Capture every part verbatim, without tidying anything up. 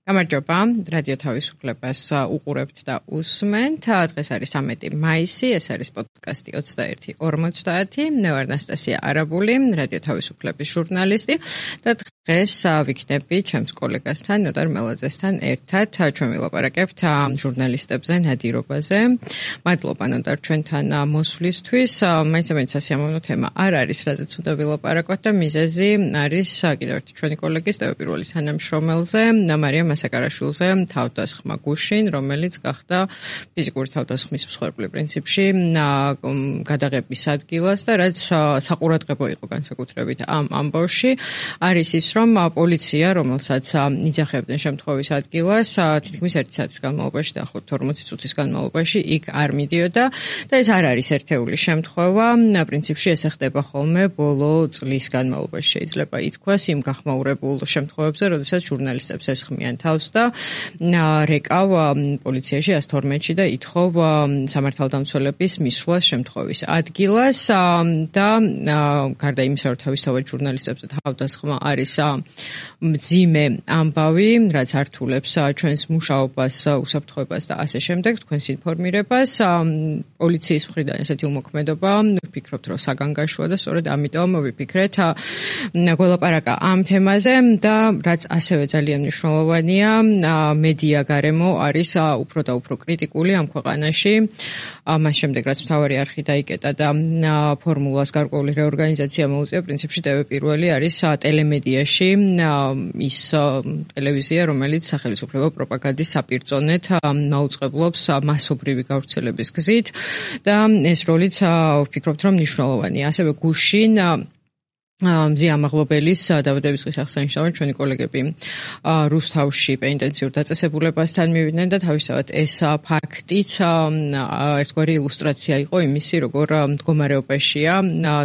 გამარჯობა, რადიო თავისუფლებას უყურებთ და usment. დღეს არის სამი მაისი, ეს არის პოდკასტი ოცდაერთი ორმოცდაათი. მე ვარ ნასტასია არაბული, რადიო თავისუფლების ჟურნალისტი და დღეს ვიქნები ჩემს კოლეგასთან, ნოდარ მელაძესთან ერთად. ჩვენ ვილაპარაკებთ ჟურნალისტებზე, ნადირობაზე. მადლობა ნოდარ ჩვენთან მოსვლისთვის. მაინც-მაინც სასიამოვნო თემა არ არის, რაზეც უნდა ვილაპარაკოთ და მიზეზი არის კიდევ ერთი ჩვენი კოლეგის ტელეპირუალის თანამშრომელზე, მარიამ მასაკარაშვილზე თავდასხმა გუშინ, რომელიც გახდა ფიზიკური თავდასხმის მსხვერპლი პრინციპში გადაღების ადგილას და რაც საყურადღებო იყო განსაკუთრებით ამ ამბავში, არის ის, რომ პოლიცია, რომელსაც იძახებდნენ შემთხვევის ადგილას, თითქმის ერთი საათის განმავლობაში და ახლობთ ორმოცი წუთის განმავლობაში იქ არ მიდიოდა და ეს არ არის ერთეული შემთხვევა. პრინციპში ეს ხდება ხოლმე ბოლო წლის განმავლობაში შეიძლება ითქვას იმ გახმაურებულ შემთხვევებზე, როდესაც ჟურნალისტებს ესხმიან თავს და რეკავ პოლიციაში ას თორმეტში და ითხოვ სამართალდამცველების მისვლას შემთხვევის ადგილას და გარდა იმისა, რომ თავისთავად ჟურნალისტებზე თავდასხმა არის მძიმე ამბავი, რაც ართულებს ჩვენს მუშაობას, უსაფრთხოებას და ასე შემდეგ, თქვენს ინფორმირებას. პოლიციის მხრიდან ესეთი უმოქმედობა, ვფიქრობთ, რომ საგანგაშოა და სწორედ ამიტომ ვიფიქრეთ გველაპარაკა ამ თემაზე და რაც ასევე ძალიან მნიშვნელოვანია, მედია გარემო არის უფრო და უფრო კრიტიკული ამ ქვეყანაში. მას შემდეგ, რაც მთავარი არხი დაიკეტა და ფორმულას გარკვეული რეორგანიზაცია მოუწია, პრინციპში ტელეპირუალი არის ტელემედიაში ის ტელევიზია, რომელიც სახელმწიფო პროპაგანდის საპირწონედ მაუწყებლობს მასობრივი გავრცელების გზით და ეს როლიც ვფიქრობთ, რომ მნიშვნელოვანია. ასევე გუშინ მზია ამაღლობელის დაბადების დღის აღსანიშნავად ჩვენი კოლეგები რუსთავში პენიტენციურ დაწესებულებასთან მივიდნენ და თავისთავად ეს ფაქტიც ერთგვარი ილუსტრაცია იყო იმისი, როგორ მდგომარეობაშია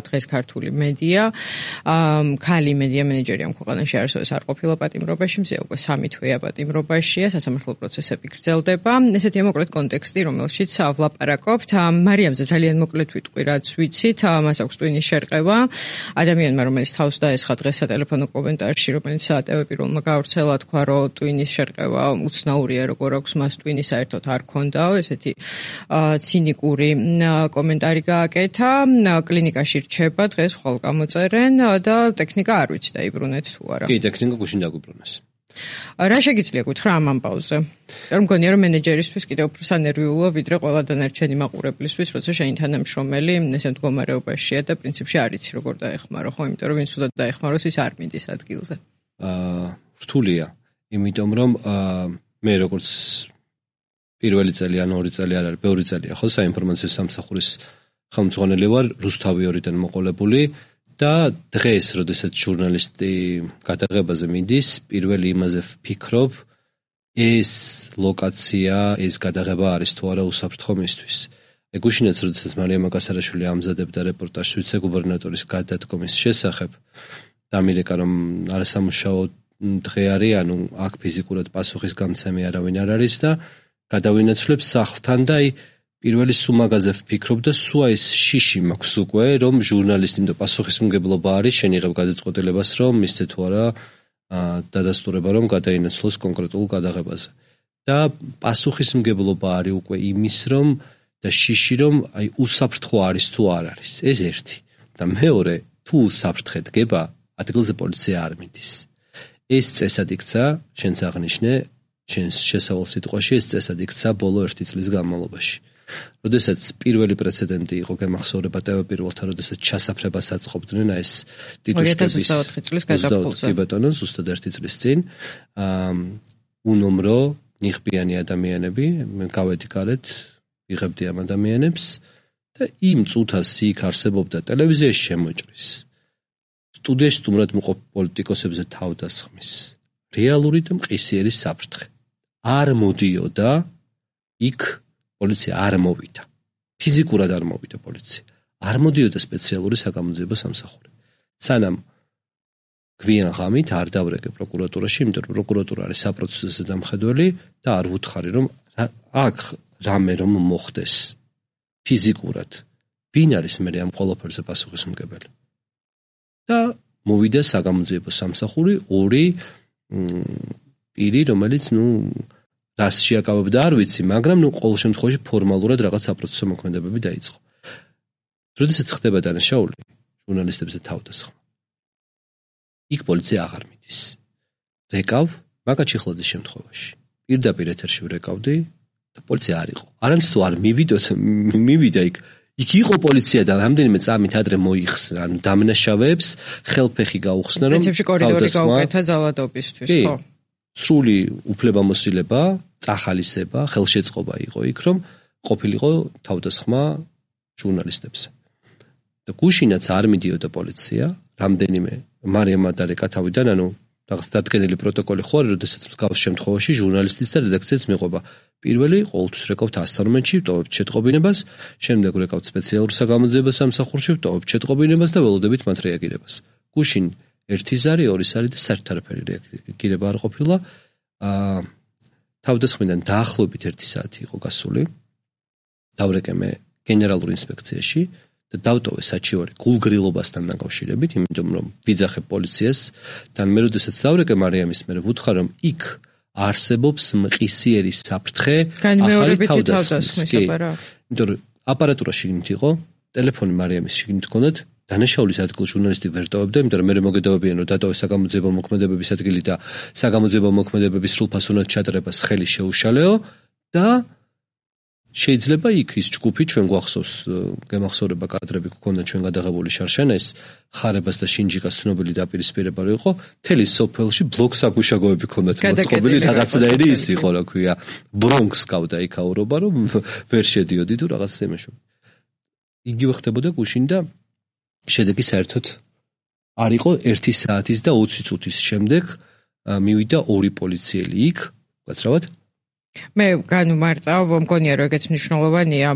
დღეს ქართული მედია. ქალი მედია მენეჯერი ამ ქვეყანაში არასოდეს არ ყოფილა პატიმრობაში, მზია უკვე სამი თვეა პატიმრობაშია, სასამართლო პროცესები გრძელდება. ესეთია მოკლედ კონტექსტი, რომელშიც ვლაპარაკობთ. მარიამზე ძალიან მოკლედ ვიტყვი, რაც ვიცით, მას აქვს ტვინის შერყევა. ადამიანმა რომელიც თავს დაესხა დღეს სატელეფონო კომენტარში, რომელიც ტელეპირუალმა გავრცელა, თქვა, რომ ტვინის შერყევა უცნაურია, როგორ აქვს მას ტვინი საერთოდ არ ქონდაო, ესეთი ცინიკური კომენტარი გააკეთა. კლინიკაში რჩება, დღეს ხვალ გამოწერენ და ტექნიკა არ ვიცი დაიბრუნეთ თუ არა. კი, ტექნიკა გუშინ დაგვიბრუნეს. რა შეგიძლია გითხრა ამ ამბავზე? რომ მგონია, რომ მენეჯერისთვის კიდევ უფრო სანერვიულო, ვიდრე ყველა დანარჩენი მაყურებლისთვის, როცა შენი თანამშრომელი ესე მდგომარეობაშია და პრინციპში არ იცი როგორ დაეხმარო, ხო, იმიტომ რომ ვინც უნდა დაეხმაროს, ის არ მიდის ადგილზე. აა, რთულია, იმიტომ რომ მე როგორც პირველი წელი ან ორი წელი არ არის, ბევრი წელია, ხო, საინფორმაციო სამსახურის ხელმძღვანელი ვარ, რუსთავი ორიდან მოყოლებული. და დღეს, როდესაც ჟურნალისტი გადაღებაზე მიდის, პირველი იმაზე ვფიქრობ, ეს ლოკაცია, ეს გადაღება არის თუ არა უსაფრთხო მისთვის. გუშინაც, როდესაც მარიამ მაკასარაშვილი ამზადებდა რეპორტაჟს ვიცე-გუბერნატორის გადადგომის შესახებ, დამირეკა, რომ არასამუშაო დღე არის, ანუ აქ ფიზიკურად პასუხის გამცემი არავინ არ არის და გადავინაცვლებ სახლთან და აი პირველი სუმაგაზე ვფიქრობ და სულ ეს შიში მაქვს უკვე, რომ ჟურნალისტი და პასუხისმგებლობა არის, შენიღებ გადაწყვეტილებას, რომ მისცე თუ არა დადასტურება, რომ გადაინაცვლოს კონკრეტულ გადაღებაზე. და პასუხისმგებლობა არის უკვე იმის, რომ და შიში, რომ აი უსაფრთხო არის თუ არ არის. ეს ერთი. და მეორე, თუ უსაფრთხე დგება, ადგილზე პოლიცია არ მიდის. ეს წესად იქცა, შენც აღნიშნე, შენს შესავალ სიტყვაში ეს წესად იქცა ბოლო ერთი წლის განმავლობაში. როდესაც პირველი პრეცედენტი იყო გემახსოვრება ტელეპირუალთან, როდესაც ჩასაფრებას აწყობდნენ ეს ტიტუშკების ორი ათას ოცდაოთხი წლის გაზაფხულზე. კი ბატონო, ზუსტად ერთი წლის წინ. აა უნომრო ნიღბიანი ადამიანები, მე გავედი გარეთ, ვიღებდი ამ ადამიანებს და იმ წუთას იქ არსებობდა ტელევიზიაში შემოჭრის. სტუდიაში სტუმრად მოყოლ პოლიტიკოსებზე თავდასხმის. რეალური და მყისიერი საფრთხე. არ მოდიოდა იქ პოლიცია არ მოვიდა. ფიზიკურად არ მოვიდა პოლიცია. არ მოდიოდა სპეციალური საგამოძიებო სამსახური. სანამ გვიან ღამით არ დავრეკე პროკურატურაში, იმიტომ რომ პროკურატურა არის საპროცესო დამხედველი და არ ვუთხარი, რომ აქ რამე რომ მოხდეს ფიზიკურად. ვინ არის მე ამ ყველაფერზე პასუხისმგებელი? და მოვიდა საგამოძიებო სამსახური ორი პირი, რომელიც ნუ რას შეაკავებდა არ ვიცი, მაგრამ ნუ ყოველ შემთხვევაში ფორმალურად რაღაც საპროცესო მოქმედებები დაიწყო. როდესაც ხდება დანაშაული ჟურნალისტებზე თავდასხმა. იქ პოლიცია აღარ მიდის. რეკავ მაგა ჩიხლაძის შემთხვევაში. პირდაპირ ეთერში ვრეკავდი და პოლიცია არ იყო. არამც თუ არ მივიდოთ, მივიდა იქ. იქ იყო პოლიცია და რამდენიმე წამით ადრე მოიხსნა, ანუ დამნაშავეებს ხელფეხი გაუხსნა, რომ პრინციპში კორიდორი გაუკეთა ძალადობისთვის, ხო? სრული უფლებამოსილება, წახალისება, ხელშეწყობა იყო იქ, რომ ყოფილიყო თავდასხმა ჟურნალისტებზე. და გუშინაც არ მიდიოდა პოლიცია, რამდენიმე მარიამ მადარეკა თავიდან, ანუ რაღაც დადგენილი პროტოკოლი ხო არის, როდესაც მსგავს შემთხვევაში ჟურნალისტის და რედაქციას მიყვება. პირველი ყოველთვის რეკავთ ასთან მომენტში, ვტოვებთ შეტყობინებას, შემდეგ რეკავთ სპეციალურ საგამოძიებო სამსახურში, ვტოვებთ შეტყობინებას და ველოდებით მათ რეაგირებას. გუშინ ერთი ზარი, ორი ზარი და საერთოდ არაფერი რეაგირება არ ყოფილა. აა თავდასხმიდან დაახლოებით ერთი საათი იყო გასული. დავრეკე მე გენერალურ ინსპექციაში და დავტოვე საჩივარი გულგრილობასთან დაკავშირებით, იმიტომ რომ ვიძახებ პოლიციას და მე როდესაც დავრეკე მარიამის მე ვუთხარ რომ იქ არსებობს მყისიერი საფრთხე ახალი თავდასხმის. იმიტომ რომ აპარატურა შიგნით იყო, ტელეფონი მარიამის შიგნით ჰქონდათ, დანაშაულის ადგილ ჟურნალისტი ვერ ტოვებდა, იმიტომ რომ მე მოგედავებიან რომ დატოვე საგამოძიებო მოქმედებების ადგილი და საგამოძიებო მოქმედებების სრულფასოვნად ჩადრებას ხელი შეუშალეო და შეიძლება იქ ის ჯგუფი ჩვენ გვახსოვს, გემახსოვრება კადრები გქონდა ჩვენ გადაღებული შარშანაის ხარებას და შინჯიკას ცნობილი დაპირისპირება რო იყო, მთელი სოფელში ბლოკ საგუშაგოები ქონდათ მოწყობილი რაღაცნაირი ის იყო, რა ქვია, ბრონქს გავდა იქ აურობა, რომ ვერ შედიოდი თუ რაღაც იმეშო. იგივე ხდებოდა გუშინ და შედეგი საერთოდ არ იყო ერთი საათის და ოცი წუთის შემდეგ მივიდა ორი პოლიციელი იქ, გაცრავად? მე განუმარტავ, მგონია რომ ეგეც მნიშვნელოვანია,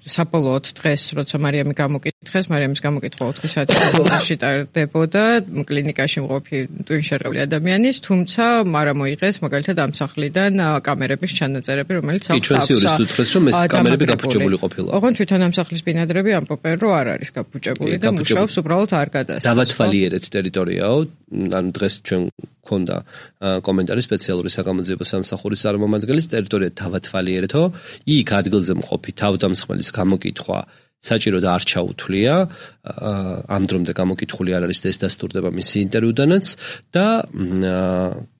საბოლოოდ დღეს, როცა მარიამი გამოკითხეს, მარიამის გამოკითხვა ოთხი საათის განმავლობაში ტარდებოდა კლინიკაში მყოფი ტვინშერეული ადამიანის, თუმცა არა მოიღეს მაგალითად ამ სახლიდან კამერების ჩანაწერები, რომელიც სახლს აქვს. ჩვენს იურისტს უთხრეს, რომ ეს კამერები გაფუჭებული ყოფილა. ოღონდ თვითონ ამ სახლის ბინადრები ამბობენ, რომ არ არის გაფუჭებული და მუშაობს უბრალოდ არ გადასცეს. დავათვალიერეთ ტერიტორიაო, ანუ დღეს ჩვენ ქონდა კომენტარი სპეციალური საგამოძიებო სამსახურის წარმომადგენლის ტერიტორია დავათვალიერეთო, იქ ადგილზე მყოფი თავდამსხმელის გამოკითხვა საჭირო და არ ჩაუთვლია, ამ დრომდე გამოკითხული არ არის და ეს დასტურდება მისი ინტერვიუდანაც და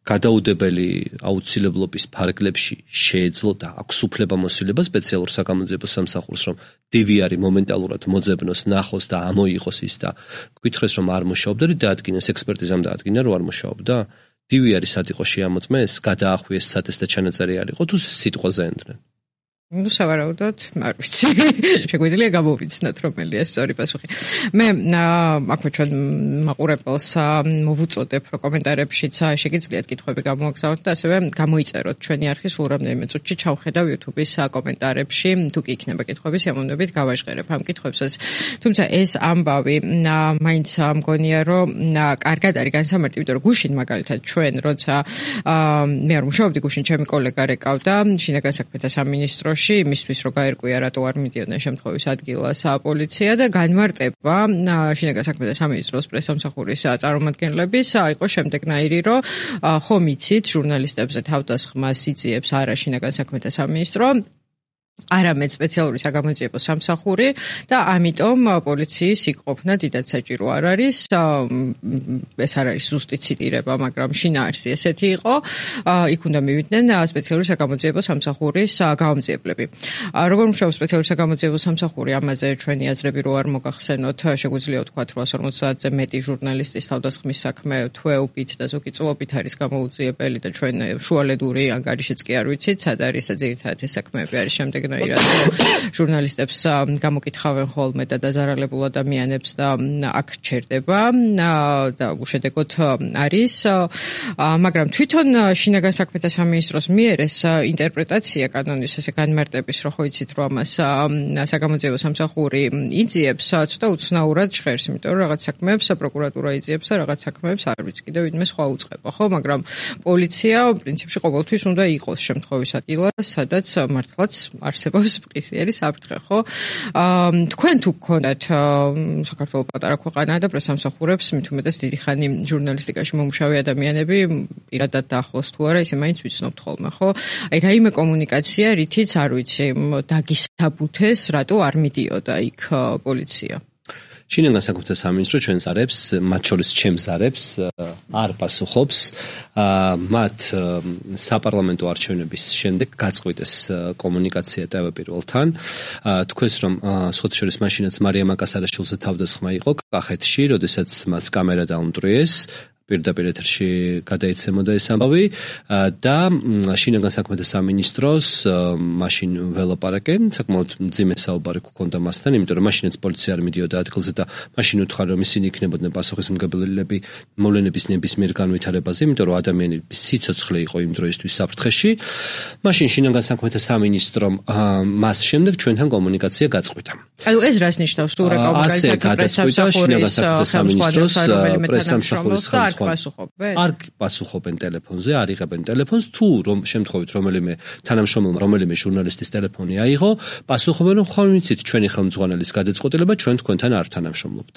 გადაუდებელი აუცილებლობის ფარგლებში შეეძლო და აქვს უფლებამოსილება სპეციალურ საგამოძიებო სამსახურს, რომ დივიარი მომენტალურად მოძებნოს, ნახოს და ამოიღოს ის და გითხრეს, რომ არ მუშაობდა, დაადგინეს ექსპერტიზამ დაადგინა, რომ არ მუშაობდა. დივიარი სად იყო შეამოწმეს, გადაახვიეს სატესტო ჩანაწერი არ იყო, თუ სიტყვაზე ენდრენ. ნუ სავარაუდოდ, არ ვიცი. შეგვიძლია გამოვიცნოთ, რომელია სწორი პასუხი. მე აქვე ჩვენ მაყურებელს მოვუწოდებ, რომ კომენტარებშიც შეგიძლიათ კითხვები გამოაგზავნოთ და ასევე გამოიწეროთ ჩვენი არხის სულ რამდენიმე წუთში ჩავხედავ YouTube-ის კომენტარებში, თუ კი იქნება კითხვები, სიამოვნებით გავაჟღერებ ამ კითხვებსაც. თუმცა ეს ამბავი მაინც მგონია, რომ კარგად არის განსამარტი, იმიტომ რომ გუშინ მაგალითად ჩვენ, როცა მე არ მუშაობდი, გუშინ ჩემი კოლეგა რეკავდა შინაგან საქმეთა სამინისტრო იმისთვის რომ გაერკვია რატო არ მიდიოდნენ შემთხვევის ადგილას პოლიცია და განმარტება შინაგან საქმეთა სამინისტროს პრესსამსახურის წარმომადგენლების იყო შემდეგნაირი, რომ ხომ იცით ჟურნალისტებზე თავდასხმას იწიებს არა შინაგან საქმეთა სამინისტრო, არამედ სპეციალური საგამოძიებო სამსახური და ამიტომ პოლიციის იქ ყოფნა დიდად საჭირო არ არის. ეს არ არის ზუსტი ციტირება, მაგრამ შინაარსი ესეთი იყო. იქ უნდა მივიდნენ სპეციალური საგამოძიებო სამსახურის გამომძიებლები. როგორ მუშაობს სპეციალური საგამოძიებო სამსახური, ამაზე ჩვენი აზრები რო არ მოგახსენოთ, შეგვიძლია ვთქვათ, რომ რვაასი ორმოცდაათზე მეტი ჟურნალისტის თავდასხმის საქმე თვეობით და ზოგი წლობით არის გამოუძიებელი და ჩვენ შუალედური ანგარიშიც კი არ ვიცით, სად არის და ძირითადად ეს საქმეები არის შემდეგ ჟურნალისტებს გამოკითხავენ ხოლმე და დაზარალებულ ადამიანებს და აქ ჩერდება და უშედეგოდ არის, მაგრამ თვითონ შინაგან საქმეთა სამინისტროს მიერ ეს ინტერპრეტაცია კანონის ესე განმარტების, რომ ხო იცით, რომ ამას საგამოძიებო სამსახური იძიებს, ცოტა უცნაურად ჟღერს, იმიტომ რომ რაღაც საქმეებს პროკურატურა იძიებს და რაღაც საქმეებს არ ვიცი, კიდევ ვინმე სხვა უწყება, ხო, მაგრამ პოლიცია პრინციპში ყოველთვის უნდა იყოს შემთხვევის ადგილას, სადაც მართლაც არსებობს მყისიერი საფრთხე, ხო? აა თქვენ თუ გქონდათ საქართველოს პატარა ქვეყანაა და პრესამსახურებს მით უმეტეს დიდი ხანი ჟურნალისტიკაში მომუშავე ადამიანები პირადად დაახლოს თუ არა, ისე მაინც ვიცნობთ ხოლმე, ხო? აი რაიმე კომუნიკაცია, რითიც არ ვიცი, დაგისაბუთეს, რატო არ მიდიოდა იქ პოლიცია? შინაგან საქმეთა სამინისტრო ჩვენს არებს, მათ შორის ჩემს არებს არ პასუხობს. მათ საპარლამენტო არჩევნების შემდეგ გაწყვიტეს კომუნიკაცია ტევ-პირველთან. თქვენს რომ სხვათა შორის მაშინაც მარიამ აკასარაშვილზე თავდასხმა იყო კახეთში, როდესაც მას კამერა დაუმტვრიეს. პირდაპირ ეთერში გადაიცემოდა ეს ამბავი და შინაგან საქმეთა სამინისტროს მაშინ ველაპარაკე, საკმაოდ მძიმე საუბარი გქონდა მასთან, იმიტომ რომ მაშინაც პოლიცია არ მიდიოდა ადგილზე და მაშინ უთხარ რომ ისინი იქნებოდნენ პასუხისმგებლები მოვლენების ნებისმიერ განვითარებაზე, იმიტომ რომ ადამიანების სიცოცხლე იყო იმ დროისთვის საფრთხეში. მაშინ შინაგან საქმეთა სამინისტრომ მას შემდეგ ჩვენთან კომუნიკაცია გაწყვიტა. ანუ ეს რას ნიშნავს, თუ რა კომუნიკაცია პრესამსახურის სამინისტროს პრესამსახურის პასუხობენ? არ პასუხობენ ტელეფონზე, არ იღებენ ტელეფონს, თუ რომ შემთხვევით რომელიმე თანამშრომელმა რომელიმე ჟურნალისტის ტელეფონი აიღო, პასუხობენ რომ ხომ ვიცით ჩვენი ხელმძღვანელის გადაწყვეტილება, ჩვენ თქვენთან არ თანამშრომლობთ.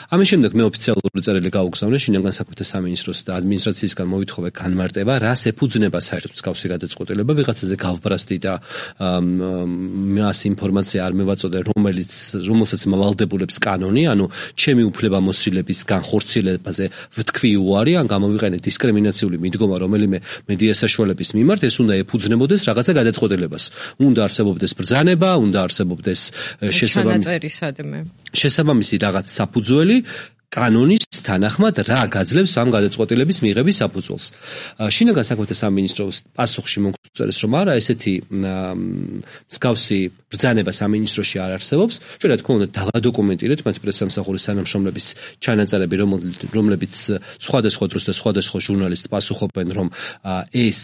ამის შემდეგ მე ოფიციალური წერილი გავუგზავნე შინაგან საქმეთა სამინისტროს და ადმინისტრაციისგან მოვითხოვე განმარტება, რას ეფუძნება საერთოდ მსგავსი გადაწყვეტილება, ვიღაცაზე გავბრასდი და მას ინფორმაცია არ მევაწოდე, რომელიც რომელსაც მავალდებულებს კანონი, ანუ ჩემი უფლებამოსილების განხორციელებაზე ვთქვი უარი, ან გამოვიყენე დისკრიმინაციული მიდგომა რომელიმე მედია საშუალების მიმართ, ეს უნდა ეფუძნებოდეს რაღაცა გადაწყვეტილებას. უნდა არსებობდეს ბრძანება, უნდა არსებობდეს შესაბამისი რაღაც საფუძველი, კანონის თანახმად რა გაძლევს ამ გადაწყვეტილების მიღების საფუძველს. შინაგან საქმეთა სამინისტროს პასუხში მოგწერეს რომ არა, ესეთი მსგავსი ბრძანება სამინისტროში არ არსებობს. ჩვენ რა თქმა უნდა დავადოკუმენტირეთ მათ პრესამსახურის თანამშრომლების ჩანაწერები, რომლებიც სხვადასხვა დროს და სხვადასხვა ჟურნალისტს პასუხობენ, რომ ეს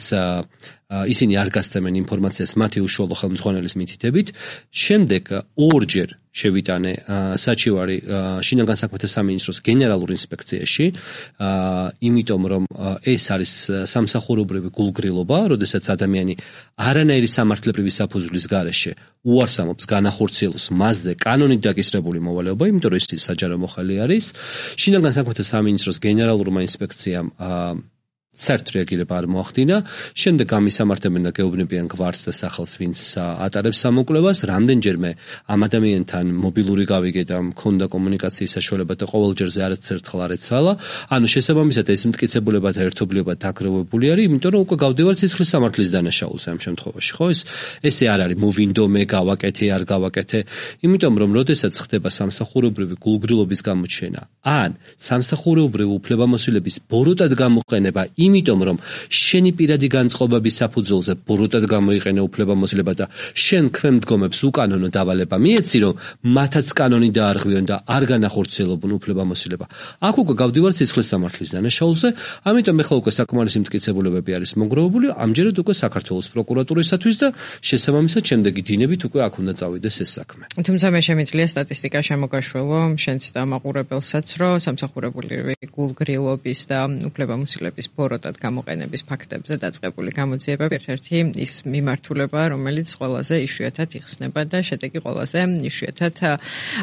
ისინი არ გასცემენ ინფორმაციას მათი უშუალო ხელმძღვანელის მითითებით. შემდეგ ორჯერ შევიტანე საჩივარი შინაგან საქმეთა სამინისტროს გენერალურ ინსპექციაში, იმიტომ რომ ეს არის სამსახურებრივი გულგრილობა, როდესაც ადამიანი არანაირი სამართლებრივი საფუძვლის გარეშე უარსამობს განახორციელოს მასზე კანონით დაკისრებული მოვალეობა, იმიტომ რომ ის საჯარო მოხელი არის. შინაგან საქმეთა სამინისტროს გენერალურმა ინსპექციამ საერთოდ რეაგირება არ მოახდინა. შემდეგ გამისამართებენ და გეუბნებიან გვარს და სახელს, ვინც ატარებს სამოკვლევას. რამდენჯერმე ამ ადამიანთან მობილური გავიგე და მქონდა კომუნიკაციის საშუალება და ყოველჯერზე არც ერთხელ არ ეცვალა. ანუ შესაბამისად ეს მტკიცებულება და ერთობლივობა დაგროვებული არის, იმიტომ რომ უკვე გავდივარ სისხლის სამართლის დანაშაულზე ამ შემთხვევაში, ხო? ეს ესე არ არის მოვინდომე, გავაკეთე, არ გავაკეთე, იმიტომ რომ როდესაც ხდება სამსახურებრივი გულგრილობის გამოჩენა, ან სამსახურებრივი უფლებამოსილების ბოროტად გამოყენება, იმიტომ რომ შენი პირადი განწყობების საფუძველზე ბოროტად გამოიყენე უფლებამოსილება და შენ ქვემდგომებს უკანონო დავალება მიეცი, რომ მათაც კანონი დაარღვიონ და არ განახორციელებონ უფლებამოსილება. აქ უკვე გავდივართ სისხლის სამართლის დანაშაულზე, ამიტომ ეხლა უკვე საკმარისი მტკიცებულებები არის მონგროვებული, ამჯერად უკვე საქართველოს პროკურატურისათვის და შესაბამისად შემდეგი დინებით უკვე აქ უნდა წავიდეს ეს საქმე. თუმცა მე შემიძლია სტატისტიკა შემოგაშველო, შენც და მაყურებელსაც, რომ სამსახურებრივი გულგრილობის და უფლებამოსილების ბოროტად გამოყენების ფაქტებზე დაწყებული გამოძიებები ერთ-ერთი ის მიმართულებაა, რომელიც ყველაზე იშვიათად იხსნება და შედეგი ყველაზე იშვიათად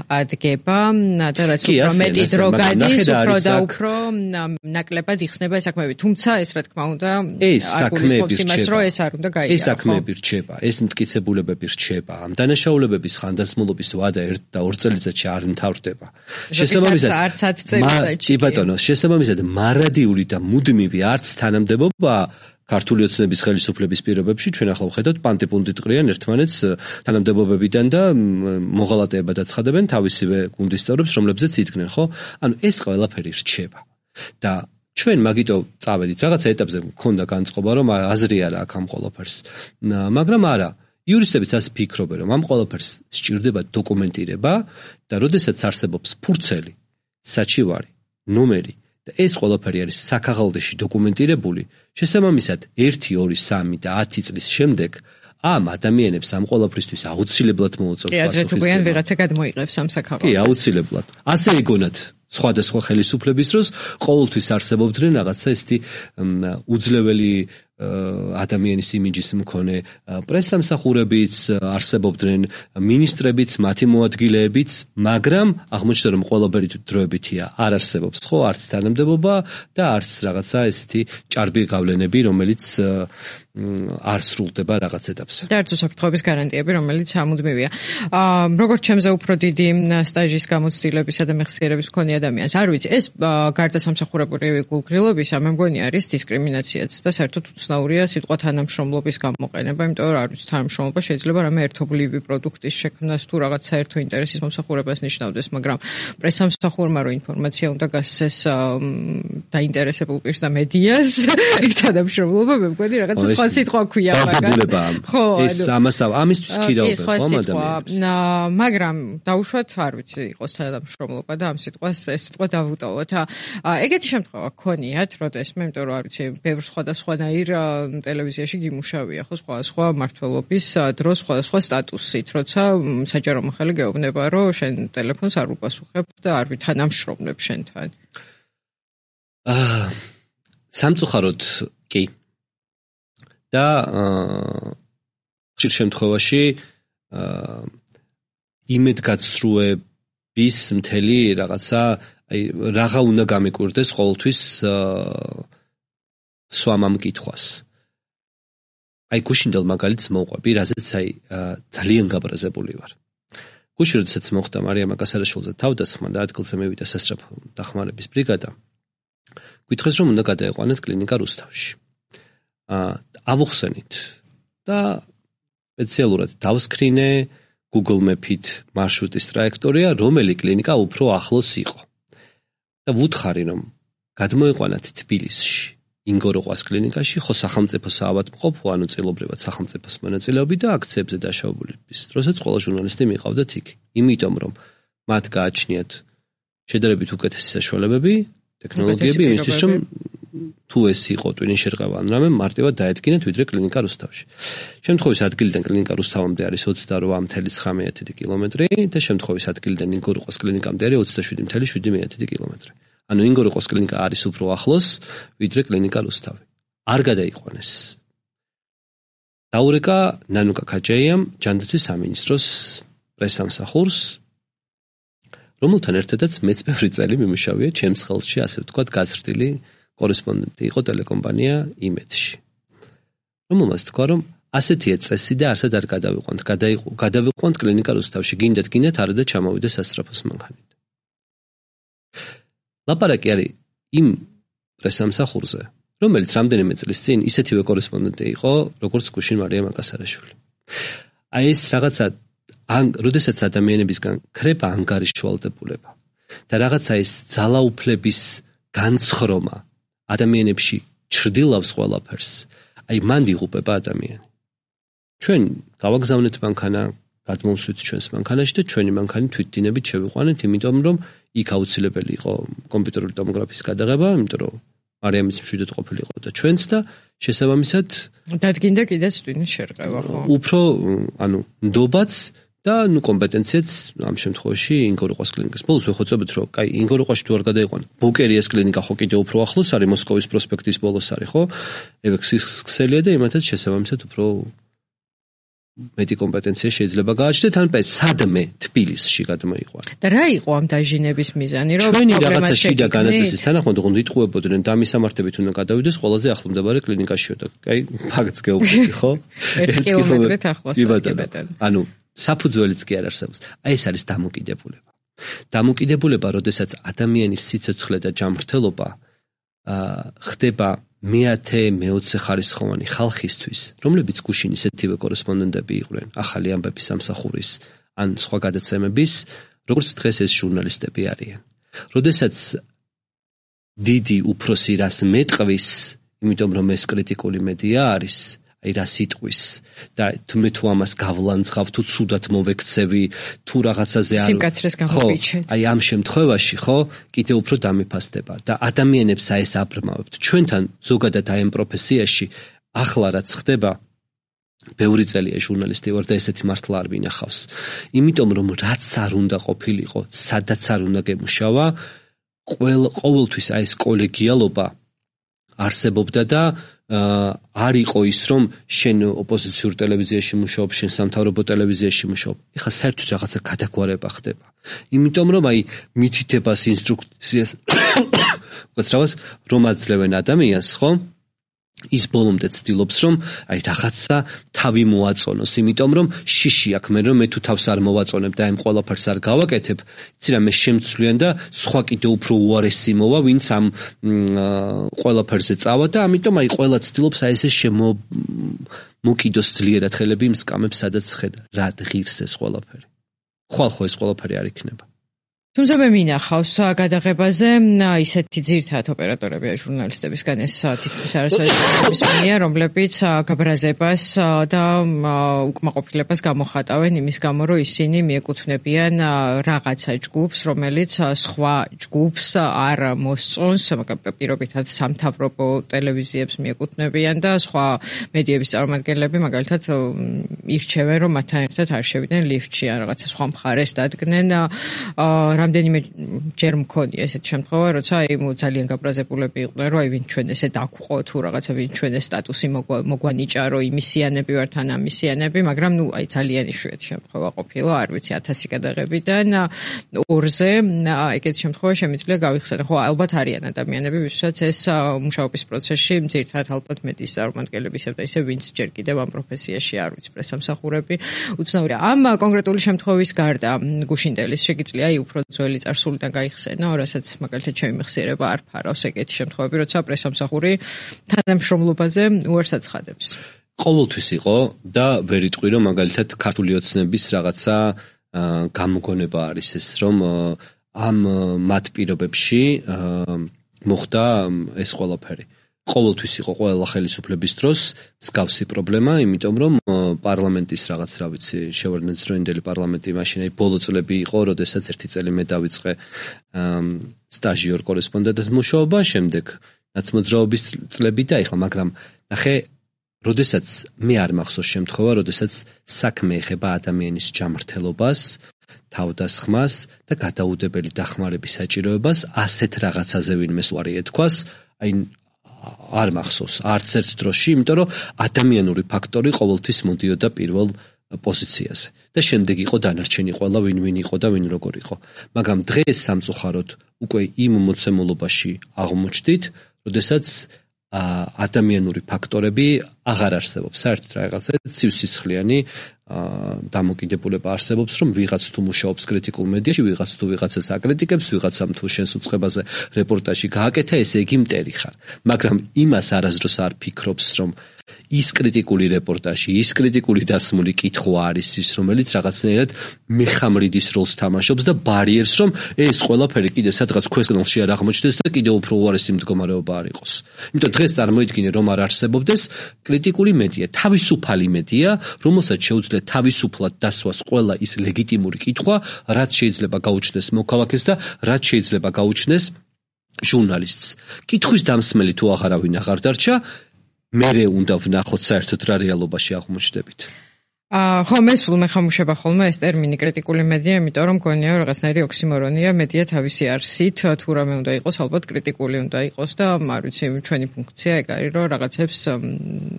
დგება და რაც უფრო მეტი დრო გადის, უფრო და უფრო ნაკლებად იხსნება ეს საქმეები. თუმცა ეს რა თქმა უნდა არ გულისხმობს იმას, რომ ეს არ უნდა გაიარო. ეს საქმეები რჩება, ეს მტკიცებულებები რჩება. ამ დანაშაულებების ხანდაზმულობის ვადა ერთ და ორ წელიწადში არ მთავრდება. შესაბამისად არც ათ წელიწადში. კი ბატონო, შესაბამისად მარადიული და მუდმივი არც თანამდებობა ქართული ოცნების ხელისუფლების პირობებში ჩვენ ახლა ვხედავთ პანტიპუნტით ყრიან ერთმანეთს თანამდებობებიდან და მოღალატეებად აცხადებენ თავისივე გუნდის წევრებს, რომლებზეც იდგნენ, ხო? ანუ ეს ყველაფერი რჩება. და ჩვენ მაგიტო წავედით, რაღაცა ეტაპზე მქონდა განწყობა, რომ აზრი არა აქ ამ ყველაფერს. მაგრამ არა, იურისტებიც ასე ფიქრობენ, რომ ამ ყველაფერს სჭირდება დოკუმენტირება და როდესაც არსებობს ფურცელი, საჩივარი, ნომერი და ეს ყველაფერი არის საქაღალდეში დოკუმენტირებული, შესაბამისად ერთი, ორი, სამი და ათი წლის შემდეგ ამ ადამიანებს ამ ყველაფრისთვის აუცილებლად მოუწევს პასუხისმგებლობა. კი, ადრე თუ გვიან ვიღაცა გადმოიღებს ამ საქაღალდეს. კი, აუცილებლად. ასე ეგონათ სხვადასხვა ხელისუფლების დროს ყოველთვის არსებობდნენ რაღაცა ესეთი უძლეველი ადამიანის იმიჯის მქონე პრესსამსახურებიც არსებობდნენ, მინისტრებიც, მათი მოადგილეებიც, მაგრამ აღმოჩნდა რომ ყველაფერი დროებითია, არ არსებობს ხო, არც თანამდებობა და არც რაღაცა ესეთი ჭარბი გავლენები, რომელიც არ სრულდება რაღაც ეტაპზე. და არც უსაფრთხოების გარანტიები, რომელიც ამუდმივია. როგორც ჩემზე უფრო დიდი სტაჟის გამოცდილებისა და მეხსიერების მქონე ადამიანს, არ ვიცი, ეს გარდა სამსახურებრივი გულგრილობისა, მე მგონი არის დისკრიმინაციაც და საერთოდ უცნაურია სიტყვა თანამშრომლობის გამოყენება, იმიტომ რომ არ ვიცი, თანამშრომლობა შეიძლება რამე ერთობლივი პროდუქტის შექმნას თუ რაღაც საერთო ინტერესის მომსახურებას ნიშნავდეს, მაგრამ პრესსამსახურმა რო ინფორმაცია უნდა გასცეს დაინტერესებულ პირს და მედიას, თანამშრომლობა მე მგონი რაღაცა სხვა სიტყვა ქვია მაგას. ხო, ეს ამას ამისთვის ქირავენ ხომ ადამიანებს. მაგრამ დაუშვათ, არ ვიცი, იყოს თანამშრომლობა და ამ სიტყვას ეს სიტყვა დავუტოვოთ. ეგეთი შემთხვევა გქონიათ, როდესმე, იმიტომ რომ არ ვიცი, ბევრ სხვადასხვანაირ ტელევიზიაში გიმუშავია, ხო, სხვა სხვა მართლობის დროს სხვადასხვა სტატუსით, როცა საჯარო მოხელე გეუბნება, რომ შენ ტელეფონს არ უპასუხებ და არ ვითანამშრომლებ შენთან. აა სამწუხაროდ კი. და ხშირ შემთხვევაში იმედგაცრუების მთელი რაღაცა, აი რაღა უნდა გამიკვირდეს ყოველთვის სვამ ამ კითხვას. აი გუშინდელ მაგალითს მოვყვები, რაზეც აი ძალიან გაბრაზებული ვარ. გუში როდესაც მოხდა მარიამ აკასარაშვილზე თავდასხმა და ადგილზე მევიდა სასწრაფო დახმარების ბრიგადა, გითხრეს რომ უნდა გადაეყვანეთ კლინიკა რუსთავში. ავუხსენით და სპეციალურად დავსკრინე Google Map-ით მარშრუტის ტრაექტორია, რომელი კლინიკა უფრო ახლოს იყო. და ვუთხარი რომ გადმოეყვანათ თბილისში, ინგოროყვას კლინიკაში, ხო სახელმწიფო საავადმყოფო, ანუ წილობრივად სახელმწიფოს მონაწილეობით და აქციებზე დაშავების დროსაც ყველა ჟურნალისტი მიყავდათ იქ. იმიტომ რომ მათ გააჩნიათ შედარებით უკეთესი საშუალებები, ტექნოლოგიები იმისთვის რომ თუ ეს იყო ტვინის შერყევა ან რამე მარტივად დაედგინათ ვიდრე კლინიკა რუსთავში. შემთხვევის ადგილიდან კლინიკა რუსთავამდე არის ოცდაორ ათი ცხრამეტი კილომეტრი და შემთხვევის ადგილიდან ინგოროყვას კლინიკამდე არის ოცდაშვიდი შვიდ კილომეტრი. ანუ ინგოროყვას კლინიკა არის უფრო ახლოს ვიდრე კლინიკა რუსთავი. არ გადაიყვანეს. დაურეკა ნანუკა ქაჯაიამ ჯანდაცვის სამინისტროს პრესსამსახურს, რომელთან ერთადაც მეც ბევრი წელი მიმუშავია ჩემს ხელში, ასე ვთქვათ, გაზრდილი კორესპონდენტი იყო ტელეკომპანია იმედში. რომელმაც თქვა, რომ ასეთია წესი და არსად არ გადავიყვანთ, გადავიყვანთ კლინიკა რუსთავში, გინდათ, გინდათ, არა და ჩამოვიდე სასწრაფოს მანქანით. ლაპარაკი არის იმ პრესსამსახურზე, რომელიც რამდენიმე წლის წინ ისეთივე კორესპონდენტი იყო, როგორც გუშინ მარიამ აკასარაშვილი. აი ეს რაღაცა, როდესაც ადამიანებისგან ქრება ანგარიშვალდებულება და რაღაცა ეს ძალაუფლების განცხრომა ადამიანებში ჩრდილავს ყველაფერს, აი მან იღუპება ადამიანი. ჩვენ გავაგზავნეთ მანქანა, გადმოვსვით ჩვენს მანქანაში და ჩვენი მანქანი თვითდინებით შევიყვანეთ, იმიტომ რომ იქ აუცილებელი იყო კომპიუტერული ტომოგრაფიის გადაღება, იმიტომ რომ მარიამის მშვიდად ყოფილიყო და ჩვენც და შესაბამისად დადგინდა კიდეც ტვინის შერყევა, ხო? უფრო, ანუ ნდობაც და ნუ კომპეტენციაც ამ შემთხვევაში ინგოროყვას კლინიკას. ბოლოს ვეხოცებით, რომ კაი, ინგოროყვაში თუ არ გადაიყვანა, ბუკერიას კლინიკა ხო კიდე უფრო ახლოს არის, მოსკოვის პროსპექტის ბოლოს არის, ხო? ევექსის ქსელია და იმათაც შესაბამისად უფრო მეტი კომპეტენცია შეიძლება გააჩნდეთ, ან პე სადმე თბილისში გადმოიყვანა. და რა იყო ამ დაჟინების მიზანი, რომ ჩვენი რაღაცა შიდა განაწესის თანახმად ოღონდ იტყუებოდნენ და მისამართებით უნდა გადავიდეს ყველაზე ახლომდებარე კლინიკაშიო და კაი, ფაქტს გეუბნები, ხო? ერთი კილომეტრით ახლოს. ანუ საფუძველიც კი არ არსებობს. აი ეს არის დამოკიდებულება. დამოკიდებულება, როდესაც ადამიანის სიცოცხლე და ჯანმრთელობა ხდება მეათე, მეოცე ხარისხოვანი ხალხისთვის, რომლებიც გუშინ ისეთივე კორესპონდენტები იყვნენ, ახალი ამბების სამსახურის ან სხვა გადაცემების, როგორც დღეს ეს ჟურნალისტები არიან. როდესაც დიდი უფროსი რას მეტყვის, იმიტომ რომ ეს კრიტიკული მედია არის, აი რა სიტყვის და მე თუ ამას გავლანძღავ, თუ ცუდად მოვექცევი, თუ რაღაცაზე არ სიმკაცრეს გამოვიჩენ. აი ამ შემთხვევაში, ხო, კიდე უფრო დამიფასდება და ადამიანებს აეს აბრმავებთ. ჩვენთან ზოგადად აი ამ პროფესიაში ახლა რაც ხდება, ბევრი წელია ჟურნალისტი ვარ და ესეთი მართლა არ ვინახავს. იმიტომ რომ რაც არ უნდა ყოფილიყო, სადაც არ უნდა გემუშავა, ყოველ ყოველთვის აი ეს კოლეგიალობა არსებობდა და არ იყო ის რომ შენ ოპოზიციურ ტელევიზიაში მუშაობ, შენ სამთავრობო ტელევიზიაში მუშაობ. ეხლა საერთოდ რაღაცა გადაგვარება ხდება. იმიტომ რომ აი მითითებას, ინსტრუქციას უკაცრავად რომ აძლევენ ადამიანს, ხო? ის ბოლომდე ცდილობს რომ აი რაღაცა თავი მოაწონოს, იმიტომ რომ შიში აქვს მე რომ მე თუ თავს არ მოვაწონებ და ამ ყველაფერს არ გავაკეთებ, იცი რა მე შემცვლიან და სხვა კიდე უფრო უარესი მოვა, ვინც ამ ყველაფერზე წავა და ამიტომ აი ყველა ცდილობს აი ესე შემო მოკიდოსძლიერად ხელები იმ სკამებს, სადაც ხედა რა ღირს ეს ყველაფერი. ხვალ ხო ეს ყველაფერი არ იქნება. თუმცა მე მინახავს გადაღებაზე ისეთი ძირითადად ოპერატორები და ჟურნალისტებისგან ეს თითქმის არასოდეს მენია, რომლებიც გაბრაზებას და უკმაყოფილებას გამოხატავენ იმის გამო, რომ ისინი მიეკუთვნებიან რაღაცა ჯგუფს, რომელიც სხვა ჯგუფს არ მოსწონს, პირობითად სამთავრობო ტელევიზიებს მიეკუთვნებიან და სხვა მედიების წარმომადგენლები მაგალითად ირჩევენ, რომ მათთან ერთად არ შევიდნენ ლიფტში, ან რაღაცა სხვა მხარეს დადგნენ. რამდენიმე ჯერ მქონია ესეთი შემთხვევა, როცა აი ძალიან გაბრაზებულები იყვნენ, რომ აი ვინ ჩვენ ესე დაგвყო თუ რაღაცა ვინ ჩვენ ეს სტატუსი მოგვანიჭა, რომ იმისიანები ვართ ან ამისიანები, მაგრამ ნუ აი ძალიან იშვიათი შემთხვევა ყოფილა, არ ვიცი ათასი გადაღებიდან ორზე ეგეთი შემთხვევა შემიძლია გავიხსენო. ხო, ალბათ არიან ადამიანები, ვისაც ეს მუშაობის პროცესში ძირითადად ალბათ მედიის წარმომადგენლები ისევ და ისევ ვინც ჯერ კიდევ ამ პროფესიაში არ ვიცი, პრესამსახურები უცნაურია. ამ კონკრეტული შემთხვევის გარდა გუშინდელის შეგიძლია აი უფრო ძველი წარსულიდან გაიხსენო, რასაც მაგალითად ჩემი მეხსიერება არ ფარავს ეგეთი შემთხვევები, როცა პრესამსახური თანამშრომლობაზე უარს აცხადებს. ყოველთვის იყო და ვერ იტყვი რომ მაგალითად ქართული ოცნების რაღაცა გამოგონება არის ეს, რომ ამ მათ პირობებში მოხდა ეს ყველაფერი. ყოველთვის იყო ყველა ხელისუფლების დროს მსგავსი პრობლემა, იმიტომ რომ პარლამენტის რაღაც რა ვიცი, შევარდნაძროინდელი პარლამენტი მაშინ აი ბოლო წლები იყო, როდესაც ერთი წელი მე დავიწყე სტაჟიორ კორესპონდენტად მუშაობა, შემდეგ ნაცმოძრაობის წლები და ეხლა, მაგრამ ნახე, როდესაც მე არ მახსოვს შემთხვევა, როდესაც საქმე ეხება ადამიანის ჯანმრთელობას, თავდასხმას და გადაუდებელი დახმარების საჭიროებას ასეთ რაღაცაზე ვინმე უარი ეთქვას, აი არ მახსოვს არც ერთ დროში, იმიტომ რომ ადამიანური ფაქტორი ყოველთვის მოდიოდა პირველ პოზიციაზე და შემდეგ იყო დანარჩენი ყველა ვინ ვინ იყო და ვინ როგორ იყო. მაგრამ დღეს სამწუხაროდ უკვე იმ მოცემულობაში აღმოჩნდით, როდესაც ადამიანური ფაქტორები აღარ არსებობს. საერთოდ რაღაცა ცივსისხლიანი დამოკიდებულება არსებობს, რომ ვიღაც თუ მუშაობს კრიტიკულ მედიაში, ვიღაც თუ ვიღაცას აკრიტიკებს, ვიღაცამ თუ შენს უწყებაზე რეპორტაჟი გააკეთა, ესე იგი მტერი ხარ. მაგრამ იმას არასდროს არ ფიქრობს, რომ ის კრიტიკული რეპორტაჟი, ის კრიტიკული დასმული კითხვა არის ის, რომელიც რაღაცნაირად მეხამრიდის როლს თამაშობს და ბარიერს, რომ ეს ყველაფერი კიდე სადღაც ქვესკნელში არ აღმოჩნდეს და კიდე უფრო უარესი მდგომარეობა არ იყოს. იმიტომ დღეს წარმოიდგინე, რომ არ არსებობდეს კრიტიკული მედია, თავისუფალი მედია, რომელსაც შეუძლია თავისუფლად დასვას ყველა ის ლეგიტიმური კითხვა, რაც შეიძლება გაუჩნდეს მოქალაქეს და რაც შეიძლება გაუჩნდეს ჟურნალისტს. კითხვის დამსმელი თუ აღარავინ აღარ დარჩა, მერე უნდა ვნახოთ საერთოდ რა რეალობაში აღმოჩნდებით. აა ხო, მე სულ მეხამუშება ხოლმე ეს ტერმინი კრიტიკული მედია, იმიტომ რომ გონია რომ რაღაცნაირი ოქსიმორონია, მედია თავისი არსით თუ რამე უნდა იყოს, ალბათ კრიტიკული უნდა იყოს და არ ვიცი, ჩვენი ფუნქცია ეგ არის, რომ რაღაცებს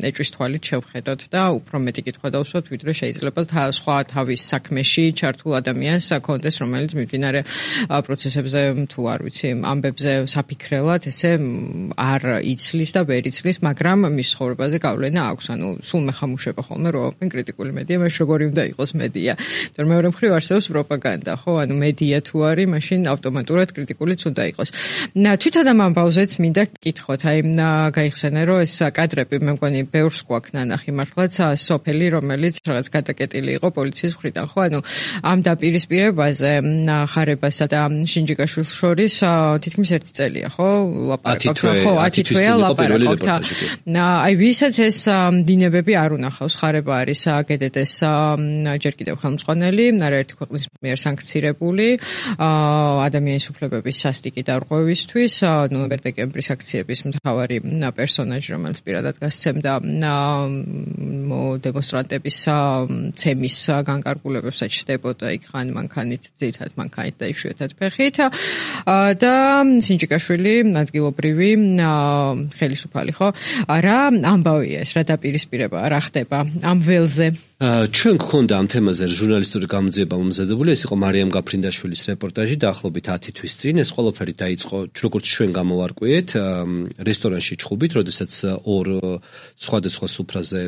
ეჭვის თვალით შევხედოთ და უფრო მეტი კითხვა დავსვათ, ვიდრე შეიძლება სხვა თავის საქმეში ჩართულ ადამიანს აქონდეს, რომელიც მიმდინარე პროცესებზე თუ არ ვიცი, ამბებზე საფიქრელად ესე არ იცლის და ვერ იცლის, მაგრამ მის ცხოვრებაზე გავლენა აქვს. ანუ სულ მეხამუშება ხოლმე რომ კრიტიკული მედია, მას როგორი უნდა იყოს მედია. თორემ მეორე მხრივ არსებობს პროპაგანდა, ხო? ანუ მედია თუ არის, მაშინ ავტომატურად კრიტიკულიც უნდა იყოს. თვითონ ამ ამბავზეც მინდა გკითხოთ, აი გაიხსენე, რომ ეს კადრები მე მგონი ბევრს გვაქვს ნანახი მართლაც სოფელი, რომელიც რაღაც გადაკეტილი იყო პოლიციის მხრიდან, ხო? ანუ ამ დაპირისპირებაზე ხარებასა და შინჯიკაშვილს შორის თითქმის ერთი წელია, ხო? ლაპარაკობთ, ხო, ათი თვეა ლაპარაკობთ. აი ვისაც ეს დინებები არ უნახავს, ხარება არის გედე გადადედეს ჯერ კიდევ ხელმძღვანელი არაერთი ქვეყნის მიერ სანქცირებული ადამიანის უფლებების სასტიკი დარღვევისთვის ნოემბერ-დეკემბრის აქციების მთავარი პერსონაჟი, რომელიც პირადად გასცემდა დემონსტრანტების ცემის განკარგულებებსაც ჩდებოდა იქ ხან მანქანით, ძირითადად მანქანით და იშვიათად ფეხით და სინჯიკაშვილი ადგილობრივი ხელისუფალი ხო რა ამბავია ეს რა დაპირისპირება რა ხდება ამ ველზე ჩვენ გქონდა ამ თემაზე ჟურნალისტური გამოძიება მომზადებული ეს იყო მარიამ გაფრინდაშვილის რეპორტაჟი დაახლოებით ათი თვის წინ ეს ყველაფერი დაიწყო როგორც ჩვენ გამოვარკვიეთ რესტორანში ჩხუბით როდესაც ორ სხვადასხვა სუფრაზე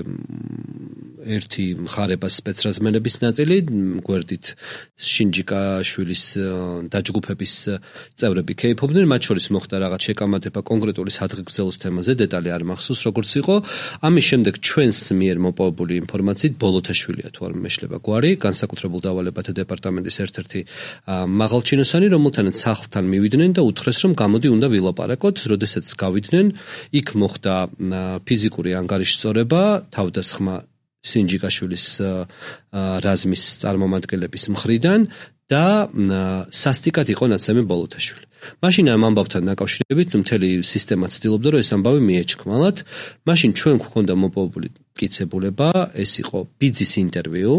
ერთი მხარებას სპეცრაზმენების ნაწილი გვერდით სინჯიკაშვილის დაჯგუფების წევრები ქეიფობდნენ მათ შორის მოხდა რაღაც შეკამათება კონკრეტული სადღეგრძელოს თემაზე დეტალი არ მახსოვს როგორც იყო ამის შემდეგ ჩვენს მიერ მოპოვებული ინფორმაციით ბოლოთაშვილია თუ არ მეშლება გვარი განსაკუთრებულ დავალებათა დეპარტამენტის ერთ-ერთი მაღალჩინოსანი რომელთანაც სახლთან მივიდნენ და უთხრეს რომ გამოდი უნდა ვილაპარაკოთ როდესაც გავიდნენ იქ მოხდა ფიზიკური ანგარიშწორება თავდასხმა სინჯიკაშვილის რაზმის წარმომადგენლების მხრიდან და სასტიკად იყო ნაცემი ბოლოთაშვილი. მაშინ ამ ამბავთან დაკავშირებით მთელი სისტემა ცდილობდა რომ ეს ამბავი მიეჩქმალათ. მაშინ ჩვენ გვქონდა მოპოვებული მტკიცებულება, ეს იყო ბიძის ინტერვიუ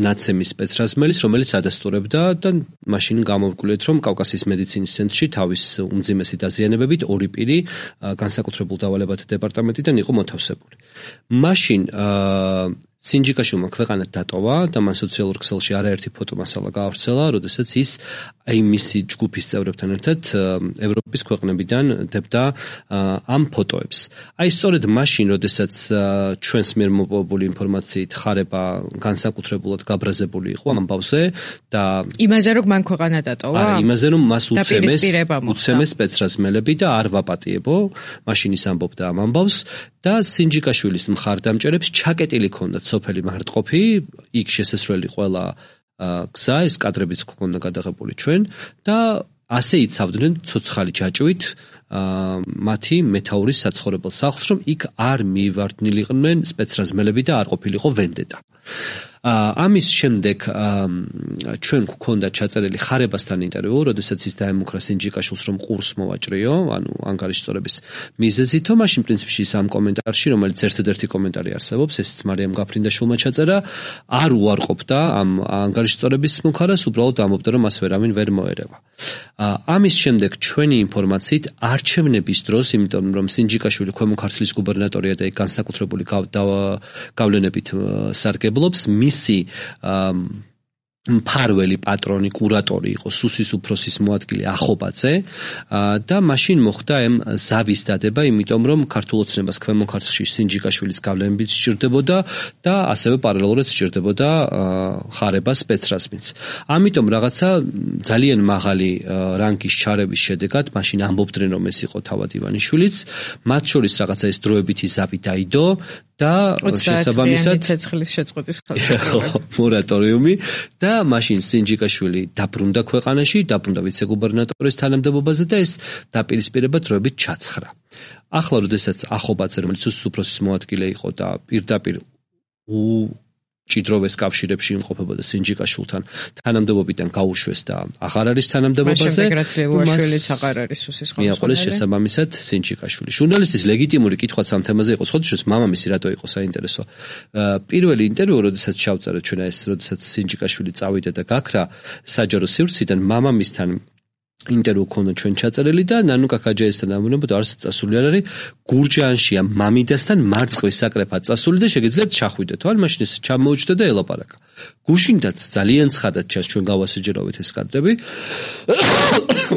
ნაცემის სპეცრაზმელის, რომელიც ადასტურებდა და მაშინ გამოვკვლიეთ, რომ კავკასიის მედიცინის ცენტრში თავის უმძიმესი დაზიანებებით ორი პირი განსაკუთრებულ დავალებათა დეპარტამენტიდან იყო მოთავსებული. მაშინ სინჯიკაშვილმა ქვეყანა დატოვა და მან სოციალურ ქსელში არაერთი ფოტომასალა გაავრცელა, როდესაც ის აი მისი ჯგუფის წევრებთან ერთად ევროპის ქვეყნებიდან დებდა ამ ფოტოებს. აი სწორედ მაშინ, როდესაც ჩვენს მიერ მოპოვებული ინფორმაციით ხარება განსაკუთრებულად გაბრაზებული იყო ამბავზე და იმაზე რომ მან ქვეყანა დატოვა? არა, იმაზე რომ მას უცემეს უცემეს სპეცრაზმელები და არ ვაპატიებო, მაშინ ის ამბობდა ამ ამბავს და სინჯიკაშვილის მხარდამჭერებს ჩაკეტილი ჰქონდათ სოფელი მარტყოფი, იქ შესასვლელი ყველა გზა, ეს კადრებიც ჰქონდა გადაღებული ჩვენ და ასე იცავდნენ ცოცხალი ჯაჭვით მათი მეთაურის საცხოვრებელ სახლს, რომ იქ არ მივარდნილიყვნენ სპეცრაზმელები და არ ყოფილიყო ვენდეტა. ამის შემდეგ ჩვენ გვქონდა ჩაწერილი ხარებასთან ინტერვიუ, როდესაც ის დაემუქრა სინჯიკაშვილს, რომ ყურს მოვაჭრიო, ანუ ანგარიშწორების მიზეზით, მაშინ პრინციპში ის ამ კომენტარში, რომელიც ერთადერთი კომენტარი არსებობს, ეს მარიამ გაფრინდაშვილმა ჩაწერა, არ უარყოფდა ამ ანგარიშწორების მუქარას, უბრალოდ ამბობდა, რომ მას ვერავინ ვერ მოერევა. ამის შემდეგ ჩვენი ინფორმაციით არჩევნების დროს, იმიტომ რომ სინჯიკაშვილი ქვემო ქართლის გუბერნატორია და იქ განსაკუთრებული გავლენებით სარგებლობს, მისი მფარველი პატრონი, კურატორი იყო სუსის უფროსის მოადგილე ახობაძე და მაშინ მოხდა ამ ზავის დადება, იმიტომ რომ ქართულ ოცნებას ქვემო ქართლში სინჯიკაშვილის გავლენებით სჭირდებოდა და ასევე პარალელურად სჭირდებოდა ხარება სპეცრაზმიც. ამიტომ რაღაცა ძალიან მაღალი რანგის ჩარევის შედეგად მაშინ ამბობდნენ რომ ეს იყო თავად ივანიშვილიც, მათ შორის რაღაცა ეს დროებითი ზავი დაიდო და შესაბამისად ცეცხლის შეწყვეტის ხელისუფლება მორატორიუმი და მაშინ სინჯიკაშვილი დაბრუნდა ქვეყანაში, დაბრუნდა ვიცე-გუბერნატორის თანამდებობაზე და ეს დაპირისპირება დროებით ჩაცხრა. ახლა როდესაც ახობაძე, რომელიც სუსის უფროსის მოადგილე იყო და პირდაპირ ჭიდროვეს კავშირებში იმყოფებოდა სინჯიკაშვილთან, თანამდებობიდან გაუშვეს და აღარ არის თანამდებობაზე. მაშინ აღარ არის სუსის ხელმძღვანელი. მიაყოლეს შესაბამისად სინჯიკაშვილი. ჟურნალისტის ლეგიტიმური კითხვაც ამ თემაზე იყო, ხოდშეს მამამისი რატო იყო საინტერესო. პირველი ინტერვიუ, როდესაც ჩავწერეთ ჩვენ ეს, როდესაც სინჯიკაშვილი წავიდა და გაქრა საჯარო სივრციდან მამამისთან ინტერვიუ ქონდა ჩვენ ჩაწერილი და ნანუკა ქაჯაიასთან ამბობოდა არც წასული არ არის გურჯაანშია მამიდასთან მარწყვის საკრეფად წასული და შეგიძლიათ ჩახვიდეთ. ან მაშინ ეს ჩამოუჩდა და ელაპარაკა. გუშინდაც ძალიან ცხადად ჩანს ჩვენ გავასაჯერავეთ ეს კადრები.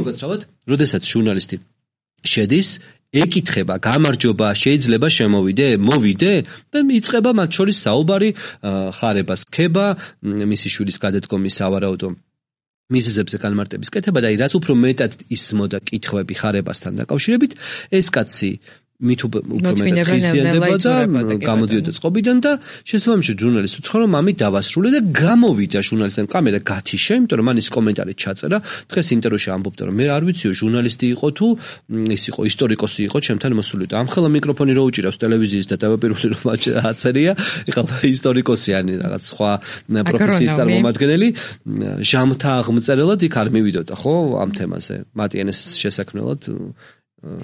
უკაცრავად, როდესაც ჟურნალისტი შედის ეკითხება, გამარჯობა, შეიძლება შემოვიდე, მოვიდე და იწყება მათ შორის საუბარი, ხარებას ქება, მისი შვილის გადადგომის ავარაუდო მიზეზებზე განმარტების კეთება და აი რაც უფრო მეტად ისმოდა კითხვები ხარებასთან დაკავშირებით, ეს კაცი მით უფრო მეტად ხიზიანდება და გამოდიოდა წყობიდან და შესაბამისად ჟურნალისტი უთხრა რომ ამით დავასრულე და გამოვიდა ჟურნალისტთან კამერა გათიშა, იმიტომ რომ მან ის კომენტარი ჩაწერა. დღეს ინტერვიუში ამბობდა რომ მე არ ვიციო ჟურნალისტი იყო თუ ის იყო ისტორიკოსი იყო, ჩემთან მოსული და ამხელა მიკროფონი რო უჭირავს ტელევიზიის და დავაპირული რომ აწერია, ეხლა ისტორიკოსი ან რაღაც სხვა პროფესიის წარმომადგენელი ჟამთა აღმწერელად იქ არ მივიდოდა ხო ამ თემაზე მატიანეს შესაქმნელად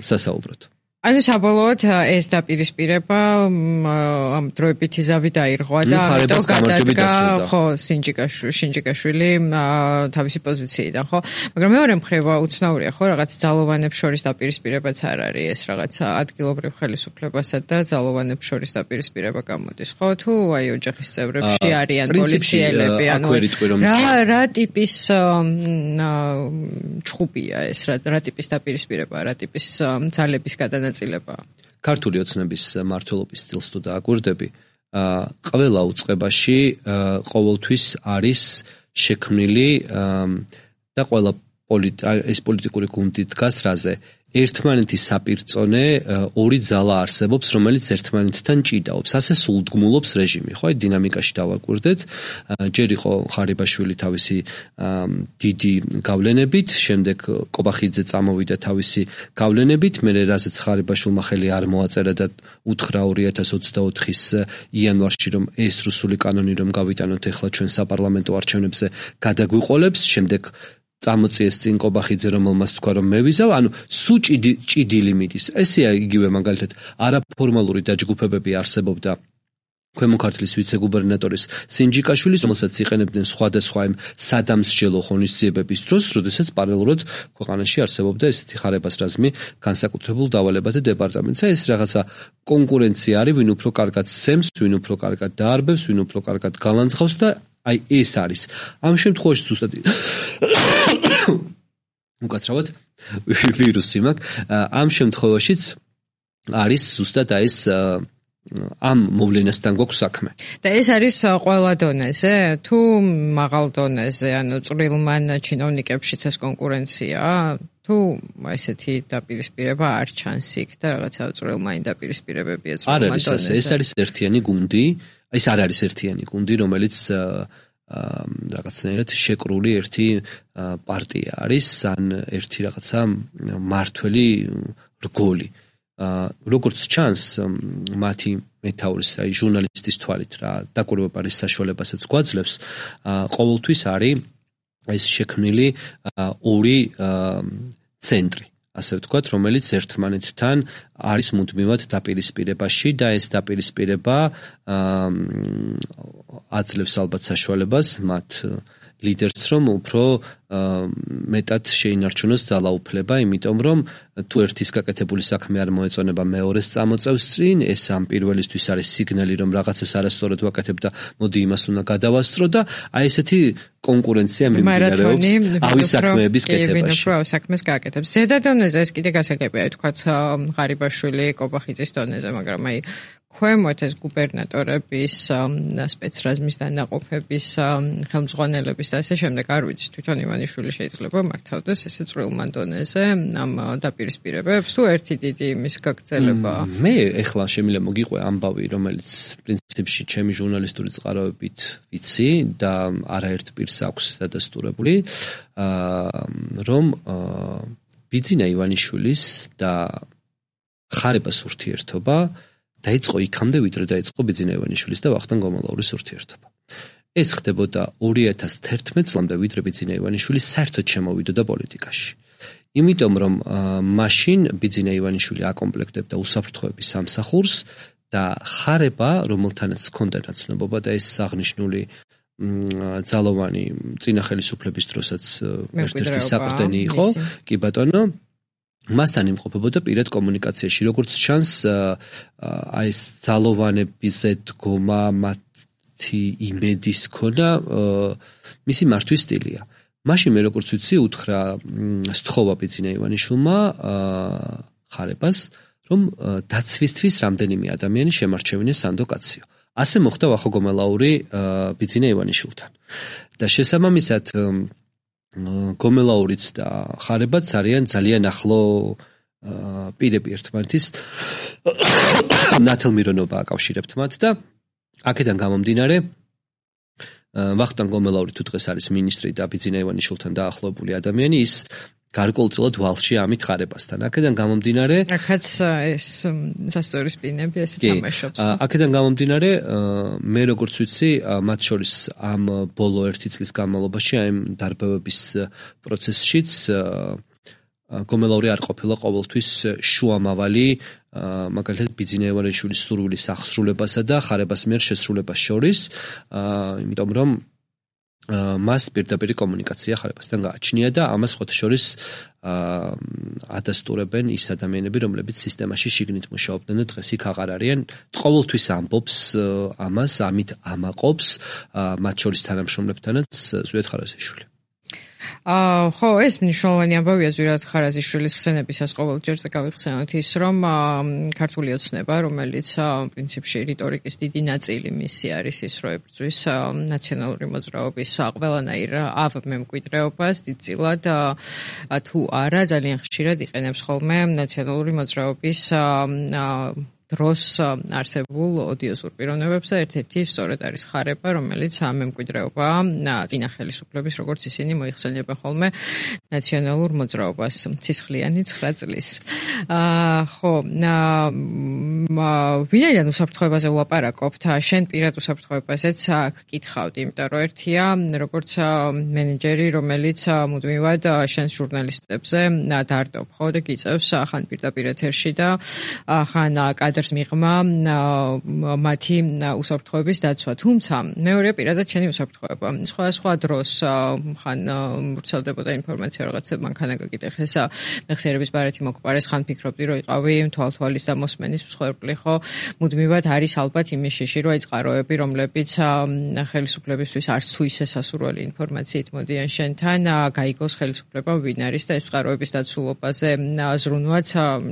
სასაუბროთ. ანუ საბოლოოდ ეს დაპირისპირება ამ დროებითი ზავი დაირღვა და ამიტომ გადადგა ხო სინჯიკაშვილი შინჯიკაშვილი თავისი პოზიციიდან ხო მაგრამ მეორე მხრივ უცნაურია ხო რაღაც ძალოვანებს შორის დაპირისპირებაც არ არის ეს რაღაც ადგილობრივ ხელისუფლებასა და ძალოვანებს შორის დაპირისპირება გამოდის ხო თუ აი ოჯახის წევრებში არიან პოლიციელები ანუ რა რა ტიპის ჩხუბია ეს რა ტიპის დაპირისპირება რა ტიპის ძალების გადანა ქართული ოცნების მმართველობის სტილს თუ დააკვირდები, ყველა უწყებაში ყოველთვის არის შექმნილი და ყველა ეს პოლიტიკური გუნდი დგას რაზე? ერთმანეთის საპირწონე ორი ძალა არსებობს, რომელიც ერთმანეთთან ჭიდაობს. ასე სულდგმულობს რეჟიმი, ხო? აი დინამიკაში დავაკვირდეთ. ჯერ იყო ხარიბაშვილი თავისი დიდი გავლენებით, შემდეგ კობახიძე წამოვიდა თავისი გავლენებით, მერე რაზეც ხარიბაშვილმა ხელი არ მოაწერა და უთხრა ორი ათას ოცდაოთხის იანვარში, რომ ეს რუსული კანონი რომ გავიტანოთ ახლა ჩვენ საპარლამენტო არჩევნებზე გადაგვიყოლებს, შემდეგ წამოწიეს წინ კობახიძე რომელმაც თქვა რომ მე ვიზავ, ანუ სუ ჭიდილი მიდის. ესეა იგივე მაგალითად არაფორმალური დაჯგუფებები არსებობდა ქვემო ქართლის ვიცე-გუბერნატორის სინჯიკაშვილის, რომელსაც იყენებდნენ სხვადასხვა იმ სადამსჯელო ღონისძიებების დროს, როდესაც პარალელურად ქვეყანაში არსებობდა ესეთი ხარებას რაზმი განსაკუთრებულ დავალებათა დეპარტამენტსა. ეს რაღაცა კონკურენცია არის, ვინ უფრო კარგად სცემს, ვინ უფრო კარგად დაარბევს, ვინ უფრო კარგად გალანძღავს და აი ეს არის. ამ შემთხვევაში ზუსტად უკაცრავად ვირუსი მაქვს. ამ შემთხვევაშიც არის ზუსტად აი ეს ამ მოვლენასთან გვაქვს საქმე. და ეს არის ყველა დონეზე, თუ მაღალ დონეზე, ანუ წვრილმან ჩინოვნიკებშიც ეს კონკურენციაა, თუ ესეთი დაპირისპირება არ ჩანს იქ და რაღაცა წვრილმანი დაპირისპირებებია წვრილმან დონეზე. ეს არის ერთიანი გუნდი, ეს არ არის ერთიანი გუნდი, რომელიც რაღაცნაირად შეკრული ერთი პარტია არის, ან ერთი რაღაცა მართველი რგოლი. როგორც ჩანს მათი მეთაურის, აი ჟურნალისტის თვალით რა დაკვირვებარის საშუალებასაც გვაძლევს, ყოველთვის არის ეს შექმნილი ორი ცენტრი, ასე ვთქვათ, რომელიც ერთმანეთთან არის მუდმივად დაპირისპირებაში და ეს დაპირისპირება აძლევს ალბათ საშუალებას მათ ლიდერს რომ უფრო მეტად შეინარჩუნოს ძალაუფლება, იმიტომ რომ თუ ერთის გაკეთებული საქმე არ მოეწონება მეორეს წამოწევს წინ, ეს ამ პირველისთვის არის სიგნალი რომ რაღაცას არასწორად ვაკეთებ და მოდი იმას უნდა გადავასწრო და აი ესეთი კონკურენცია მიმდინარეობს ავის საქმეების კეთებაში. კი, ავის საქმეს გააკეთებს. ზედა დონეზე ეს კიდე გასაგებია, თქვათ ღარიბაშვილი, კობახიძის დონეზე, მაგრამ აი ქვემოთ ეს გუბერნატორების სპეცრაზმის დანაყოფების ხელმძღვანელების და ასე შემდეგ არ ვიცი თვითონ ივანიშვილი შეიძლება მართავდეს ესე წვრილმან დონეზე ამ დაპირისპირებებს თუ ერთი დიდი იმის გაგრძელებაა. მე ეხლა შემიძლია მოგიყვე ამბავი, რომელიც პრინციპში ჩემი ჟურნალისტური წყაროებით ვიცი და არაერთ პირს აქვს დადასტურებული, რომ ბიძინა ივანიშვილის და ხარებას ურთიერთობა დაიწყო იქამდე, ვიდრე დაიწყო ბიძინა ივანიშვილის და ვახტანგ გომოლაურის ურთიერთობა. ეს ხდებოდა ორი ათას თერთმეტ წლამდე, ვიდრე ბიძინა ივანიშვილი საერთოდ შემოვიდოდა პოლიტიკაში. იმიტომ რომ მაშინ ბიძინა ივანიშვილი აკომპლექტებდა უსაფრთხოების სამსახურს და ხარება, რომელთანაც ჰქონდა ნაცნობობა და ეს აღნიშნული ძალოვანი წინა ხელისუფლების დროსაც ერთ-ერთი საყრდენი იყო, კი ბატონო, მასთან იმყოფებოდა პირად კომუნიკაციაში, როგორც ჩანს, აი ეს ძალოვანებზე დგომა, მათი იმედის ქონა, მისი მართვის სტილია. მაშინ მე როგორც ვიცი, უთხრა სთხოვა ბიძინა ივანიშვილმა ხარებას, რომ დაცვისთვის რამდენიმე ადამიანი შემარჩევინეს სანდო კაციო. ასე მოხდა ვახო გომელაური ბიძინა ივანიშვილთან. და შესაბამისად გომელაურიც და ხარებაც არიან ძალიან ახლო პირები ერთმანეთის ნათელმირონობა აკავშირებთ მათ და აქედან გამომდინარე ვახტანგ გომელაური თუ დღეს არის მინისტრი და ბიძინა ივანიშვილთან დაახლოებული ადამიანი ის გარკვეულწილად ვალში ამით ხარებასთან. აქედან გამომდინარე აქაც ეს სასწორი სპინები ესე თამაშობს. აქედან გამომდინარე მე როგორც ვიცი მათ შორის ამ ბოლო ერთი წლის განმავლობაში აი ამ დარბევების პროცესშიც გომელაური არ ყოფილა ყოველთვის შუამავალი მაგალითად ბიძინა ივანიშვილის სურვილის აღსრულებასა და ხარებას მიერ შესრულებას შორის, იმიტომ რომ მას პირდაპირ კომუნიკაცია ხარებასთან გააჩნია და ამას ხოთა შორის ადასტურებენ ის ადამიანები, რომლებიც სისტემაში შიგნით მუშაობდნენ და დღეს იქ აღარ არიან. ყოველთვის ამბობს ამას, ამით ამაყობს მათ შორის თანამშრომლებთანაც ზვიად ხარაზიშვილი. აა ხო, ეს მნიშვნელოვანი ამბავია ზვიად ხარაზიშვილის ხსენებისას ყოველ ჯერზე გავიხსენოთ ის, რომ ქართული ოცნება, რომელიც პრინციპში რიტორიკის დიდი ნაწილი მისი არის ის, რომ ებრძვის ნაციონალური მოძრაობის ყველანაირ ავმემკვიდრეობას, დიდწილად თუ არა ძალიან ხშირად იყენებს ხოლმე ნაციონალური მოძრაობის დროს არსებულ ოდიოზურ პიროვნებებს და ერთ-ერთი სწორედ არის ხარება, რომელიც ამ მემკვიდრეობა წინა ხელისუფლების როგორც ისინი მოიხსენიებენ ხოლმე ნაციონალურ მოძრაობას ცისხლიანი ცხრა წლის. აა ხო, ვინაიდან უსაფრთხოებაზე ვლაპარაკობთ, შენ პირად უსაფრთხოებაზეც გკითხავდი, იმიტომ რომ ერთია როგორც მენეჯერი, რომელიც მუდმივად შენს ჟურნალისტებზე დარდობ, ხო და გიწევს ხან პირდაპირ ეთერში და ხან კადრს მიღმა მათი უსაფრთხოების დაცვა. თუმცა მეორე პირადად შენი უსაფრთხოება. სხვა სხვა დროს ხან ვრცელდებოდა ინფორმაცია რაღაცა მანქანა გაკითხეს მეხსიერების ბარათი მოკპარეს ხან ფიქრობდი რომ იყავი თვალთვალის და მოსმენის მსხვერპლი ხო მუდმივად არის ალბათ იმის შეში რომ აი წყაროები რომლებიც ხელისუფლებისთვის არც თუ ისე სასურველი ინფორმაციით მოდიან შენთან გაიგოს ხელისუფლება ვინ არის და ეს წყაროების დაცულობაზე ზრუნვაც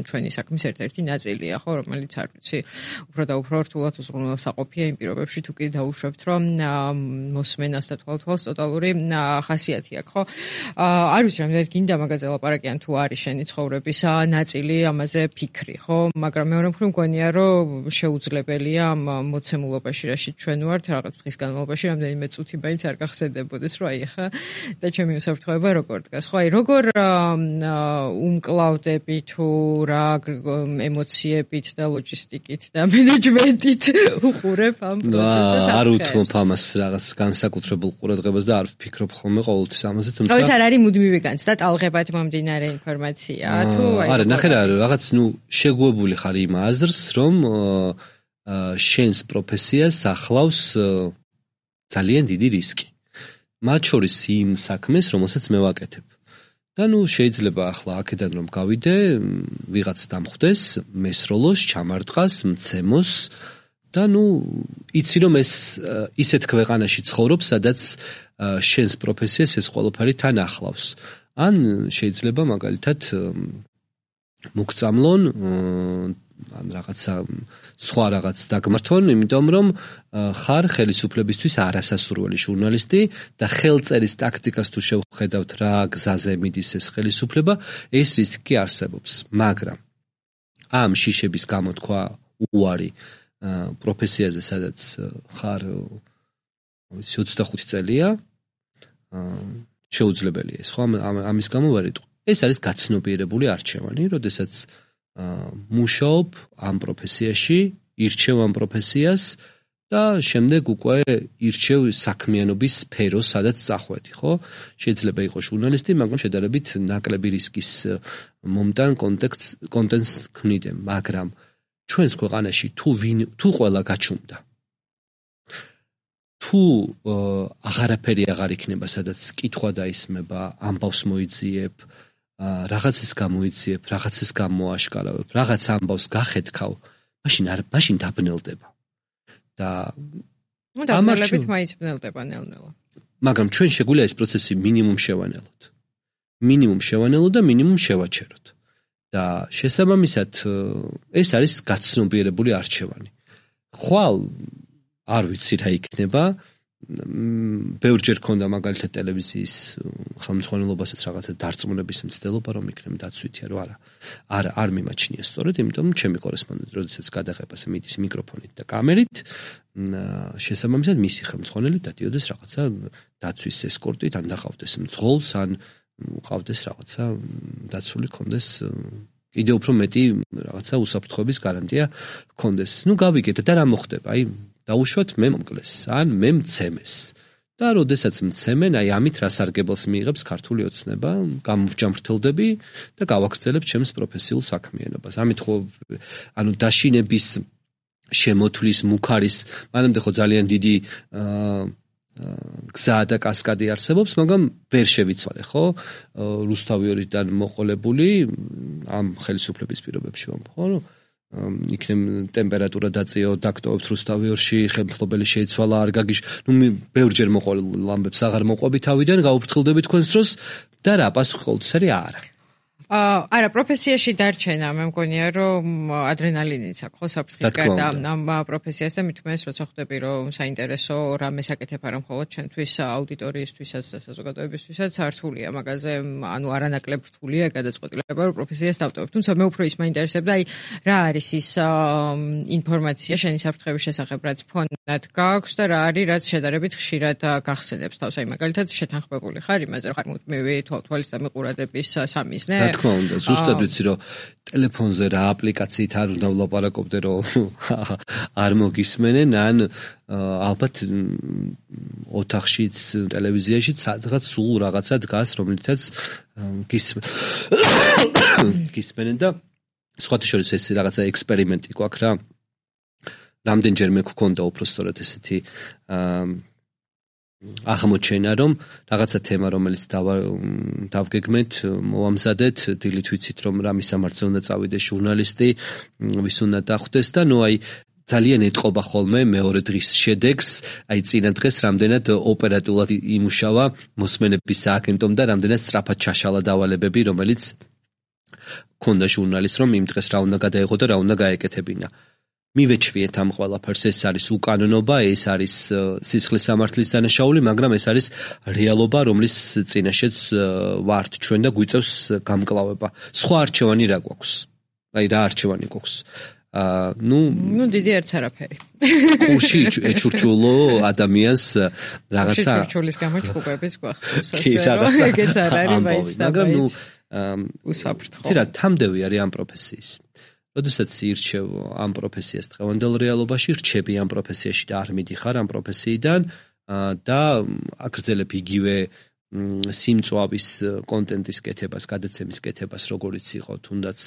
ჩვენი საქმის ერთ-ერთი ნაწილია ხო რომელიც არ ვიცი უფრო და უფრო რთულად უზრუნველსაყოფია იმ პირობებში თუ კი დაუშვებთ რომ მოსმენას და თვალთვალს ტოტალური ხასიათი აქვს ხო არ ვიცი რამდენად გინდა მაგაზე ლაპარაკი ან თუ არის შენი ცხოვრების ნაწილი ამაზე ფიქრი ხო მაგრამ მეორე მხრივ მგონია რომ შეუძლებელია ამ მოცემულობაში რაშიც ჩვენ ვართ რაღაც დღის განმავლობაში რამდენიმე წუთი მაინც არ გახსენდებოდეს რომ აი ხა და ჩემი უსაფრთხოება როგორ დგას ხო აი როგორ უმკლავდები თუ რა ემოციებით და ლოჯისტიკით და მენეჯმენტით უყურებ ამ პროცესს არ უთმობ ამას რაღაც განსაკუთრებულ ყურადღებას და არ ვფიქრობ ხოლმე ყოველთვის ამაზე თუმცა ეს არ არის მუდმივი განცდა ტალღებად მომდინარე ინფორმაცია თუ აი არა ნახე რა რაღაც ნუ შეგუებული ხარ იმ აზრს რომ შენს პროფესიას ახლავს ძალიან დიდი რისკი მათ შორის იმ საქმეს რომელსაც მე ვაკეთებ და ნუ შეიძლება ახლა აქედან რომ გავიდე ვიღაც დამხვდეს მესროლოს ჩამარტყას მცემოს და ნუ იცი რომ ეს ისეთ ქვეყანაში ცხოვრობ სადაც შენს პროფესიას ეს ყველაფერი თან ახლავს ან შეიძლება მაგალითად მოგწამლონ ან რაღაცა სხვა რაღაც დაგმართონ იმიტომ რომ ხარ ხელისუფლებისთვის არასასურველი ჟურნალისტი და ხელწერის ტაქტიკას თუ შევხედავთ რა გზაზე მიდის ეს ხელისუფლება ეს რისკი არსებობს მაგრამ ამ შიშების გამოთქვა უარი პროფესიაზე სადაც ხარ ვიცი ოცდახუთი წელია შეუძლებელია ეს ხო ამის გამო ვარ იტყვი ეს არის გაცნობიერებული არჩევანი როდესაც მუშაობ ამ პროფესიაში ირჩევ ამ პროფესიას და შემდეგ უკვე ირჩევ საქმიანობის სფეროს სადაც წახვედი ხო შეიძლება იყოს ჟურნალისტი მაგრამ შედარებით ნაკლები რისკის მომტან კონტექსტ კონტენტს ქმნიდე მაგრამ ჩვენს ქვეყანაში თუ ვინ თუ ყველა გაჩუმდა თუ აღარაფერი აღარ იქნება სადაც კითხვა დაისმება ამბავს მოიძიებ რაღაცის გამოიძიებ რაღაცის გამოაშკარავებ რაღაც ამბავს გახედქავ მაშინ არ მაშინ დაბნელდება და ნუ დაბნელებით მაინც ბნელდება ნელ-ნელა მაგრამ ჩვენ შეგვიძლია ეს პროცესი მინიმუმ შევანელოთ მინიმუმ შევანელოთ და მინიმუმ შევაჩეროთ და შესაბამისად ეს არის გაცნობიერებული არჩევანი ხვალ არ ვიცი რა იქნება ბევრჯერ ქონდა მაგალითად ტელევიზიის ხელმძღვანელობასაც რაღაცა დარწმუნების მცდელობა რომ იქნება დაცვითია რომ არა არა არ მიმაჩნია სწორედ იმიტომ ჩემი კორესპონდენტი როდესაც გადაღებას მიდის მიკროფონით და კამერით შესაბამისად მისი ხელმძღვანელი დადიოდეს რაღაცა დაცვის ესკორტით ან დახავდეს მძღოლს ან ყავდეს რაღაცა დაცული კონდეს კიდე უფრო მეტი რაღაცა უსაფრთხოების გარანტია კონდეს ნუ გავიგეთ და რა მოხდება აი დაუშვათ მე მომკლეს ან მე მცემეს და როდესაც მცემენ აი ამით რა სარგებელს მიიღებს ქართული ოცნება გამოვჯამრთელდები და გავაგრძელებ ჩემს პროფესიულ საქმიანობას ამით ხო ანუ დაშინების შემოთვლის მუქარის მანამდე ხო ძალიან დიდი გზა და კასკადი არსებობს მაგრამ ვერ შევიცვალე ხო რუსთავიორიდან მოყოლებული ამ ხელისუფლების პირობებში ვამბობ ხო იქნებ ტემპერატურა დაწიო დაქტოვებთ რუსთავიორში ხელმძღვანელი შეიცვალა არ გაგიშ ნუ ბევრჯერ მოყოლ ამბებს აღარ მოყვები თავიდან გავუფრთხილდები თქვენს დროს და რა პასუხი ყოველთვის არის არა არა პროფესიაში დარჩენა მე მგონია რომ ადრენალინიც აქვს ხო საფრთხის გარდა ამ პროფესიას და მithumetes როცა ხვდები რომ საინტერესო რამეს აკეთებ არა მხოლოდ ჩვენთვის აუდიტორიისთვისაც და საზოგადოებისთვისაც რთულია მაგაზე ანუ არანაკლებ რთულია გადაწყვეტილება რომ პროფესიას დავტოვებ თუმცა მე უფრო ის მაინტერესებდა აი რა არის ის ინფორმაცია შენი საფრთხების შესახებ რაც ფონად გაქვს და რა არის რაც შედარებით ხშირად გახსენებს თავს აი მაგალითად შეთანხმებული ხარ იმაზე რომ ხარ მუდმივი თვალთვალის და მიყურადების სამიზნე თქმა უნდა, ზუსტად ვიცი რომ ტელეფონზე რა აპლიკაციით არ უნდა ვლაპარაკობდე რომ არ მოგისმენენ ან ალბათ ოთახშიც ტელევიზიაში სადღაც სულ რაღაცა დგას რომლითაც გისმენენ და სხვათა შორის ეს რაღაცა ექსპერიმენტი გვაქვს რა რამდენჯერმე გქონდა უფრო სწორად ესეთი აღმოჩენა რომ რაღაცა თემა რომელიც დავგეგმეთ მოვამზადეთ დილით ვიცით რომ რა მისამართზე უნდა წავიდეს ჟურნალისტი ვის უნდა დახვდეს და ნუ აი ძალიან ეტყობა ხოლმე მეორე დღის შედეგს აი წინა დღეს რამდენად ოპერატიულად იმუშავა მოსმენების სააგენტომ და რამდენად სწრაფად ჩაშალა დავალებები რომელიც ქონდა ჟურნალისტს რომ იმ დღეს რა უნდა გადაეღო და რა უნდა გაეკეთებინა მივეჩვიეთ ამ ყველაფერს ეს არის უკანონობა ეს არის სისხლის სამართლის დანაშაული მაგრამ ეს არის რეალობა რომლის წინაშეც ვართ ჩვენ და გვიწევს გამკლავება სხვა არჩევანი რა გვაქვს აი რა არჩევანი გვაქვს აა ნუ ნუ დიდი არც არაფერი კურში ეჩურჩულო ადამიანს რაღაცა ეჩურჩულის გამო ჭუბების გვახსოვს ასე რომ ეგეც არ არის მაინც და მაგრამ ნუ უსაფრთხო ცირა თამდევი არის ამ პროფესიის როდესაც ირჩევ ამ პროფესიას დღევანდელ რეალობაში რჩები ამ პროფესიაში და არ მიდიხარ ამ პროფესიიდან და აგრძელებ იგივე სიმწვავის კონტენტის კეთებას, გადაცემის კეთებას, როგორიც იყო თუნდაც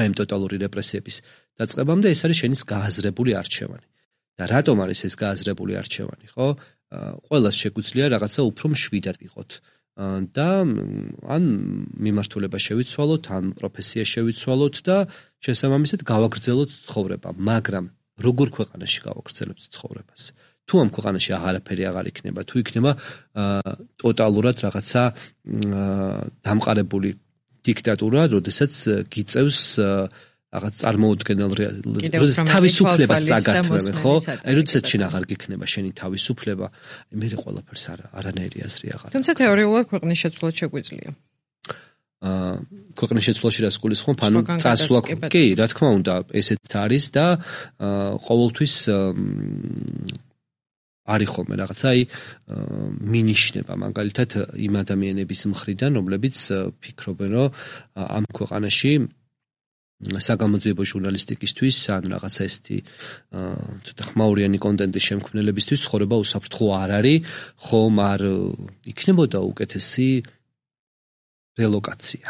აი ამ ტოტალური რეპრესიების დაწყებამდე ეს არის შენის გააზრებული არჩევანი. და რატომ არის ეს გააზრებული არჩევანი, ხო? ყველას შეგვიძლია რაღაცა უფრო მშვიდად ვიყოთ. და ან მიმართულება შევიცვალოთ, ან პროფესია შევიცვალოთ და შესაბამისად გავაგრძელოთ ცხოვრება, მაგრამ როგორ ქვეყანაში გავაგრძელებთ ცხოვრებას? თუ ამ ქვეყანაში აღარაფერი აღარ იქნება, თუ იქნება ტოტალურად რაღაცა დამყარებული დიქტატურა, როდესაც გიწევს რაღაც წარმოუდგენელ თავისუფლებას წაგათმევენ, ხო? აი როდესაც შენ აღარ გიქნება შენი თავისუფლება, მე ყველაფერს არა, არანაირი აზრი აღარ. თუმცა თეორიულად ქვეყნის შეცვლაც შეგვიძლია. აა ქვეყნის შეცვლაში რას გულისხმობ? ანუ წასვლა, კი, რა თქმა უნდა, ესეც არის და ყოველთვის არის ხოლმე რაღაცა აი მინიშნება მაგალითად იმ ადამიანების მხრიდან, რომლებიც ფიქრობენ, რომ ამ ქვეყანაში საგამოძიებო ჟურნალისტიკისთვის ან რაღაცა ესეთი ცოტა ხმაურიანი კონტენტის შემქმნელებისთვის ცხოვრება უსაფრთხო არ არის, ხომ არ იქნებოდა უკეთესი რელოკაცია.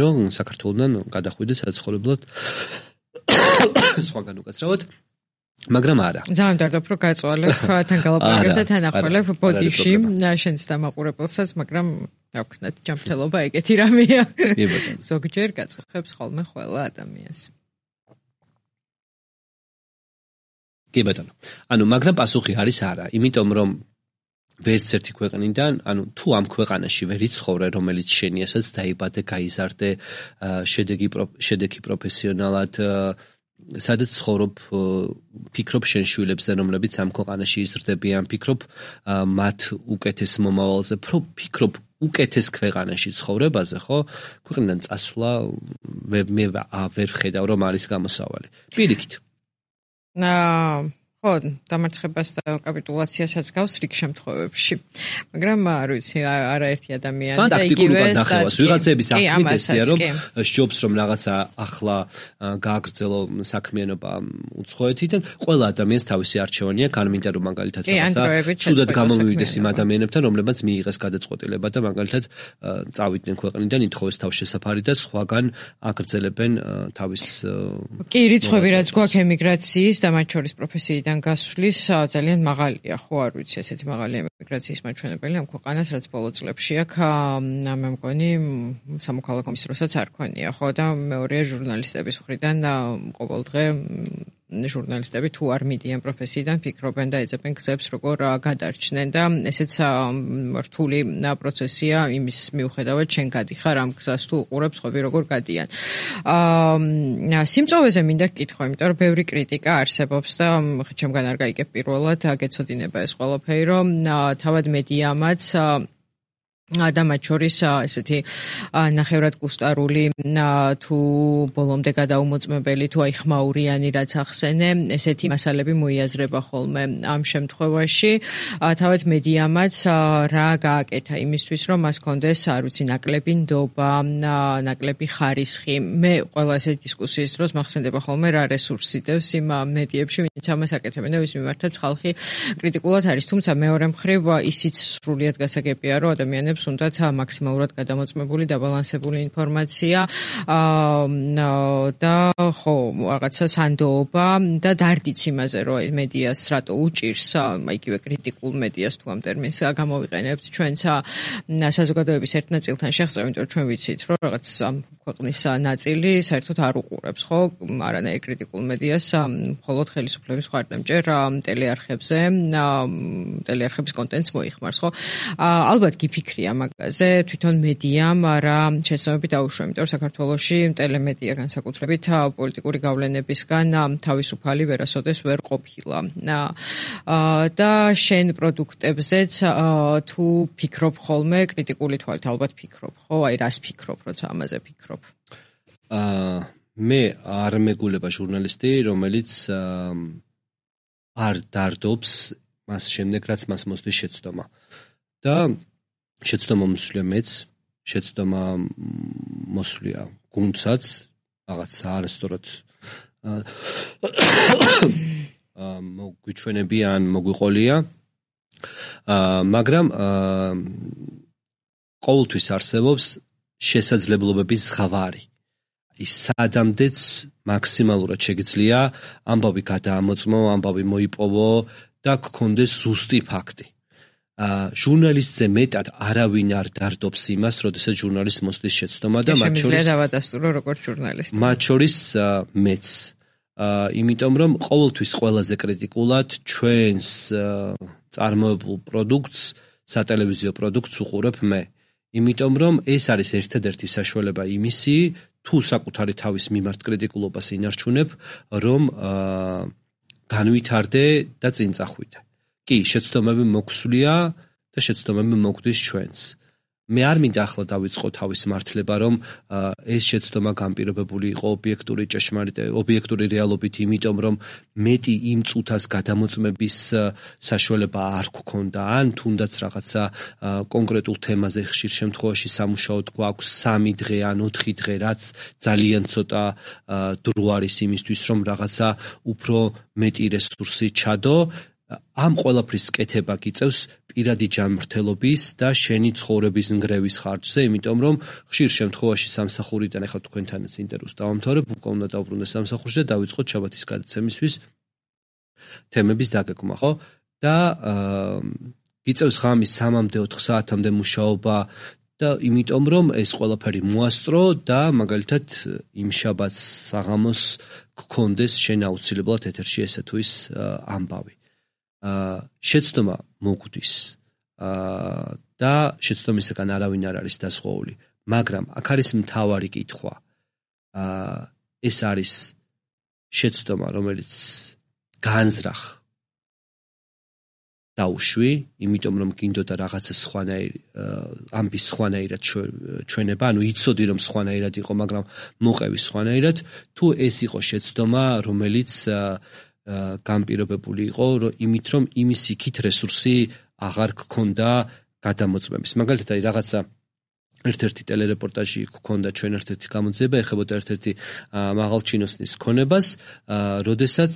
რომ საქართველოსთან გადახვიდეს საცხოვრებლად სხვაგან უკაცრავად მაგრამ არა. ძალიან დავდებ რომ გაწვალებ თან გალაპარაკებ და თან ახვალებ ბოდიში შენს დამაყურებელსაც, მაგრამ დავქნათ ჯანმრთელობა ეგეთი რამეა. კი ბატონო. ზოგჯერ გაწუხებს ხოლმე ყველა ადამიანს. კი ბატონო. ანუ მაგრამ პასუხი არის არა, იმიტომ რომ ვერც ერთი ქვეყნიდან, ანუ თუ ამ ქვეყანაში ვერ იცხოვრე, რომელიც შენიასაც დაიბადე, გაიზარდე, შედეგი შედეგი პროფესიონალად სადაც ცხოვრობ, ფიქრობ შენ შვილებზე, რომლებიც ამ ქვეყანაში იზრდებიან, ფიქრობ მათ უკეთეს მომავალზე, ფიქრობ უკეთეს ქვეყანაში ცხოვრებაზე, ხო? ქვეყნიდან წასვლა მე ვერ ვხედავ, რომ არის გამოსავალი. პირიქით. აა ხო, დამარცხებას და კაპიტულაციასაც გავს რიგ შემთხვევებში. მაგრამ არ ვიცი, არაერთი ადამიანი და იგივე დახევას ვიღაცების ახმიტესია, რომ სჯობს რომ რაღაცა ახლა გააგრძელო საქმიანობა უცხოეთიდან, ყველა ადამიანს თავისი არჩევანი აქვს, ან მინდა რომ მაგალითად რაღაცა ცუდად გამომივიდეს იმ ადამიანებთან, რომლებიც მიიღეს გადაწყვეტილება და მაგალითად წავიდნენ ქვეყნიდან, ითხოვეს თავშესაფარი და სხვაგან აგრძელებენ თავის კი, რიცხვები რაც გვაქვს ემიგრაციის და მათ შორის პროფესიიდან გასვლის ძალიან მაღალია, ხო, არ ვიცი, ესეთი მაღალი ემიგრაციის მაჩვენებელი ამ ქვეყანას, რაც ბოლო წლებში აქვს, მე მგონი სამოქალაქო ომის დროსაც არ ქონია, ხო, და მეორეა ჟურნალისტების მხრიდან ყოველდღე ჟურნალისტები თუ არ მიდიან პროფესიიდან, ფიქრობენ და ეძებენ გზებს, როგორ გადარჩნენ და ესეც რთული პროცესია იმის მიუხედავად, შენ გადიხარ ამ გზას თუ უყურებ სხვები როგორ გადიან. აა სიმწოვეზე მინდა გკითხო, იმიტომ რომ ბევრი კრიტიკა არსებობს და ჩემგან არ გაიგებ პირველად, გეცოდინება ეს ყველაფერი, რომ თავად მედიამაც და მათ შორის ესეთი ნახევრად კუსტარული თუ ბოლომდე გადაუმოწმებელი თუ აი ხმაურიანი რაც ახსენე, ესეთი მასალები მოიაზრება ხოლმე ამ შემთხვევაში. თავად მედიამაც რა გააკეთა იმისთვის, რომ მას კონდეს, არ ვიცი, ნაკლები ნდობა, ნაკლები ხარისხი. მე ყველა ესეთი დისკუსიის დროს მახსენდება ხოლმე რა რესურსი დევს იმ მედიებში, ვინც ამას აკეთებენ და ვის მიმართაც ხალხი კრიტიკულად არის. თუმცა მეორე მხრივ ისიც სრულიად გასაგებია, რომ ადამიანებს უნდათ მაქსიმალურად გადამოწმებული, დაბალანსებული ინფორმაცია და ხო, რაღაცა სანდოობა და დარდიც იმაზე, რომ მედიას რატო უჭირს, იგივე კრიტიკულ მედიას თუ ამ ტერმინს გამოვიყენებთ ჩვენც საზოგადოების ერთ ნაწილთან შეღწევ, იმიტომ რომ ჩვენ ვიცით, რომ რაღაც ქვეყნის ნაწილი საერთოდ არ უყურებს, ხო, არანაირ კრიტიკულ მედიას, მხოლოდ ხელისუფლების მხარდამჭერ ტელეარხებზე, ტელეარხების კონტენტს მოიხმარს, ხო? ალბათ გიფიქრია მაგაზე, თვითონ მედიამ რა შეცდომები დაუშვა, იმიტომ რომ საქართველოში ტელემედია განსაკუთრებით პოლიტიკური გავლენებისგან თავისუფალი ვერასოდეს ვერ ყოფილა. და შენ პროდუქტებზეც თუ ფიქრობ ხოლმე კრიტიკული თვალით, ალბათ ფიქრობ, ხო? აი რას ფიქრობ, როცა ამაზე ფიქრობ? აა მე არ მეგულება ჟურნალისტი, რომელიც არ დარდობს მას შემდეგ, რაც მას მოსდის შეცდომა. და შეცდომა მოსვლია მეც, შეცდომა მოსვლია გუნდსაც, რაღაც არასწორად მოგვიჩვენებია ან მოგვიყოლია, მაგრამ ყოველთვის არსებობს შესაძლებლობების ზღვარი. ის სადამდეც მაქსიმალურად შეგიძლია ამბავი გადაამოწმო, ამბავი მოიპოვო და გქონდეს ზუსტი ფაქტი. ჟურნალისტზე მეტად არავინ არ დარდობს იმას, როდესაც ჟურნალისტს მოსდის შეცდომა და მათ შორის შემიძლია დავადასტურო როგორც ჟურნალისტი. მათ შორის მეც. იმიტომ რომ ყოველთვის ყველაზე კრიტიკულად ჩვენს წარმოებულ პროდუქტს, სატელევიზიო პროდუქტს უყურებ მე. იმიტომ რომ ეს არის ერთადერთი საშუალება იმისი, თუ საკუთარი თავის მიმართ კრიტიკულობას ინარჩუნებ, რომ განვითარდე და წინ წახვიდე. კი, შეცდომები მოგვსვლია და შეცდომები მოგვდის ჩვენს. მე არ მინდა ახლა დავიწყო თავის მართლება, რომ ეს შეცდომა განპირობებული იყო ობიექტური ჭეშმარიტ ობიექტური რეალობით, იმიტომ რომ მეტი იმ წუთას გადამოწმების საშუალება არ გქონდა, ან თუნდაც რაღაცა კონკრეტულ თემაზე ხშირ შემთხვევაში სამუშაოდ გვაქვს სამი დღე ან ოთხი დღე, რაც ძალიან ცოტა დრო არის იმისთვის, რომ რაღაცა უფრო მეტი რესურსი ჩადო. ამ ყველაფრის კეთება გიწევს პირადი ჯანმრთელობის და შენი ცხოვრების ნგრევის ხარჯზე, იმიტომ რომ ხშირ შემთხვევაში სამსახურიდან ახლა თქვენთანაც ინტერვიუს დავამთავრებ, უკვე უნდა დავბრუნდე სამსახურში და დავიწყოთ შაბათის გადაცემისთვის თემების დაგეგმა, ხო? და გიწევს ღამის სამამდე ოთხ საათამდე მუშაობა და იმიტომ რომ ეს ყველაფერი მოასწრო და მაგალითად იმ შაბათს საღამოს გქონდეს შენ აუცილებლად ეთერში ესე თუ ის ამბავი. შეცდომა მოგვდის და შეცდომისგან არავინ არ არის დასხვეული, მაგრამ აქ არის მთავარი კითხვა. ეს არის შეცდომა, რომელიც განზრახ დაუშვი, იმიტომ რომ გინდოდა რაღაცა სხვანაირი ამბის სხვანაირად ჩვენება, ანუ იცოდი რომ სხვანაირად იყო, მაგრამ მოყევი სხვანაირად, თუ ეს იყო შეცდომა, რომელიც გამ პირობებული იყო, იმით რომ იმის იქით რესურსი აღარ გქონდა გადამოწმების. მაგალითად, აი რაღაცა ერთ-ერთი ტელერეპორტაჟი გქონდა ჩვენ ერთ-ერთი გამოძიება, ეხებოდა ერთ-ერთი მაღალჩინოსნის ქონებას, როდესაც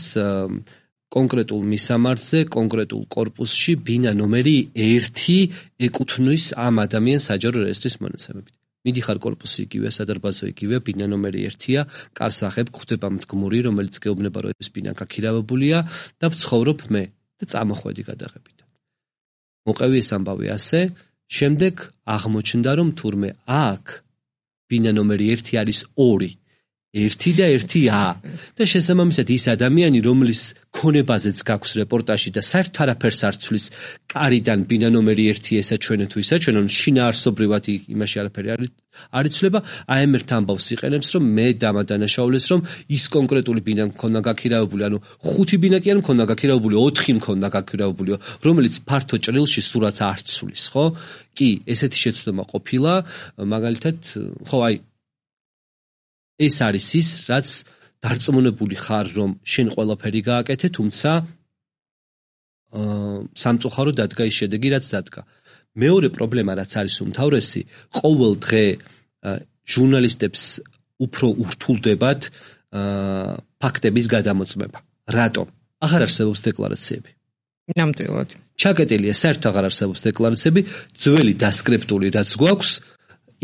კონკრეტულ მისამართზე, კონკრეტულ კორპუსში ბინა ნომერი ერთი ეკუთვნის ამ ადამიანს საჯარო რეესტრის მონაცემებით. მიდიხარ კორპუსი იგივე, სადარბაზო იგივე, ბინა ნომერი ერთია, კარს აღებ გვხვდება მდგმური, რომელიც გეუბნება, რომ ეს ბინა გაქირავებულია და ვცხოვრობ მე და წამოხვედი გადაღებიდან. მოყევი ეს ამბავი ასე, შემდეგ აღმოჩნდა, რომ თურმე აქ ბინა ნომერი ერთი არის ორი. ერთი და ერთი ა და შესაბამისად ის ადამიანი, რომლის ქონებაზეც გაქვს რეპორტაჟი და საერთოდ არაფერს არ ცვლის კარიდან ბინა ნომერი ერთი ესაჩვენე თუ ისაჩვენონ, შინაარსობრივად იმაში არაფერი არ იცვლება, აი ამ ერთ ამბავს იყენებს, რომ მე დამადანაშაულეს, რომ ის კონკრეტული ბინა მქონდა გაქირავებული, ანუ ხუთი ბინა კი არ მქონდა გაქირავებული, ოთხი მქონდა გაქირავებული, რომელიც ფართო ჭრილში სურათს არ ცვლის, ხო? კი, ესეთი შეცდომა ყოფილა, მაგალითად, ხო, აი ეს არის ის, რაც დარწმუნებული ხარ, რომ შენ ყველაფერი გააკეთე, თუმცა სამწუხაროდ დადგა ის შედეგი, რაც დადგა. მეორე პრობლემა, რაც არის უმთავრესი, ყოველ დღე ჟურნალისტებს უფრო ურთულდებათ ფაქტების გადამოწმება. რატომ? აღარ არსებობს დეკლარაციები. ნამდვილად. ჩაკეტილია, საერთოდ აღარ არსებობს დეკლარაციები, ძველი დასკრიპტული რაც გვაქვს,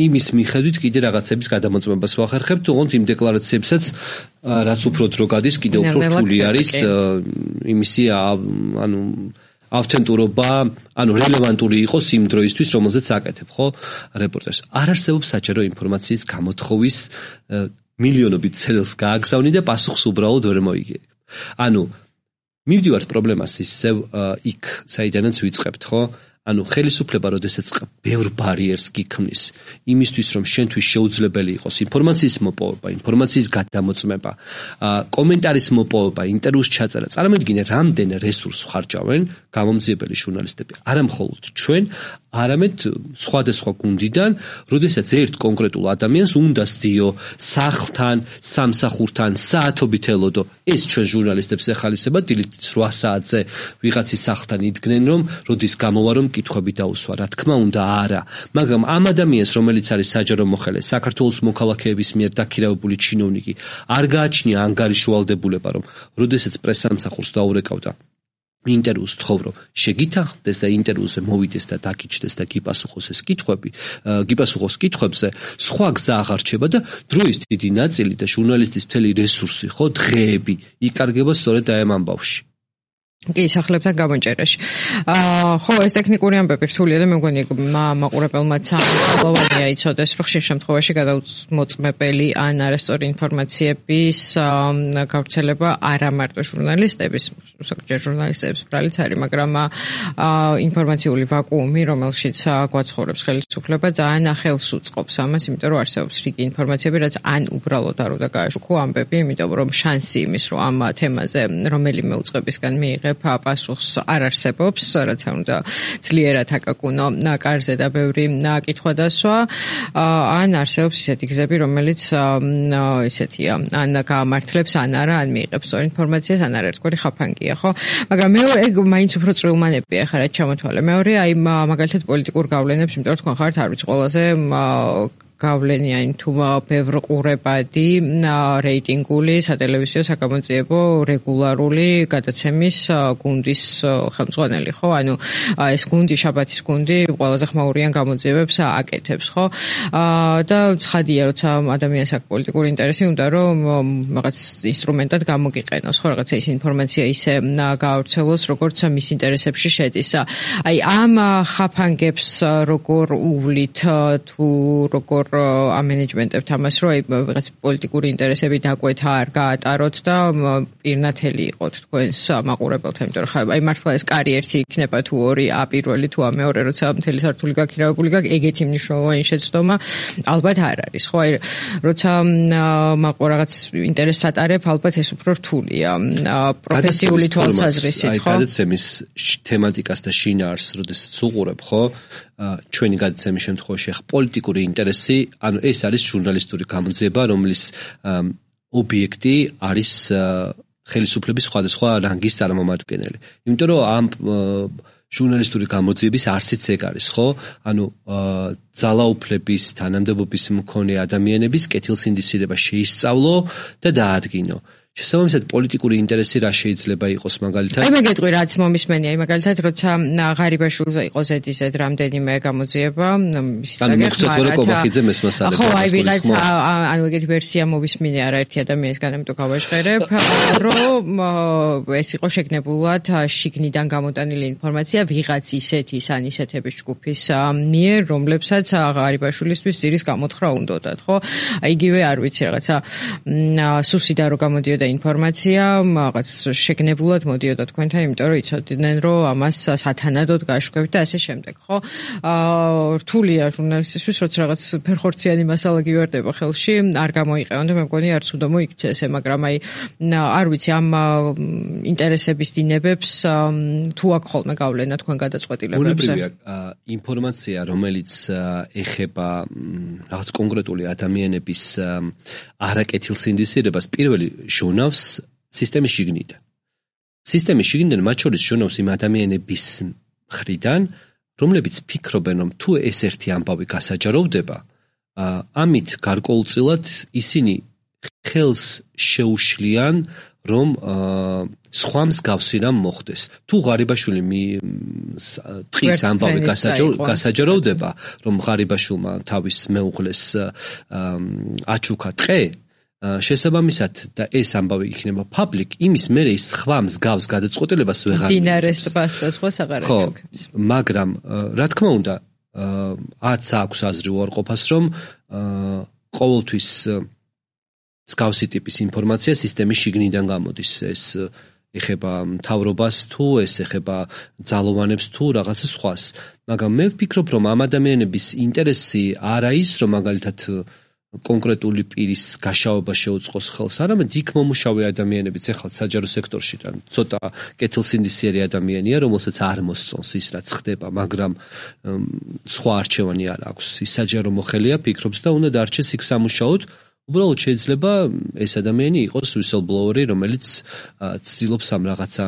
იმის მიხედვით კიდე რაღაცების გადამოწმებას ვახერხებთ, თუმცა იმ დეკლარაციებსაც რაც უფრო დრო გადის, კიდე უფრო რთული არის იმისი ანუ ავთენტურობა, ანუ რელევანტური იყოს იმ დროისთვის, რომელზეც აკეთებ, ხო, რეპორტაჟს. არ არსებობს საჯარო ინფორმაციის გამოთხოვის მილიონობით ცელს გააგზავნი და პასუხს უბრალოდ ვერ მოიგებ. ანუ მივდივართ პრობლემას ისევ იქ, საიდანაც ვიწყებთ, ხო? ანუ ხელისუფლება, როდესაც ბევრ ბარიერს გიქმნის, იმისთვის, რომ შენთვის შეუძლებელი იყოს ინფორმაციის მოპოვება, ინფორმაციის გადამოწმება, კომენტარის მოპოვება, ინტერვიუს ჩაწერა, წარმოიდგინე, რამდენ რესურსს ხარჯავენ გამომძიებელი ჟურნალისტები, არა მხოლოდ ჩვენ, არამედ სხვადასხვა გუნდიდან, როდესაც ერთ კონკრეტულ ადამიანს უნდა სდიო სახლთან, სამსახურთან, საათობით ელოდო. ეს ჩვენ ჟურნალისტებს ეხალისება, დილით რვა საათზე ვიღაცის სახლთან იდგნენ, რომ როდის გამოვა, რომ კითხვები დაუსვა, რა თქმა უნდა, არა. მაგრამ ამ ადამიანს, რომელიც არის საჯარო მოხელე, საქართველოს მოქალაქეების მიერ დაქირავებული ჩინოვნიკი, არ გააჩნია ანგარიშვალდებულება, რომ როდესაც პრესსამსახურს დაურეკავდა ინტერვიუს თხოვრო, შეგითანხმდეს და ინტერვიუზე მოვიდეს და დაგიჩნდეს და გიპასუხოს ეს კითხვები, გიპასუხოს კითხვებზე, სხვა გზა აღარ რჩება და დროის დიდი ნაწილი და ჟურნალისტის მთელი რესურსი, ხო, დღეები იკარგება სწორედ აი ამ ამბავში. კი, სახლებთან გამონჭერაში. აა ხო, ეს ტექნიკური ამბები რთულია და მე მგონი მაყურებელმაც ამბავია იცოდეს, რომ ხშირ შემთხვევაში გადამოწმებელი ან არასწორი ინფორმაციების გავრცელება არა მარტო ჟურნალისტების, საკუთარ ჟურნალისტების ბრალიც არის, მაგრამ აა ინფორმაციული ვაკუუმი, რომელშიც გვაცხოვრებს ხელისუფლება, ძალიან ახელს უწყობს ამას, იმიტომ რომ არსებობს რიგი ინფორმაციები, რაც ან უბრალოდ არ უნდა გააშუქო ამბები, იმიტომ რომ შანსი იმის, რომ ამ თემაზე რომელიმე უწყებისგან მიიღე პასუხს არ არსებობს, რაც უნდა ძლიერად აკაკუნო კარზე და ბევრი კითხვა დასვა, ან არსებობს ისეთი გზები, რომელიც ისეთია, ან გაამართლებს, ან არა, ან მიიღებს სწორ ინფორმაციას, ან არაერთგვარი ხაფანგია, ხო? მაგრამ მეორე, ეგ მაინც უფრო წვრილმანებია, ხა რაც ჩამოთვალე. მეორე, აი მაგალითად პოლიტიკურ გავლენებს, იმიტომ რომ თქვენ ხართ არ ვიცი ყველაზე გავლენია იმ თუ ბევრ ყურებადი რეიტინგული სატელევიზიო საგამოძიებო რეგულარული გადაცემის გუნდის ხელმძღვანელი, ხო? ანუ ეს გუნდი, შაბათის გუნდი ყველაზე ხმაურიან გამოძიებებს აკეთებს, ხო? და ცხადია, როცა ადამიანს აქვს პოლიტიკური ინტერესი, უნდა რომ რაღაც ინსტრუმენტად გამოგიყენოს, ხო? რაღაცა ის ინფორმაცია ისე გაავრცელოს, როგორც მის ინტერესებში შედის. აი ამ ხაფანგებს როგორ უვლით თუ როგორ ამ მენეჯმენტებთ ამას, რომ აი რაღაც პოლიტიკური ინტერესები დაკვეთა არ გაატაროთ და პირნათელი იყოთ თქვენს მაყურებელთან, იმიტომ რომ ხა აი მართლა ეს კარი ერთი იქნება თუ ორი, ა პირველი თუ ა მეორე, როცა მთელი სართული გაქირავებული გაქვს, ეგეთი მნიშვნელოვანი შეცდომა ალბათ არ არის, ხო? აი როცა მაყურებელ რაღაც ინტერესს ატარებ, ალბათ ეს უფრო რთულია პროფესიული თვალსაზრისით, ხო? აი გადაცემის თემატიკას და შინაარსს როდესაც უყურებ, ხო? ჩვენი გადაცემის შემთხვევაში ახ პოლიტიკური ინტერესი, ანუ ეს არის ჟურნალისტური გამოძიება, რომლის ობიექტი არის ხელისუფლების სხვადასხვა რანგის წარმომადგენელი. იმიტომ რომ ამ ჟურნალისტური გამოძიების არსიც ეგ არის, ხო? ანუ ძალაუფლების, თანამდებობის მქონე ადამიანების კეთილსინდისირება შეისწავლო და დაადგინო. შესაბამისად პოლიტიკური ინტერესი რა შეიძლება იყოს მაგალითად? აი მე გეტყვი რაც მომისმენია, აი მაგალითად როცა ღარიბაშვილზე იყო ზედიზედ რამდენიმე გამოძიება, ის ისაგეხმარად. ხო, აი ვიღაცა ანუ ეგეთი ვერსია მომისმენია არაერთი ადამიანისგან, ამიტომ გავაჟღერებ, რომ ეს იყო შეგნებულად შიგნიდან გამოტანილი ინფორმაცია ვიღაც ისეთის ან ისეთების ჯგუფის მიერ, რომლებსაც ღარიბაშვილისთვის ძირის გამოთხრა უნდოდათ, ხო? აი იგივე არ ვიცი რაღაცა სუსიდა რო გამოდიოდა ინფორმაცია, რაღაც შეგნებულად მოდიოდა თქვენთან, იმიტომ რომ იცოდნენ, რომ ამას სათანადოდ გაშვებთ და ასე შემდეგ, ხო? აა რთულია ჟურნალისტისთვის, როცა რაღაც ფერხორციანი მასალა გივარდება ხელში, არ გამოიყენონ და მე მგონი არც უნდა მოიქცე ესე, მაგრამ აი არ ვიცი, ამ ინტერესების დინებებს თუ აქ ხოლმე გავლენა თქვენ გადაწყვეტილებებზე. ბუნებრივია ინფორმაცია, რომელიც ეხება რაღაც კონკრეტული ადამიანების არაკეთილსინდისირებას, პირველი ჟონავს სისტემის შიგნიდან. სისტემის შიგნიდან მათ შორის ჟონავს იმ ადამიანების მხრიდან, რომლებიც ფიქრობენ, რომ თუ ეს ერთი ამბავი გასაჯაროვდება, ამით გარკვეულწილად ისინი ხელს შეუშლიან, რომ სხვა მსგავსი რამ მოხდეს. თუ ღარიბაშვილი ტყის ამბავი გასაჯაროვდება, რომ ღარიბაშვილმა თავის მეუღლეს აჩუქა ტყე, შესაბამისად და ეს ამბავი იქნება public, იმის მერე ის სხვა მსგავს გადაწყვეტილებას ვეღარ მიიღებს. დინარეს ტბას და სხვა აღარ აჩუქებს. მაგრამ რა თქმა უნდა, არც აქვს აზრი უარყოფას, რომ ყოველთვის მსგავსი ტიპის ინფორმაცია სისტემის შიგნიდან გამოდის. ეს ეხება მთავრობას თუ ეს ეხება ძალოვანებს თუ რაღაცა სხვას. მაგრამ მე ვფიქრობ, რომ ამ ადამიანების ინტერესი არა ის, რომ მაგალითად კონკრეტული პირის გაშავება შეუწყოს ხელს, არამედ იქ მომუშავე ადამიანებიც, ეხლა საჯარო სექტორში და ცოტა კეთილსინდისიერი ადამიანია, რომელსაც არ მოსწონს ის რაც ხდება, მაგრამ სხვა არჩევანი არ აქვს. ის საჯარო მოხელია, ფიქრობს და უნდა დარჩეს იქ სამუშაოდ. უბრალოდ შეიძლება ეს ადამიანი იყოს whistleblower-ი, რომელიც ცდილობს ამ რაღაცა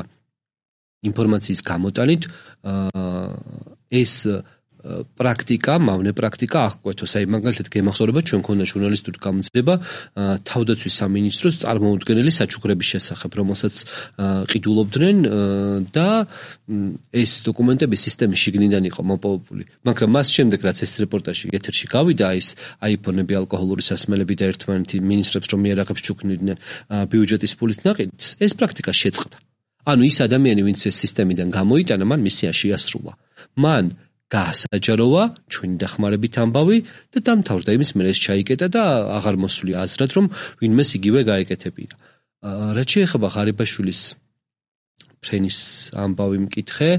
ინფორმაციის გამოტანით ეს პრაქტიკა, მავნე პრაქტიკა აღკვეთოს. აი მაგალითად გემახსოვრება ჩვენ მქონდა ჟურნალისტური გამოძიება თავდაცვის სამინისტროს წარმოუდგენელი საჩუქრების შესახებ, რომელსაც ყიდულობდნენ და ეს დოკუმენტები სისტემის შიგნიდან იყო მოპოვებული. მაგრამ მას შემდეგ რაც ეს რეპორტაჟი ეთერში გავიდა, ის აიფონები, ალკოჰოლური სასმელები და ერთმანეთი მინისტრებს რომ იარაღებს ჩუქნიდნენ ბიუჯეტის ფულით ნაყიდს, ეს პრაქტიკა შეწყდა. ანუ ის ადამიანი, ვინც ეს სისტემიდან გამოიტანა, მან მისია შეასრულა. მან გაასაჯაროვა ჩვენი დახმარებით ამბავი და დამთავრდა იმის მერე ეს ჩაიკეტა და აღარ მოსვლია აზრად, რომ ვინმეს იგივე გაეკეთებინა. რაც შეეხება ღარიბაშვილის ფრენის ამბავი მკითხე,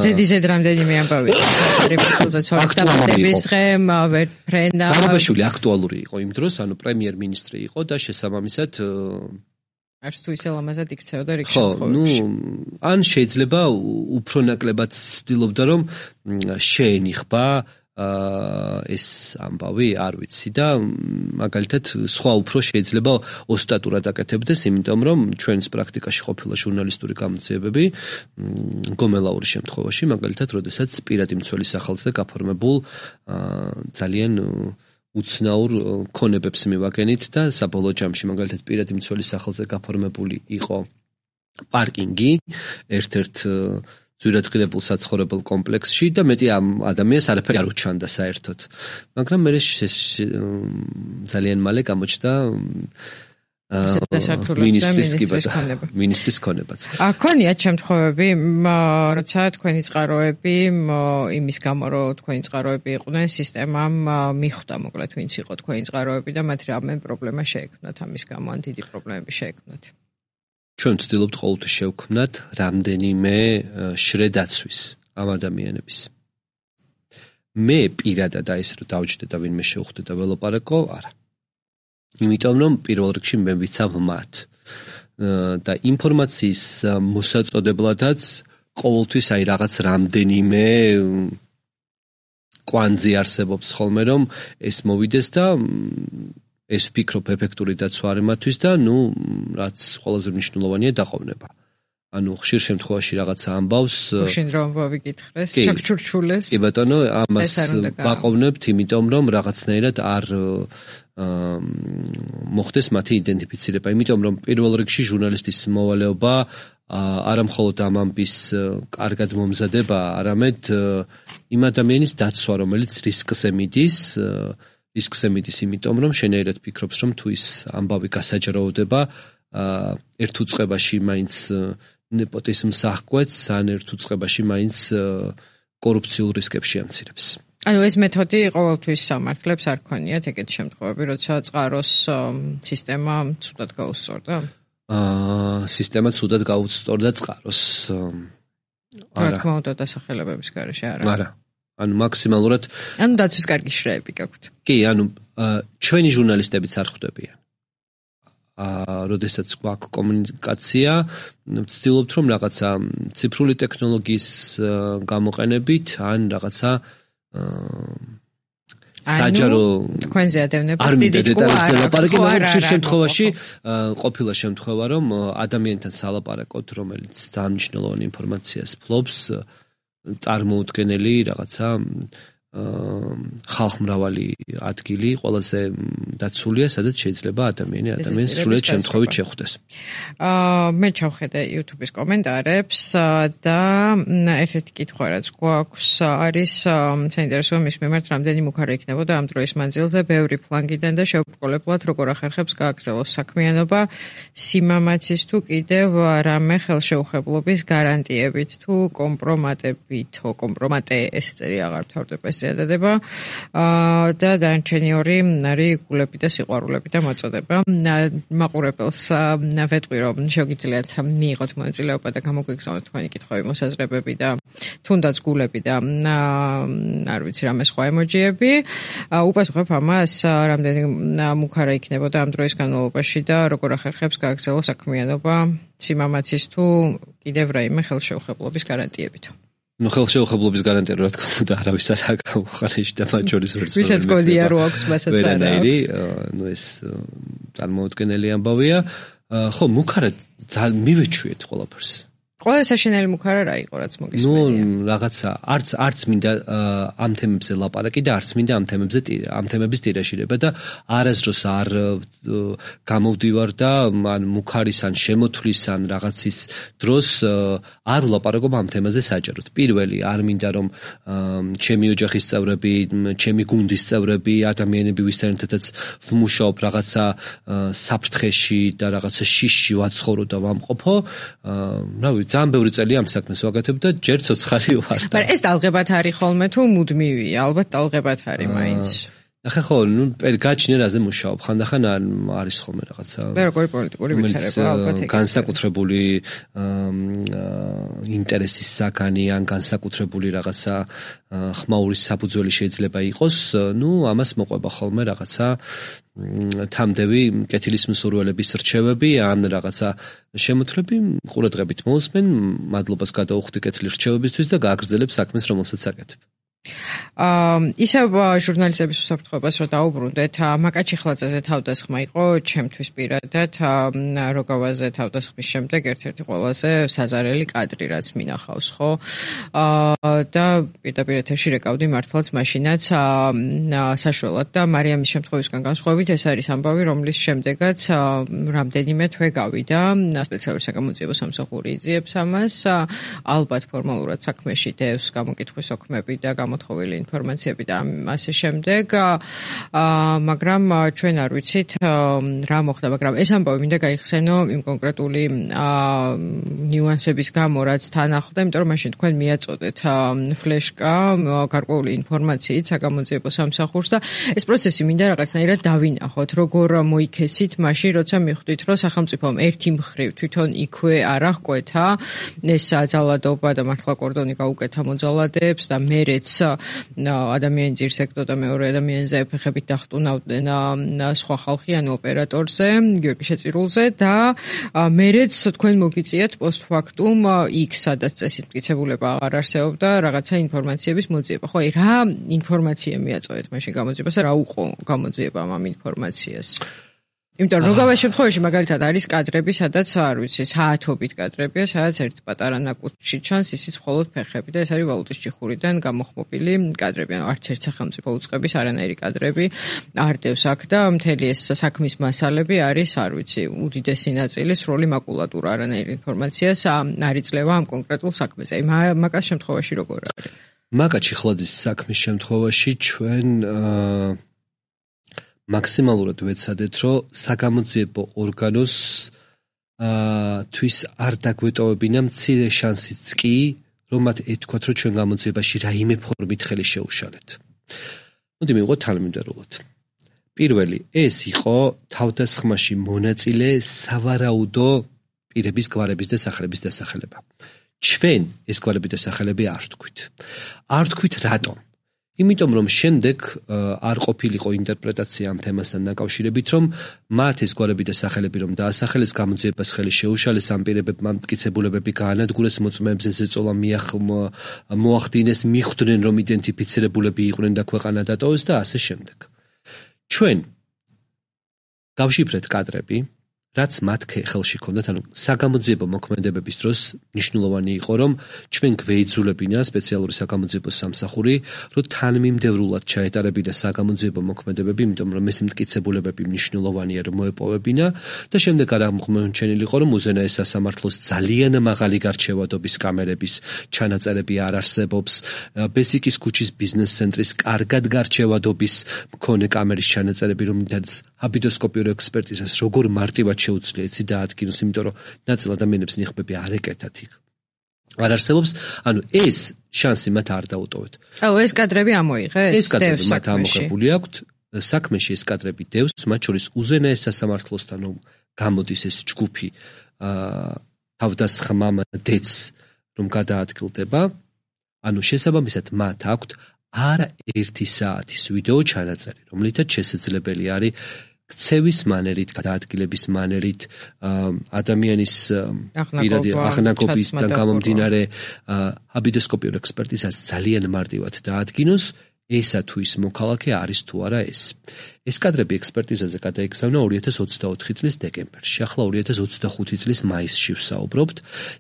ზედიზედ რამდენიმე ამბავი ღარიბაშვილზე ცორის დამატების დღე ვერ ფრენა. ღარიბაშვილი აქტუალური იყო იმ დროს, ანუ პრემიერ-მინისტრი იყო და შესაბამისად არც თუ ისე ლამაზად იქცეოდა რიგ შემთხვევებში. ხო, ნუ ან შეიძლება უფრო ნაკლებად ცდილობდა, რომ შეენიხება ეს ამბავი, არ ვიცი და მაგალითად სხვა უფრო შეიძლება ოსტატურად აკეთებდეს, იმიტომ რომ ჩვენს პრაქტიკაში ყოფილა ჟურნალისტური გამოძიებები გომელაურის შემთხვევაში, მაგალითად, როდესაც პირადი მცველის სახელზე გაფორმებულ ძალიან უცნაურ ქონებებს მივაგენით და საბოლოო ჯამში მაგალითად პირადი მცველის სახელზე გაფორმებული იყო პარკინგი ერთ-ერთ ძვირადღირებულ საცხოვრებელ კომპლექსში და მეტი ამ ადამიანს არაფერი არ უჩანდა საერთოდ. მაგრამ მე ძალიან მალე გამოჩნდა მინისტრის ქონება. მინისტრის ქონებაც. აქონიათ შემთხვევები, როცა თქვენი წყაროები იმის გამო, რომ თქვენი წყაროები იყვნენ, სისტემამ მიხვდა, მოკლედ, ვინც იყო თქვენი წყაროები და მათ რამე პრობლემა შეექმნათ ამის გამო, ან დიდი პრობლემები შეექმნათ. ჩვენ ვცდილობთ ყოველთვის შევქმნათ რამდენიმე შრედაცვის ამ ადამიანების. მე პირადად აი ესე რომ დავჯდე და ვინმე შევხვდე და ველაპარაკო, არა. იმიტომ რომ პირველ რიგში მე ვიცავ მათ და ინფორმაციის მოსაწოდებლადაც ყოველთვის აი რაღაც რამდენიმე კვანძი არსებობს ხოლმე რომ ეს მოვიდეს და ეს ვფიქრობ ეფექტური დაცვა არის მათთვის და ნუ რაც ყველაზე მნიშვნელოვანია დაყოვნება. ანუ ხშირ შემთხვევაში რაღაცა ამბავს უშინ რომ ვიკითხრეს, ჩაქჩურჩულეს. კი ბატონო, ამას ვაყოვნებთ, იმიტომ რომ რაღაცნაირად არ მოხდეს მათი იდენტიფიცირება, იმიტომ რომ პირველ რიგში ჟურნალისტის მოვალეობა არა მხოლოდ ამ ამბის კარგად მომზადება, არამედ იმ ადამიანის დაცვა, რომელიც რისკზე მიდის, რისკზე მიდის, იმიტომ რომ შენაირად ფიქრობს, რომ თუ ის ამბავი გასაჯრაოდება, ერთ უწყებაში მაინც ნეპოტიზმს აღკვეთს, ან ერთ უწყებაში მაინც კორუფციულ რისკებს შეამცირებს. ანუ ეს მეთოდი ყოველთვის სამართლებს არ ქონიათ ეგეთი შემთხვევები, როცა წყაროს სისტემა ცუდად გაუსწორდა? აა სისტემა ცუდად გაუსწორდა წყაროს. არა. რა თქმა უნდა, დასახელებების გარეშე არა. არა. ანუ მაქსიმალურად ანუ დაცვის კარგი შრეები გაქვთ. კი, ანუ ჩვენი ჟურნალისტებიც არ ხვდებიან. აა, როდესაც გვაქვს კომუნიკაცია, ვცდილობთ რომ რაღაცა ციფრული ტექნოლოგიის გამოყენებით ან რაღაცა საჯარო თქვენზე ადევნებთ დიდი ჭკუა არ აქვს. ხშირ შემთხვევაში ყოფილა შემთხვევა რომ ადამიანთან სალაპარაკოთ, რომელიც ძალიან მნიშვნელოვანი ინფორმაციას ფლობს, წარმოუდგენელი რაღაცა ხალხმრავალი ადგილი ყველაზე დაცულია, სადაც შეიძლება ადამიანი ადამიანს სრულად შემთხვევით შეხვდეს. აა მე ჩავხედე YouTube-ის კომენტარებს და ერთ-ერთი კითხვა რაც გვაქვს არის საინტერესო მის მიმართ რამდენი მუქარი იქნებოდა ამ დროის მანძილზე ბევრი ფლანგიდან და შეუბრკოლებლად როგორ ახერხებს გააგრძელოს საქმიანობა სიმამაცის თუ კიდევ რამე ხელშეუხებლობის გარანტიებით თუ კომპრომატებით, კომპრომატე ესე წერი აღარ ვთავრდება დადება და დანარჩენი ორი არის გულები და სიყვარულები და მოწოდება. მაყურებელს ვეტყვი რომ შეგიძლიათ მიიღოთ მონაწილეობა და გამოგვიგზავნოთ თქვენი კითხვები, მოსაზრებები და თუნდაც გულები და არ ვიცი რამე სხვა ემოჯიები. უპასუხებ ამას რამდენი მუქარა იქნებოდა ამ დროის განმავლობაში და როგორ ახერხებს გააგრძელოს საქმიანობა სიმამაცის თუ კიდევ რაიმე ხელშეუხებლობის გარანტიებით. ნუ ხელშეუხებლობის გარანტია რა თქმა უნდა არავის არ აღმოხარიში და მათ შორის ვერც ვისაც გონია რო აქვს მასაც არ აქვს. ნუ ეს წარმოუდგენელი ამბავია. ხო, მუქარა ძალიან მივეჩვიეთ ყველაფერს. ყველა საშინელი მუქარა რა იყო რაც მოგისმენია? ნუ რაღაცა არც არც მინდა ამ თემებზე ლაპარაკი და არც მინდა ამ თემებზე ამ თემების ტირაჟირება და არასდროს არ გამოვდივარ და ან მუქარის ან შემოთვლის ან რაღაცის დროს არ ვლაპარაკობ ამ თემაზე საჯაროდ. პირველი არ მინდა რომ ჩემი ოჯახის წევრები, ჩემი გუნდის წევრები, ადამიანები ვისთანაც ვმუშაობ რაღაცა საფრთხეში და რაღაცა შიშში ვაცხოვრო და ვამყოფო. რავი ძალიან ბევრი წელი ამ საქმეს ვაკეთებ და ჯერ ცოცხალი ვარ. მაგრამ ეს ტალღებად არის ხოლმე თუ მუდმივია? ალბათ ტალღებად არის მაინც. ახლა ხო, ნუ გაჩნია რაზე მუშაობ. ხანდახან არის ხოლმე რაღაცა. მე როგორი პოლიტიკური ვითარება ალბათ ეგ. განსაკუთრებული ინტერესის საგანი ან განსაკუთრებული რაღაცა ხმაურის საფუძველი შეიძლება იყოს. ნუ ამას მოყვება ხოლმე რაღაცა თამდევი კეთილის მსურველების რჩევები ან რაღაცა შემოთვლები ყურადღებით მოусმენ, მადლობას გადაუხდი კეთილი რჩევებისთვის და გააგრძელებ საქმეს, რომელსაც აკეთებ. აა ისევ ჟურნალისტების უსაფრთხოებას რო დაუბრუნდეთ, მაკაჩიხლაძეზე თავდასხმა იყო ჩემთვის პირადად როგავაზე თავდასხმის შემდეგ ერთ-ერთი ყველაზე საზარელი კადრი რაც მინახავს, ხო? აა და პირდაპირ ეთერში რეკავდი მართლაც მაშინაც საშველად და მარიამის შემთხვევისგან განსხვავებით ეს არის ამბავი, რომლის შემდეგაც რამდენიმე თვე გავიდა სპეციალური საგამოძიებო სამსახური იძიებს ამას, ალბათ ფორმალურად საქმეში დევს გამოკითხვის ოქმები და გამოთხოვილი ინფორმაციები და ასე შემდეგ. მაგრამ ჩვენ არ ვიცით რა მოხდა, მაგრამ ეს ამბავი მინდა გაიხსენო იმ კონკრეტული ნიუანსების გამო, რაც თან ახლდა, იმიტომ რომ მაშინ თქვენ მიაწოდეთ ფლეშკა გარკვეული ინფორმაციით საგამოძიებო სამსახურს და ეს პროცესი მინდა რაღაცნაირად დავინახოთ, როგორ მოიქესით მაშინ, როცა მიხვდით, რომ სახელმწიფომ ერთი მხრივ თვითონ იქვე არ აღკვეთა ეს ძალადობა და მართლა კორდონი გაუკეთა მოძალადეებს და მერეც ადამიანის ძირს ეკდო და მეორე ადამიანზე ფეხებით დახტუნავდნენ სხვა ხალხი ანუ ოპერატორზე, გიორგი შეწირულზე და მერეც თქვენ მოგიწიათ პოსტფაქტუმ იქ სადაც წესით მტკიცებულება აღარ არსებობდა რაღაცა ინფორმაციების მოძიება. ხო, აი რა ინფორმაცია მიაწოდეთ მაშინ გამოძიებას და რა უყო გამოძიებამ ამ ინფორმაციას? იმიტომ რომ როგორ შემთხვევაში მაგალითად არის კადრები, სადაც არ ვიცი, საათობით კადრებია, სადაც ერთ პატარა ნაკუთში ჩანს ისიც მხოლოდ ფეხები და ეს არის ვალუტის ჭიხურიდან გამოხმობილი კადრები. ანუ არც ერთ სახელმწიფო უწყების არანაირი კადრები არ დევს აქ და მთელი ეს საქმის მასალები არის, არ ვიცი, უდიდესი ნაწილი სრული მაკულატურა, არანაირი ინფორმაციას არ იძლევა ამ კონკრეტულ საქმეზე. აი მაგას შემთხვევაში როგორ არის? მაგა ჩიხლაძის საქმის შემთხვევაში ჩვენ მაქსიმალურად ვეცადეთ, რომ საგამოძიებო ორგანოს თვის არ დაგვეტოვებინა მცირე შანსიც კი, რომ მათ ეთქვათ, რომ ჩვენ გამოძიებაში რაიმე ფორმით ხელი შეუშალეთ. მოდი მივიღოთ თანმიმდევრულად. პირველი, ეს იყო თავდასხმაში მონაწილე სავარაუდო პირების გვარების და სახელების დასახელება. ჩვენ ეს გვარები და სახელები არ ვთქვით. არ ვთქვით რატომ? იმიტომ რომ შემდეგ არ ყოფილიყო ინტერპრეტაცია ამ თემასთან დაკავშირებით, რომ მათ ეს გვარები და სახელები რომ დაასახელეს, გამოძიებას ხელი შეუშალეს, ამ პირებებმა მტკიცებულებები გაანადგურეს, მოწმეებზე ზეწოლა მოახდინეს, მიხვდნენ რომ იდენტიფიცირებულები იყვნენ და ქვეყანა დატოვეს და ასე შემდეგ. ჩვენ გავშიფრეთ კადრები, რაც მათ ხელში ჰქონდათ, ანუ საგამოძიებო მოქმედებების დროს მნიშვნელოვანი იყო, რომ ჩვენ გვეიძულებინა სპეციალური საგამოძიებო სამსახური, რომ თანმიმდევრულად ჩაეტარებინა საგამოძიებო მოქმედებები, იმიტომ რომ ეს მტკიცებულებები მნიშვნელოვანია, რომ მოეპოვებინა და შემდეგ არ აღმოჩენილი იყო, რომ უზენაეს სასამართლოს ძალიან მაღალი გარჩევადობის კამერების ჩანაწერები არ არსებობს, ბესიკის ქუჩის ბიზნეს ცენტრის კარგად გარჩევადობის მქონე კამერის ჩანაწერები, რომლითაც აბიდოსკოპიურ ექსპერტიზას როგორ მარტივად შეუძლია იცი დაადგინოს, იმიტომ რომ ნაწილ ადამიანებს ნიღბები არ ეკეთათ იქ. არ არსებობს, ანუ ეს შანსი მათ არ დაუტოვეთ. აუ, ეს კადრები ამოიღეს? ეს კადრები მათ ამოღებული აქვთ, საქმეში ეს კადრები დევს, მათ შორის უზენაეს სასამართლოსთან გამოდის ეს ჯგუფი თავდასხმამდეც რომ გადაადგილდება, ანუ შესაბამისად მათ აქვთ არა ერთი საათის ვიდეო ჩანაწერი, რომლითაც შესაძლებელი არის ქცევის მანერით, გადაადგილების მანერით, ადამიანის პირადი აღნაგობისგან გამომდინარე აბიდოსკოპიურ ექსპერტიზას ძალიან მარტივად დაადგინოს, ესა თუ ის მოქალაქე არის თუ არა ეს. ეს კადრები ექსპერტიზაზე გადაიგზავნა ორი ათას ოცდაოთხი წლის დეკემბერში. ახლა ორი ათას ოცდახუთი წლის მაისში ვსაუბრობთ.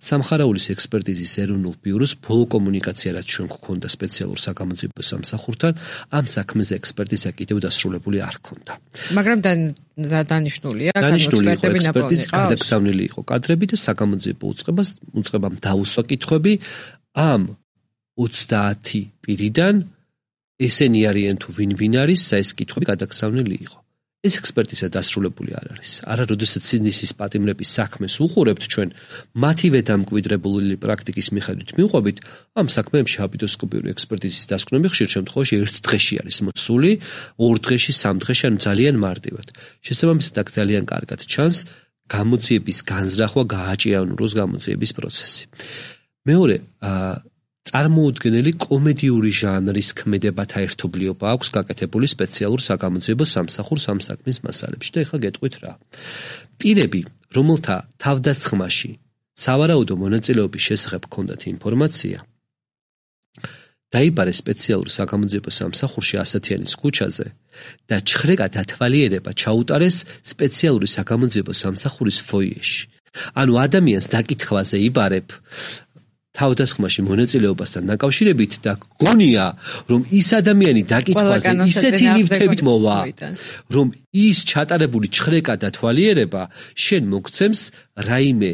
სამხარაულის ექსპერტიზის ეროვნულ ბიუროს ბოლო კომუნიკაცია, რაც ჩვენ გვქონდა სპეციალურ საგამოძიებო სამსახურთან, ამ საქმეზე ექსპერტიზა კიდევ დასრულებული არ ჰქონდა. მაგრამ დანიშნულია, დანიშნული იყო ექსპერტიზის გადაგზავნილი იყო კადრები და საგამოძიებო უწყებას უწყებამ დაუსვა კითხვები ამ ოცდაათი პირიდან ესენი არიან თუ ვინ ვინ არის, ეს კითხვები გადაგზავნილი იყო. ეს ექსპერტიზა დასრულებული არ არის. არა, როდესაც სინდისის პატიმრების საქმეს უყურებთ ჩვენ, მათივე დამკვიდრებული პრაქტიკის მიხედვით მივყვებით, ამ საქმეებში აბიდოსკოპიური ექსპერტიზის დასკვნები ხშირ შემთხვევაში ერთ დღეში არის მოსული, ორ დღეში, სამ დღეში, ანუ ძალიან მარტივად. შესაბამისად, აქ ძალიან კარგად ჩანს გამოძიების განზრახვა, გააჭიანუროს გამოძიების პროცესი. მეორე, წარმოუდგენელი კომედიური ჟანრის ქმედებათა ერთობლიობა აქვს გაკეთებული სპეციალურ საგამოძიებო სამსახურს ამ საქმის მასალებში და ეხლა გეტყვით რა. პირები, რომელთა თავდასხმაში სავარაუდო მონაწილეობის შესახებ ჰქონდათ ინფორმაცია, დაიბარეს სპეციალურ საგამოძიებო სამსახურში ასათიანის ქუჩაზე და ჩხრეკა დათვალიერება ჩაუტარეს სპეციალური საგამოძიებო სამსახურის ფოიეში. ანუ ადამიანს დაკითხვაზე იბარებ თავდასხმაში მონაწილეობასთან დაკავშირებით და გონია, რომ ის ადამიანი დაკითხვაზე ისეთი ნივთებით მოვა, რომ ის ჩატარებული ჩხრეკა და თვალიერება შენ მოგცემს რაიმე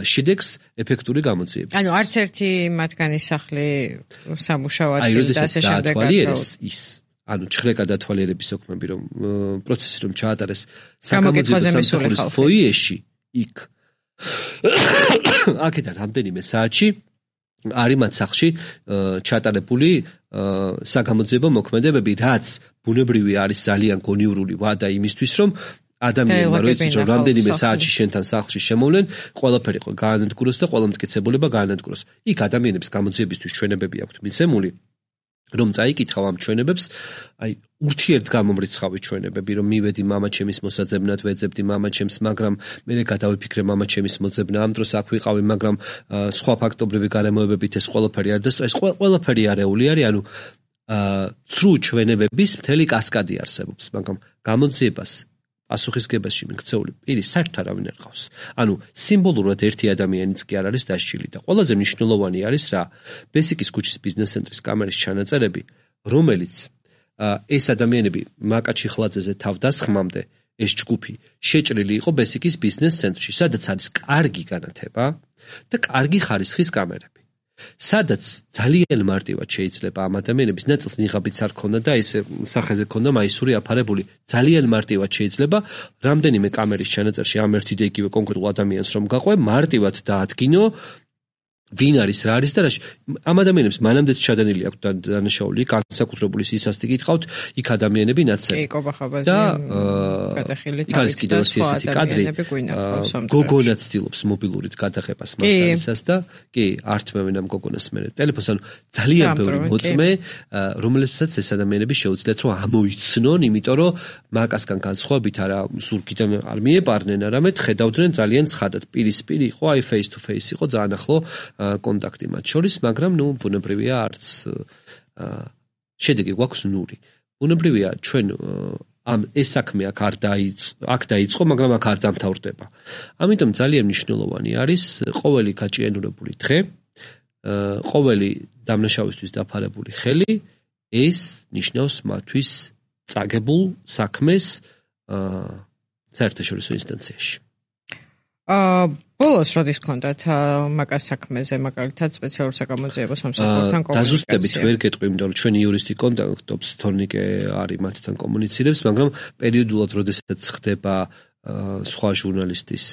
შედეგს ეფექტური გამოძიებით. ანუ არც ერთი მათგანის სახლი სამუშაო ადგილი და ასე შემდეგ ის ანუ ჩხრეკა და თვალიერების ოქმები რომ პროცესი რომ ჩაატარეს საკამოძიებო სამსახურის ფოიეში იქ აქედან რამდენიმე საათში არის მათ სახლში ჩატარებული საკამოძიებო მოქმედებები, რაც ბუნებრივი არის ძალიან გონივრული ვადა იმისთვის, რომ ადამიანმა როიც რომ რამდენიმე საათში შენთან სახლში შემოვლენ, ყველაფერი გაანადგუროს და ყველა მტკიცებულება გაანადგუროს. იქ ადამიანებს გამოძიებისთვის ჩვენებები აქვთ მიცემული, რომ წაიკითხავ ამ ჩვენებებს, აი ურთიერთგამომრიცხავი ჩვენებები, რომ მივედი მამაჩემის მოსაძებნად, ვეძებდი მამაჩემს, მაგრამ მე გადავიფიქრე მამაჩემის მოძებნა, ამ დროს აქ ვიყავი, მაგრამ სხვა ფაქტობრივი გარემოებებით ეს ყველაფერი არ და ეს ყველაფერი არეული არის, ანუ ცრუ ჩვენებების მთელი კასკადი არსებობს, მაგრამ გამოძიებას პასუხისგებაში მიქცეული პირი საერთოდ არავინ არ ყავს. ანუ სიმბოლურად ერთი ადამიანიც კი არ არის დასჯილი და ყველაზე მნიშვნელოვანი არის რა, ბესიკის ქუჩის ბიზნეს ცენტრის კამერის ჩანაწერები, რომელიც ეს ადამიანები მაკაჩი ხლაძეზე თავდასხმამდე ეს ჯგუფი შეჭრილი იყო ბესიკის ბიზნეს ცენტრში, სადაც არის კარგი განათება და კარგი ხარისხის კამერები. სადაც ძალიან მარტივად შეიძლება ამ ადამიანების ნაწილს ნიღაბიც არ ქონდა და ეს სახეზე ქონდა მაისური აფარებული. ძალიან მარტივად შეიძლება რამდენიმე კამერის ჩანაწერში ამ ერთი და იგივე კონკრეტულ ადამიანს რომ გაყვე, მარტივად დაადგინო ვინ არის, რა არის და რა. ამ ადამიანებს მანამდეც ჩადენილი აქვს დანაშაული, განსაკუთრებული სისასტი გითხავთ, იქ ადამიანები ნაცრები. კი, კობახაბაზე გადახილი თავის და სხვა ადამიანები გვინახავს. გოგონა ცდილობს მობილურით გადაღებას მასალისას და კი, ართმევენ ამ გოგონას მე ტელეფონს, ანუ ძალიან ბევრი მოწმე, რომელსაც ეს ადამიანები შეუძლიათ რომ ამოიცნონ, იმიტომ რომ მაკასგან განსხვავებით არა ზურგიდან არ მიეპარნენ, არამედ ხედავდნენ ძალიან ცხადად, პირისპირ იყო, აი face to face იყო ძალიან ახლო კონტაქტი მათ შორის, მაგრამ ნუ ბუნებრივია არც შედეგი გვაქვს ნული. ბუნებრივია ჩვენ ამ ეს საქმე აქ არ დაიწყო, აქ დაიწყო, მაგრამ აქ არ დამთავრდება. ამიტომ ძალიან მნიშვნელოვანი არის ყოველი გაჭიანურებული დღე, ყოველი დამნაშავისთვის დაფარებული ხელი, ეს ნიშნავს მათთვის წაგებულ საქმეს საერთაშორისო ინსტანციაში. აა ბოლოს როდის გქონდათ მაკას საქმეზე მაგალითად სპეციალურ საკამოძიებო სამსახურთან კომუნიკაცია? დაზუსტებით ვერ გეტყვი, იმიტომ რომ ჩვენი იურისტი კონტაქტობს, თორნიკე არის მათთან კომუნიცირებს, მაგრამ პერიოდულად როდესაც ხდება სხვა ჟურნალისტის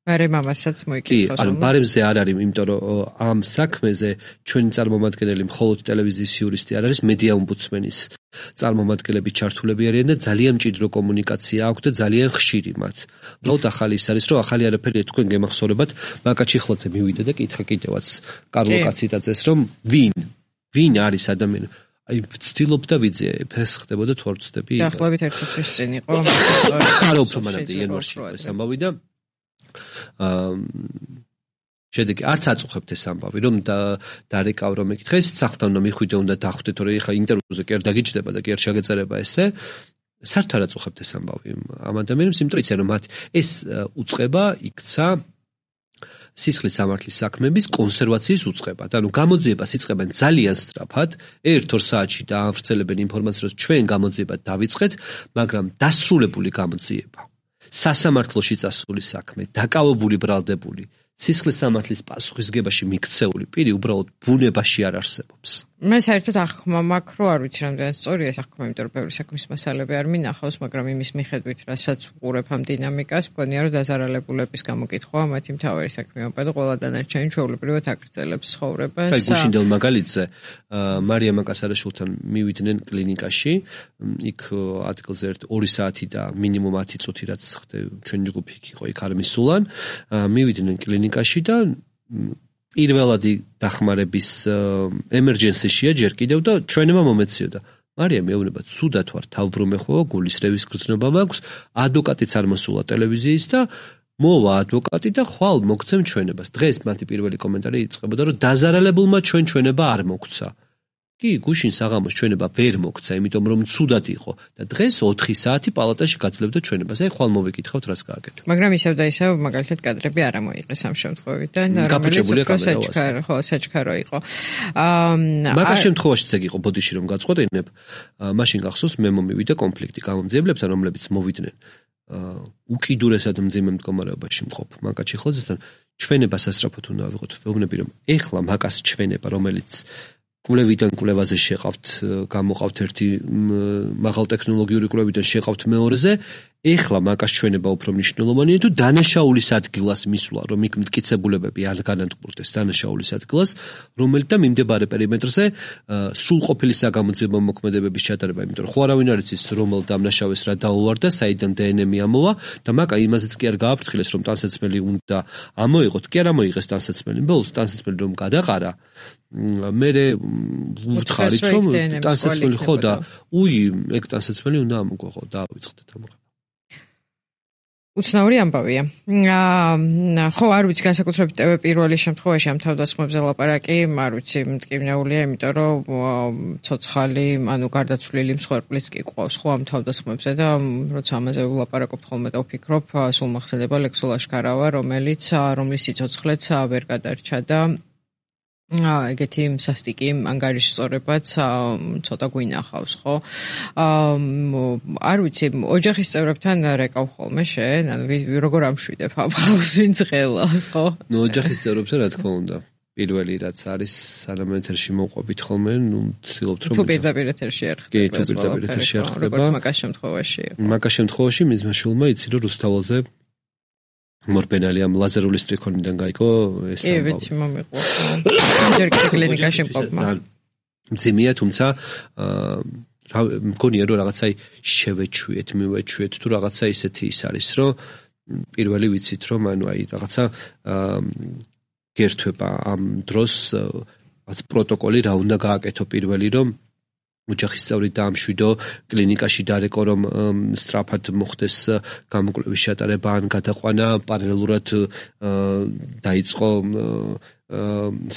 ბარემ ამასაც მოიკითხავს. კი, ანუ ბარემზე არ არის, იმიტომ რომ ამ საქმეზე ჩვენი წარმომადგენელი მხოლოდ ტელევიზიის იურისტი არ არის, მედია ომბუდსმენის წარმომადგენლები ჩართულები არიან და ძალიან მჭიდრო კომუნიკაცია აქვს და ძალიან ხშირი მათ. უბრალოდ ახალი ის არის, რომ ახალი არაფერი თქვენ გემახსოვრებათ, მაკაჩი ხლაძე მივიდა და კითხა კიდევაც კარლო კაციტაძეს, რომ ვინ, ვინ არის ადამიანი? აი ვცდილობ და ვიძე, ეს ხდებოდა თუ არ ვცდები? დაახლოებით ერთი წლის წინ იყო. არა უფრო მანამდე იანვარში ეს ამბავი და აა შედეგი არც აწუხებთ ეს ამბავი რომ დარეკავ რომ ეკითხე ეს სახლთან უნდა მიხვიდე უნდა დახვდე თორე ხა ინტერვიუზე კი არ დაგიჯდება და კი არ შეგეწერება ესე საერთოდ არ აწუხებთ ეს ამბავი ამ ადამიანებს იმიტომ იციან რომ მათ ეს უწყება იქცა სისხლის სამართლის საქმების კონსერვაციის უწყებად ანუ გამოძიებას იწყებენ ძალიან სწრაფად ერთ-ორ საათში დაავრცელებენ ინფორმაციას რომ ჩვენ გამოძიება დავიწყეთ მაგრამ დასრულებული გამოძიება სასამართლოში წასული საქმე დაკავებული ბრალდებული სისხლის სამართლის პასუხისგებაში მიქცეული პირი უბრალოდ ბუნებაში არ არსებობს. მე საერთოდ ახმა მაქვს, რომ არ ვიცი რამდენად სწორია ეს ახმა, იმიტომ რომ ბევრი საქმის მასალები არ მინახავს, მაგრამ იმის მიხედვით, რასაც ვუყურებ ამ დინამიკას, მგონია რომ დაზარალებულების გამოკითხვა მათი მთავარი საქმეობა და ყველა დანარჩენი ჩვეულებრივად აგრძელებს ცხოვრებას. აი გუშინდელ მაგალითზე მარია მაკასარაშვილთან მივიდნენ კლინიკაში, იქ ადგილზე ერთ ორი საათი და მინიმუმ ათი წუთი რაც ჩვენ ჯგუფი იყო, იქ არ მისულან, მივიდნენ კლინიკაში და პირველადი დახმარების ემერჯენსიშია ჯერ კიდევ და ჩვენება მომეციოდა. მარია მეუბნება, ცუდად ვარ, თავბრუმე ხო, გულის რევის გრძნობა მაქვს, ადვოკატიც არ მოსულა ტელევიზიის და მოვა ადვოკატი და ხვალ მოგცემ ჩვენებას. დღეს მათი პირველი კომენტარი იწყებოდა, რომ დაზარალებულმა ჩვენ ჩვენება არ მოგცა. კი, გუშინ საღამოს ჩვენება ვერ მოგცა, იმიტომ რომ ცუდად იყო და დღეს ოთხი საათი პალატაში გაძლევდა ჩვენებას. აი ხვალ მოვიკითხავთ რას გააკეთო. მაგრამ ისევ და ისევ მაგალითად კადრები არ ამოიღეს ამ შემთხვევიდან, რომელიც საჩქარო, ხო, საჩქარო იყო. აა მაგას შემთხვევაშიც ეგ იყო ბოდიში რომ გაწყვეტინებ, მაშინ გახსოვს მე მომივიდა კონფლიქტი გამომძიებლებთან, რომლებიც მოვიდნენ უკიდურესად მძიმე მდგომარეობაში მყოფ მაკა ჩიხლაძესთან. ჩვენება სასწრაფოდ უნდა ავიღოთ. ვეუბნები რომ ეხლა მაკას ჩვენება, რომელიც კვლევიდან კვლევაზე შეყავთ, გამოყავთ ერთი მაღალტექნოლოგიური კვლევიდან შეყავთ მეორეზე, ეხლა მაკას ჩვენება უფრო მნიშვნელოვანია თუ დანაშაულის ადგილას მისვლა, რომ იქ მტკიცებულებები არ განადგურდეს დანაშაულის ადგილას, რომელიც და მიმდებარე პერიმეტრზე სრულყოფილი საგამოძიებო მოქმედებების ჩატარება, იმიტომ რომ ხო არავინ არ იცის რომელ დამნაშავეს რა დაუვარდა, საიდან დე ენ ემი ამოვა და მაკა იმაზეც კი არ გააფრთხილეს, რომ ტანსაცმელი უნდა ამოიღოთ, კი არ ამოიღეს ტანსაცმელი, ბოლოს ტანსაცმელი რომ გადაყარა, მერე ვუთხარით რომ ტანსაცმელი ხო და უი ეგ ტანსაცმელი უნდა ამოგვეყო და ავიწყდეთ ამ უცნაური ამბავია. აა ხო, არ ვიცი, განსაკუთრებით ტევ პირველი შემთხვევაში ამ თავდასხმებზე ლაპარაკი, არ ვიცი, მტკივნეულია, იმიტომ რომ ცოცხალი, ანუ გარდაცვლილი მსხვერპლიც კი ყავს ხო ამ თავდასხმებზე და როცა ამაზე ვლაპარაკობთ ხოლმე და ვფიქრობ, სულ მახსენდება ლექსულ აშკარავა, რომელიც რომლის სიცოცხლეც ვერ გადარჩა და ეგეთი სასტიკი ანგარიშწორებაც ცოტა გვინახავს, ხო? არ ვიცი, ოჯახის წევრებთან რეკავ ხოლმე შენ, ანუ როგორ ამშვიდებ ამ ხალხს, ვინც ღელავს, ხო? ნუ ოჯახის წევრებთან რა თქმა უნდა. პირველი რაც არის, სანამ ეთერში მოვყვებით ხოლმე, ნუ ვცდილობთ რომ თუ პირდაპირ ეთერში არ ხდება. კი, თუ პირდაპირ ეთერში არ ხდება. როგორც მაგას შემთხვევაში. მაგას შემთხვევაში მის მაშულმა იცი რომ რუსთაველზე მორბენალი ამ ლაზერული სტრიქონიდან გაიგო ეს ამბავი. კი, ვიცი, მომიყვა. ჯერ კიდევ კლინიკაში მყოფმა. მძიმეა, თუმცა რა მგონია რომ რაღაცა შევეჩვიეთ, მივეჩვიეთ თუ რაღაცა ისეთი ის არის, რომ პირველი ვიცით რომ ანუ აი რაღაცა გერთვება ამ დროს რაც პროტოკოლი რა უნდა გააკეთო პირველი რომ ოჯახის წევრი დაამშვიდო, კლინიკაში დარეკო რომ სწრაფად მოხდეს გამოკვლევის ჩატარება ან გადაყვანა, პარალელურად დაიწყო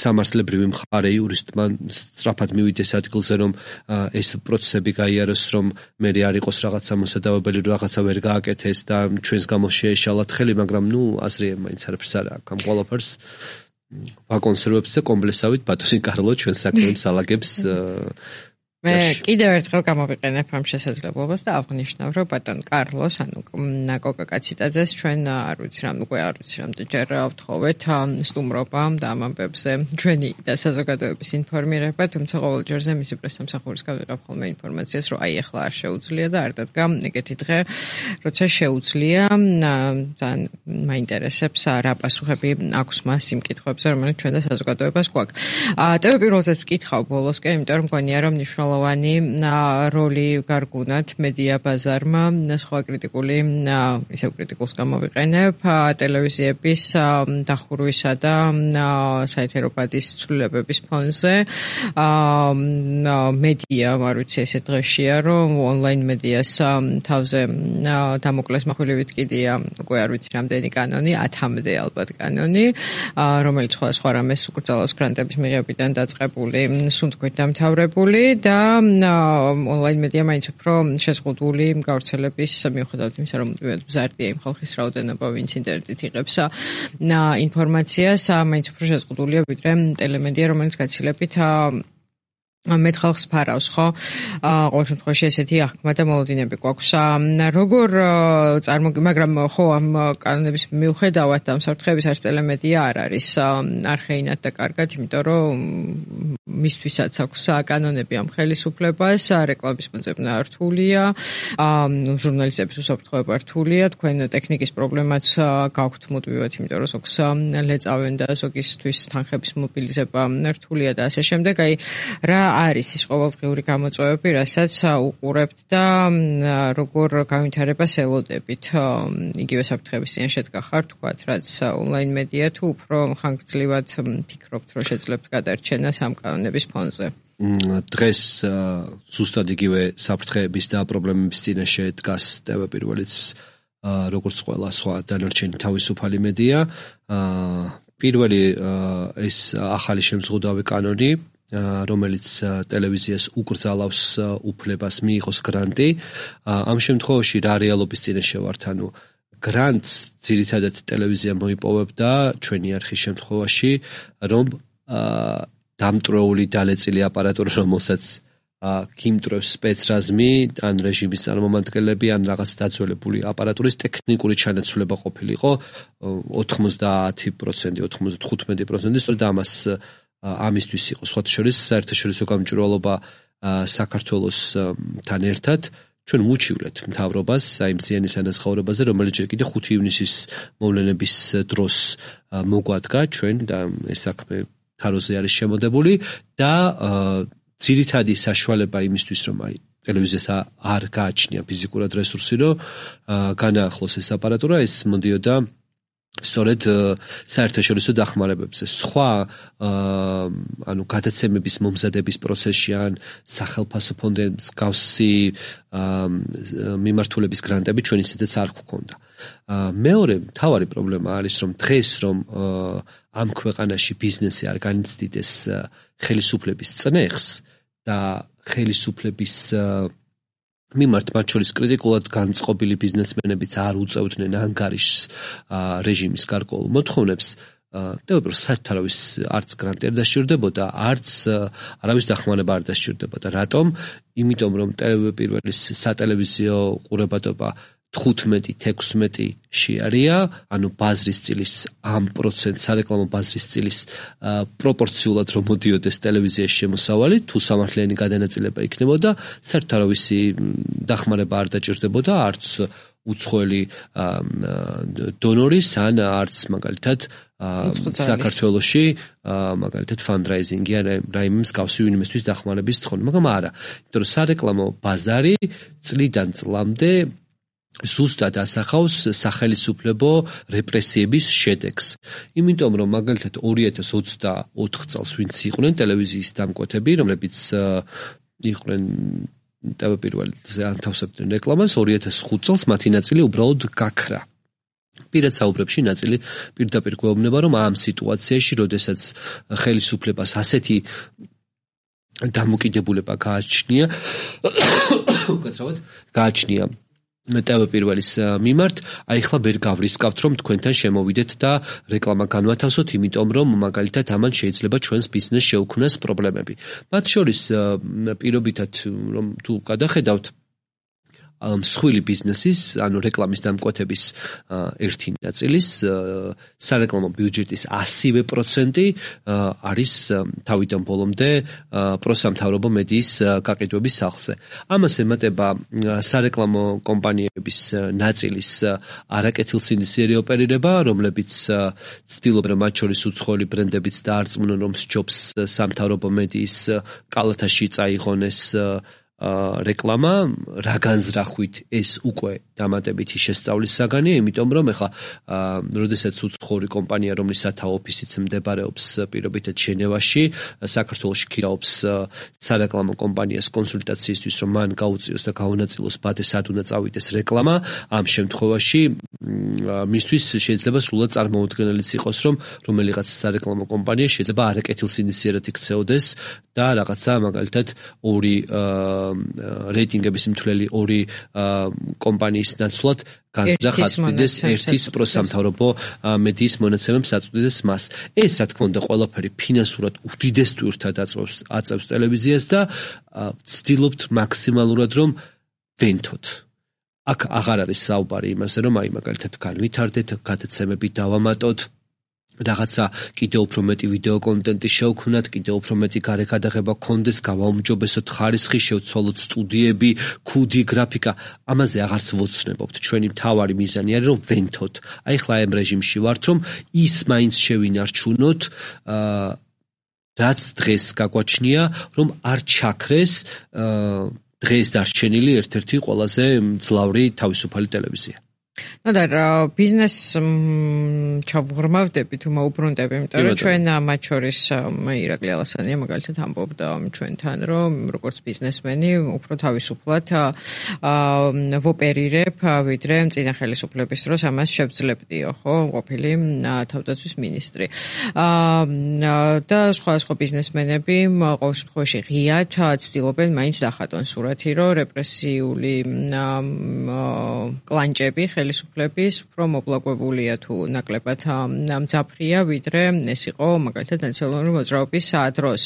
სამართლებრივი მხარე იურისტმა სწრაფად მივიდეს ადგილზე რომ ეს პროცესები გაიაროს, რომ მე არ იყოს რაღაც სამოსადავებელი, რაღაცა ვერ გააკეთეს და ჩვენს გამო შეეშალათ ხელი, მაგრამ ნუ აზრი მაინც არაფერს არ აქვს ამ ყველაფერს ვაკონსერვებთ და კომპლექსავით ბატონი კარლო ჩვენ საქმეებს ალაგებს მე კიდევ ერთხელ გამოვიყენებ ამ შესაძლებლობას და აღნიშნავ, რომ ბატონ კარლოს, ანუ ნაკოკა კაციტაძეს ჩვენ არ ვიცი რამ უკვე არ ვიცი რამდენჯერ ვთხოვეთ სტუმრობა და ამ ამბებზე ჩვენი და საზოგადოების ინფორმირება, თუმცა ყოველ ჯერზე მისი პრესამსახურისგან ვიღებ ხოლმე ინფორმაციას, რომ აი ახლა არ შეუძლია და არ დადგა ეგეთი დღე, როცა შეუძლია, ძალიან მაინტერესებს რა პასუხები აქვს მას იმ კითხვებზე, რომელიც ჩვენ და საზოგადოებას გვაქვს. ტევ პირველზეც კითხავ ბოლოსკენ, იმიტომ რომ მგონია რომ მნიშვნელოვანი როლი გარგუნათ მედია ბაზარმა, სხვა კრიტიკული, ისევ კრიტიკულს გამოვიყენებ, ტელევიზიების დახურვისა და საეთერო ბადის ცვლილებების ფონზე. მედია, არ ვიცი, ესე დღეშია, რომ ონლაინ მედიას თავზე დამოკლეს מחვილივით კიდია, უკვე არ ვიცი რამდენი კანონი, ათამდე ალბათ კანონი, რომელიც სხვა სხვა რამეს უკრძალავს გრანტების მიღებიდან დაწყებული, სუნთქვით დამთავრებული და ონლაინ მედია მაინც უფრო შეზღუდული გავრცელების მიუხედავად იმისა, რომ მზარდია იმ ხალხის რაოდენობა, ვინც ინტერნეტით იღებს ინფორმაციას, მაინც უფრო შეზღუდულია ვიდრე ტელემედია, რომელიც გაცილებით მეტ ხალხს ფარავს, ხო? ყოველ შემთხვევაში ესეთი აღქმა და მოლოდინები გვაქვს. როგორ წარმოგი, მაგრამ ხო ამ კანონების მიუხედავად ამ საფრთხეების არც ტელემედია არ არის არხეინად და კარგად, იმიტომ რომ მისთვისაც აქვს კანონები ამ ხელისუფლებას, რეკლამის მოძებნა რთულია, ჟურნალისტების უსაფრთხოება რთულია, თქვენ ტექნიკის პრობლემაც გაქვთ მუდმივად, იმიტომ რომ ზოგს ლეწავენ და ზოგისთვის თანხების მობილიზება რთულია და ასე შემდეგ. აი რა არის ის ყოველდღიური გამოწვევები, რასაც უყურებთ და როგორ განვითარებას ელოდებით იგივე საფრთხების წინაშე შედგა ხართ, თქვათ, რაც ონლაინ მედია თუ უფრო ხანგრძლივად ფიქრობთ, რომ შეძლებთ გადარჩენას ამ კანონების ფონზე? დღეს ზუსტად იგივე საფრთხეების და პრობლემების წინაშე დგას ტევ პირველიც, როგორც ყველა სხვა დანარჩენი თავისუფალი მედია. პირველი ეს ახალი შემზღუდავი კანონი რომელიც ტელევიზიას უკრძალავს უფლებას მიიღოს გრანტი. ამ შემთხვევაში რა რეალობის წინაშე ვართ, ანუ გრანტს ძირითადად ტელევიზია მოიპოვებდა ჩვენი არხის შემთხვევაში, რომ დამტრეული დალეწილი აპარატურა, რომელსაც გიმტრევს სპეცრაზმი, ან რეჟიმის წარმომადგენლები, ან რაღაც დაძველებული აპარატურის ტექნიკური ჩანაცვლება ყოფილიყო ოთხმოცდაათი პროცენტი, ოთხმოცდათხუთმეტი პროცენტი, სწორედ ამას ამისთვის იყო სხვათა შორის საერთაშორისო გამჭვირვალობა საქართველოსთან ერთად ჩვენ ვუჩივლეთ მთავრობას აი მზიანის ანაზღაურებაზე, რომელიც ჯერ კიდე ხუთი ივნისის მოვლენების დროს მოგვადგა ჩვენ და ეს საქმე თაროზე არის შემოდებული და ძირითადი საშუალება იმისთვის, რომ აი ტელევიზიას არ გააჩნია ფიზიკურად რესურსი, რომ განაახლოს ეს აპარატურა, ეს მოდიოდა სწორედ საერთაშორისო დახმარებებზე. სხვა ანუ გადაცემების მომზადების პროცესში ან სახელმწიფო ფონდების გავსი მიმართულების გრანტები ჩვენ ისედაც არ გვქონდა. მეორე მთავარი პრობლემა არის, რომ დღეს რომ ამ ქვეყანაში ბიზნესი არ განიცდიდეს ხელისუფლების წნეხს და ხელისუფლების მიმართ მათ შორის კრიტიკულად განწყობილი ბიზნესმენებიც არ უწევდნენ ანგარიშს რეჟიმის გარკვეულ მოთხოვნებს, ტელევიზორს საერთოდ არავის არც გრანტი არ დასჭირდებოდა, არც არავის დახმარება არ დასჭირდებოდა. რატომ? იმიტომ რომ პირველი სატელევიზიო ყურებადობა თხუთმეტი ექვსმეტი-ში არია, ანუ ბაზრის წილის ამ პროცენტ სარეკლამო ბაზრის წილის პროპორციულად რომ მოდიოდეს ტელევიზიაში შემოსავალი, თუ სამართლიანი გადანაწილება იქნებოდა, საერთოდ არავისი დახმარება არ დაჭირდებოდა, არც უცხოელი დონორის, ან არც მაგალითად საქართველოში მაგალითად ფანდრაიზინგი ან რაიმე მსგავსი ვინმესთვის დახმარების თხოვნი, მაგრამ არა, იმიტომ რომ სარეკლამო ბაზარი წლიდან წლამდე ზუსტად ასახავს სახელისუფლებო რეპრესიების შედეგს. იმიტომ რომ მაგალითად ორი ათას ოცდაოთხ წელს ვინც იყვნენ ტელევიზიის დამკვეთები, რომლებიც იყვნენ ტელეპირველზე ანთავსებდნენ რეკლამას, ორი ათას ხუთ წელს მათი ნაწილი უბრალოდ გაქრა. პირად საუბრებში ნაწილი პირდაპირ გვეუბნება, რომ ამ სიტუაციაში, როდესაც ხელისუფლებას ასეთი დამოკიდებულება გააჩნია, უკაცრავად გააჩნია ტელეპირველის მიმართ, აი ხლა ვერ გავრისკავთ, რომ თქვენთან შემოვიდეთ და რეკლამა განვათავსოთ, იმიტომ რომ მაგალითად ამან შეიძლება ჩვენს ბიზნესს შეუქმნას პრობლემები. მათ შორის პირობითად რომ თუ გადახედავთ მსხვილი ბიზნესის, ანუ რეკლამის დამკვეთების ერთი ნაწილის სარეკლამო ბიუჯეტის ასივე პროცენტი არის თავიდან ბოლომდე პროსამთავრობო მედიის გაყიდვების სახლზე. ამას ემატება სარეკლამო კომპანიების ნაწილის არაკეთილსინდისიერი ოპერირება, რომლებიც ცდილობენ მათ შორის უცხოელი ბრენდებიც დაარწმუნონ, რომ სჯობს სამთავრობო მედიის კალათაში წაიღონეს რეკლამა, რა განზრახვით ეს უკვე დამატებითი შესწავლის საგანია, იმიტომ რომ ეხლა როდესაც უცხოური კომპანია, რომლის სათავო ოფისიც მდებარეობს პირობითად ჟენევაში, საქართველოში ქირაობს სარეკლამო კომპანიას კონსულტაციისთვის, რომ მან გაუწიოს და გაუნაწილოს ბადე სად უნდა წავიდეს რეკლამა, ამ შემთხვევაში მისთვის შეიძლება სრულად წარმოუდგენელიც იყოს, რომ რომელიღაც სარეკლამო კომპანია შეიძლება არაკეთილსინდისიერად იქცეოდეს და რაღაცა მაგალითად ორი რეიტინგების მთლელი ორი კომპანიის ნაცვლად განზრახავდეს ერთის პროსამთავრობო მედიის მონაცემებს აწვდიდეს მას. ეს რა თქმა უნდა ყველაფერი ფინანსურად უდიდეს ტვირთად აწევს აწევს ტელევიზიას და ცდილობთ მაქსიმალურად რომ ვენთოთ. აქ აღარ არის საუბარი იმაზე, რომ აი მაგალითად განვითარდეთ, გადაცემები დავამატოთ, რაღაცა კიდევ უფრო მეტი ვიდეო კონტენტი შევქმნათ, კიდევ უფრო მეტი გარე გადაღება გქონდეს, გავაუმჯობესოთ ხარისხი, შევცვალოთ სტუდიები, ქუდი, გრაფიკა. ამაზე აღარც ვოცნებობთ. ჩვენი მთავარი მიზანი არის რომ ვენთოთ. აი ხლა ამ რეჟიმში ვართ, რომ ის მაინც შევინარჩუნოთ, რაც დღეს გაგვაჩნია, რომ არ ჩაქრეს დღეს დარჩენილი ერთ-ერთი ყველაზე მძლავრი თავისუფალი ტელევიზია. ну და ბიზნეს ჩავღრმავდები თუ მოუბრუნდები, იმიტომ რომ ჩვენ მათ შორის ირაკლი ალასანია მაგალითად ამბობდა ჩვენთან, რომ როგორც ბიზნესმენი უფრო თავისუფლად ვოპერირებ, ვიდრე წინა ხელისუფლების დროს ამას შევძლებდიო, ხო, ყოფილი თავდაცვის მინისტრი. და სხვა სხვა ბიზნესმენები ყოველ შემთხვევაში ღიად ცდილობენ მაინც დახატონ სურათი, რომ რეპრესიული კლანჭები ხელისუფლების უფრო მობლაგვებულია თუ ნაკლებად მძაფრია, ვიდრე ეს იყო მაგალითად ნაციონალური მოძრაობის დროს.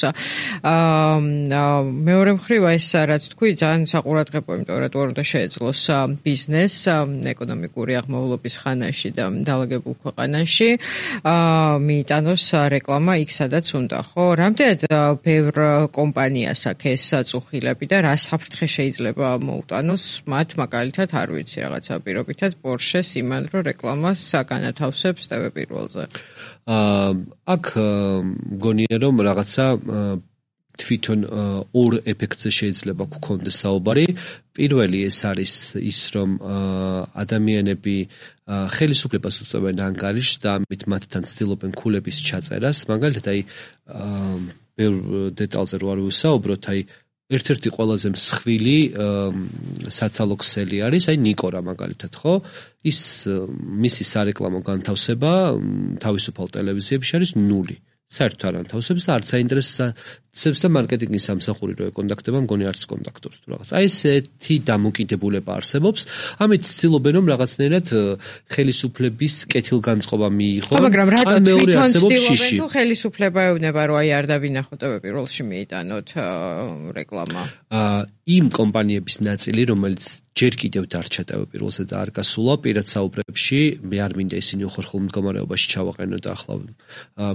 მეორე მხრივ ეს რაც თქვი ძალიან საყურადღებო, იმიტომ რომ რატო უნდა შეეძლოს ბიზნესს ეკონომიკური აღმავლობის ხანაში და დაალაგებულ ქვეყანაში მიიტანოს რეკლამა იქ სადაც უნდა, ხო? რამდენად ბევრ კომპანიას აქვს ეს წუხილები და რა საფრთხე შეიძლება მოუტანოს მათ მაგალითად არ ვიცი რაღაცა პირობითად Porsche-ს იმან რომ რეკლამას განათავსებს ტევ პირველზე. აა აქ მგონია რომ რაღაცა თვითონ ორ ეფექტზე შეიძლება გქონდეს საუბარი. პირველი ეს არის ის რომ ადამიანები ხელისუფლებას უწევენ ანგარიშს და ამით მათთან ცდილობენ ქულების ჩაწერას. მაგალითად აი ბევრ დეტალზე რო არ ვისაუბროთ, აი ერთ-ერთი ყველაზე მსხვილი საცალო ქსელი არის აი ნიკორა მაგალითად, ხო? ის მისი სარეკლამო განთავსება თავისუფალ ტელევიზიებში არის ნული. საერთოდ არ ანთავსებს და არც აინტერესებს და მარკეტინგის სამსახური რო ეკონტაქტება, მგონი არც კონტაქტობს თუ რაღაც. აი ესეთი დამოკიდებულება არსებობს. ამით ცდილობენ რომ რაღაცნაირად ხელისუფლების კეთილგანწყობა მიიღონ. მაგრამ რატო თვითონ ცდილობენ თუ ხელისუფლება ეუბნება რომ აი არ დავინახოთ ტევ პირველში მიიტანოთ რეკლამა? აა იმ კომპანიების ნაწილი, რომელიც ჯერ კიდევ დარჩა ტევ პირველზე და არ გასულა პირად საუბრებში, მე არ მინდა ისინი უხერხულ მდგომარეობაში ჩავაყენო და ახლა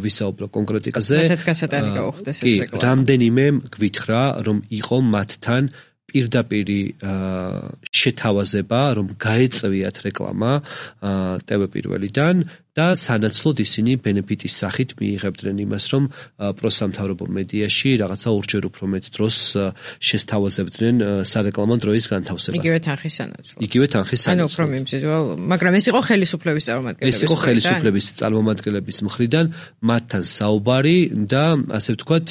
ვისაუბრო კონკრეტიკაზე. მათაც გასატანი გაუხდეს ეს რეკლამა. რამდენიმე გვითხრა რომ იყო მათთან პირდაპირი შეთავაზება, რომ გაეწვიათ რეკლამა ტევ პირველიდან და სანაცვლოდ ისინი ბენეფიტის სახით მიიღებდნენ იმას, რომ პროსამთავრობო მედიაში რაღაცა ორჯერ უფრო მეტ დროს შესთავაზებდნენ სარეკლამო დროის განთავსებას. იგივე თანხის სანაცვლოდ. იგივე თანხის სანაცვლოდ. ანუ უფრო მიმზიდველ, მაგრამ ეს იყო ხელისუფლების წარმომადგენლების. ეს იყო ხელისუფლების წარმომადგენლების მხრიდან მათთან საუბარი და ასე ვთქვათ,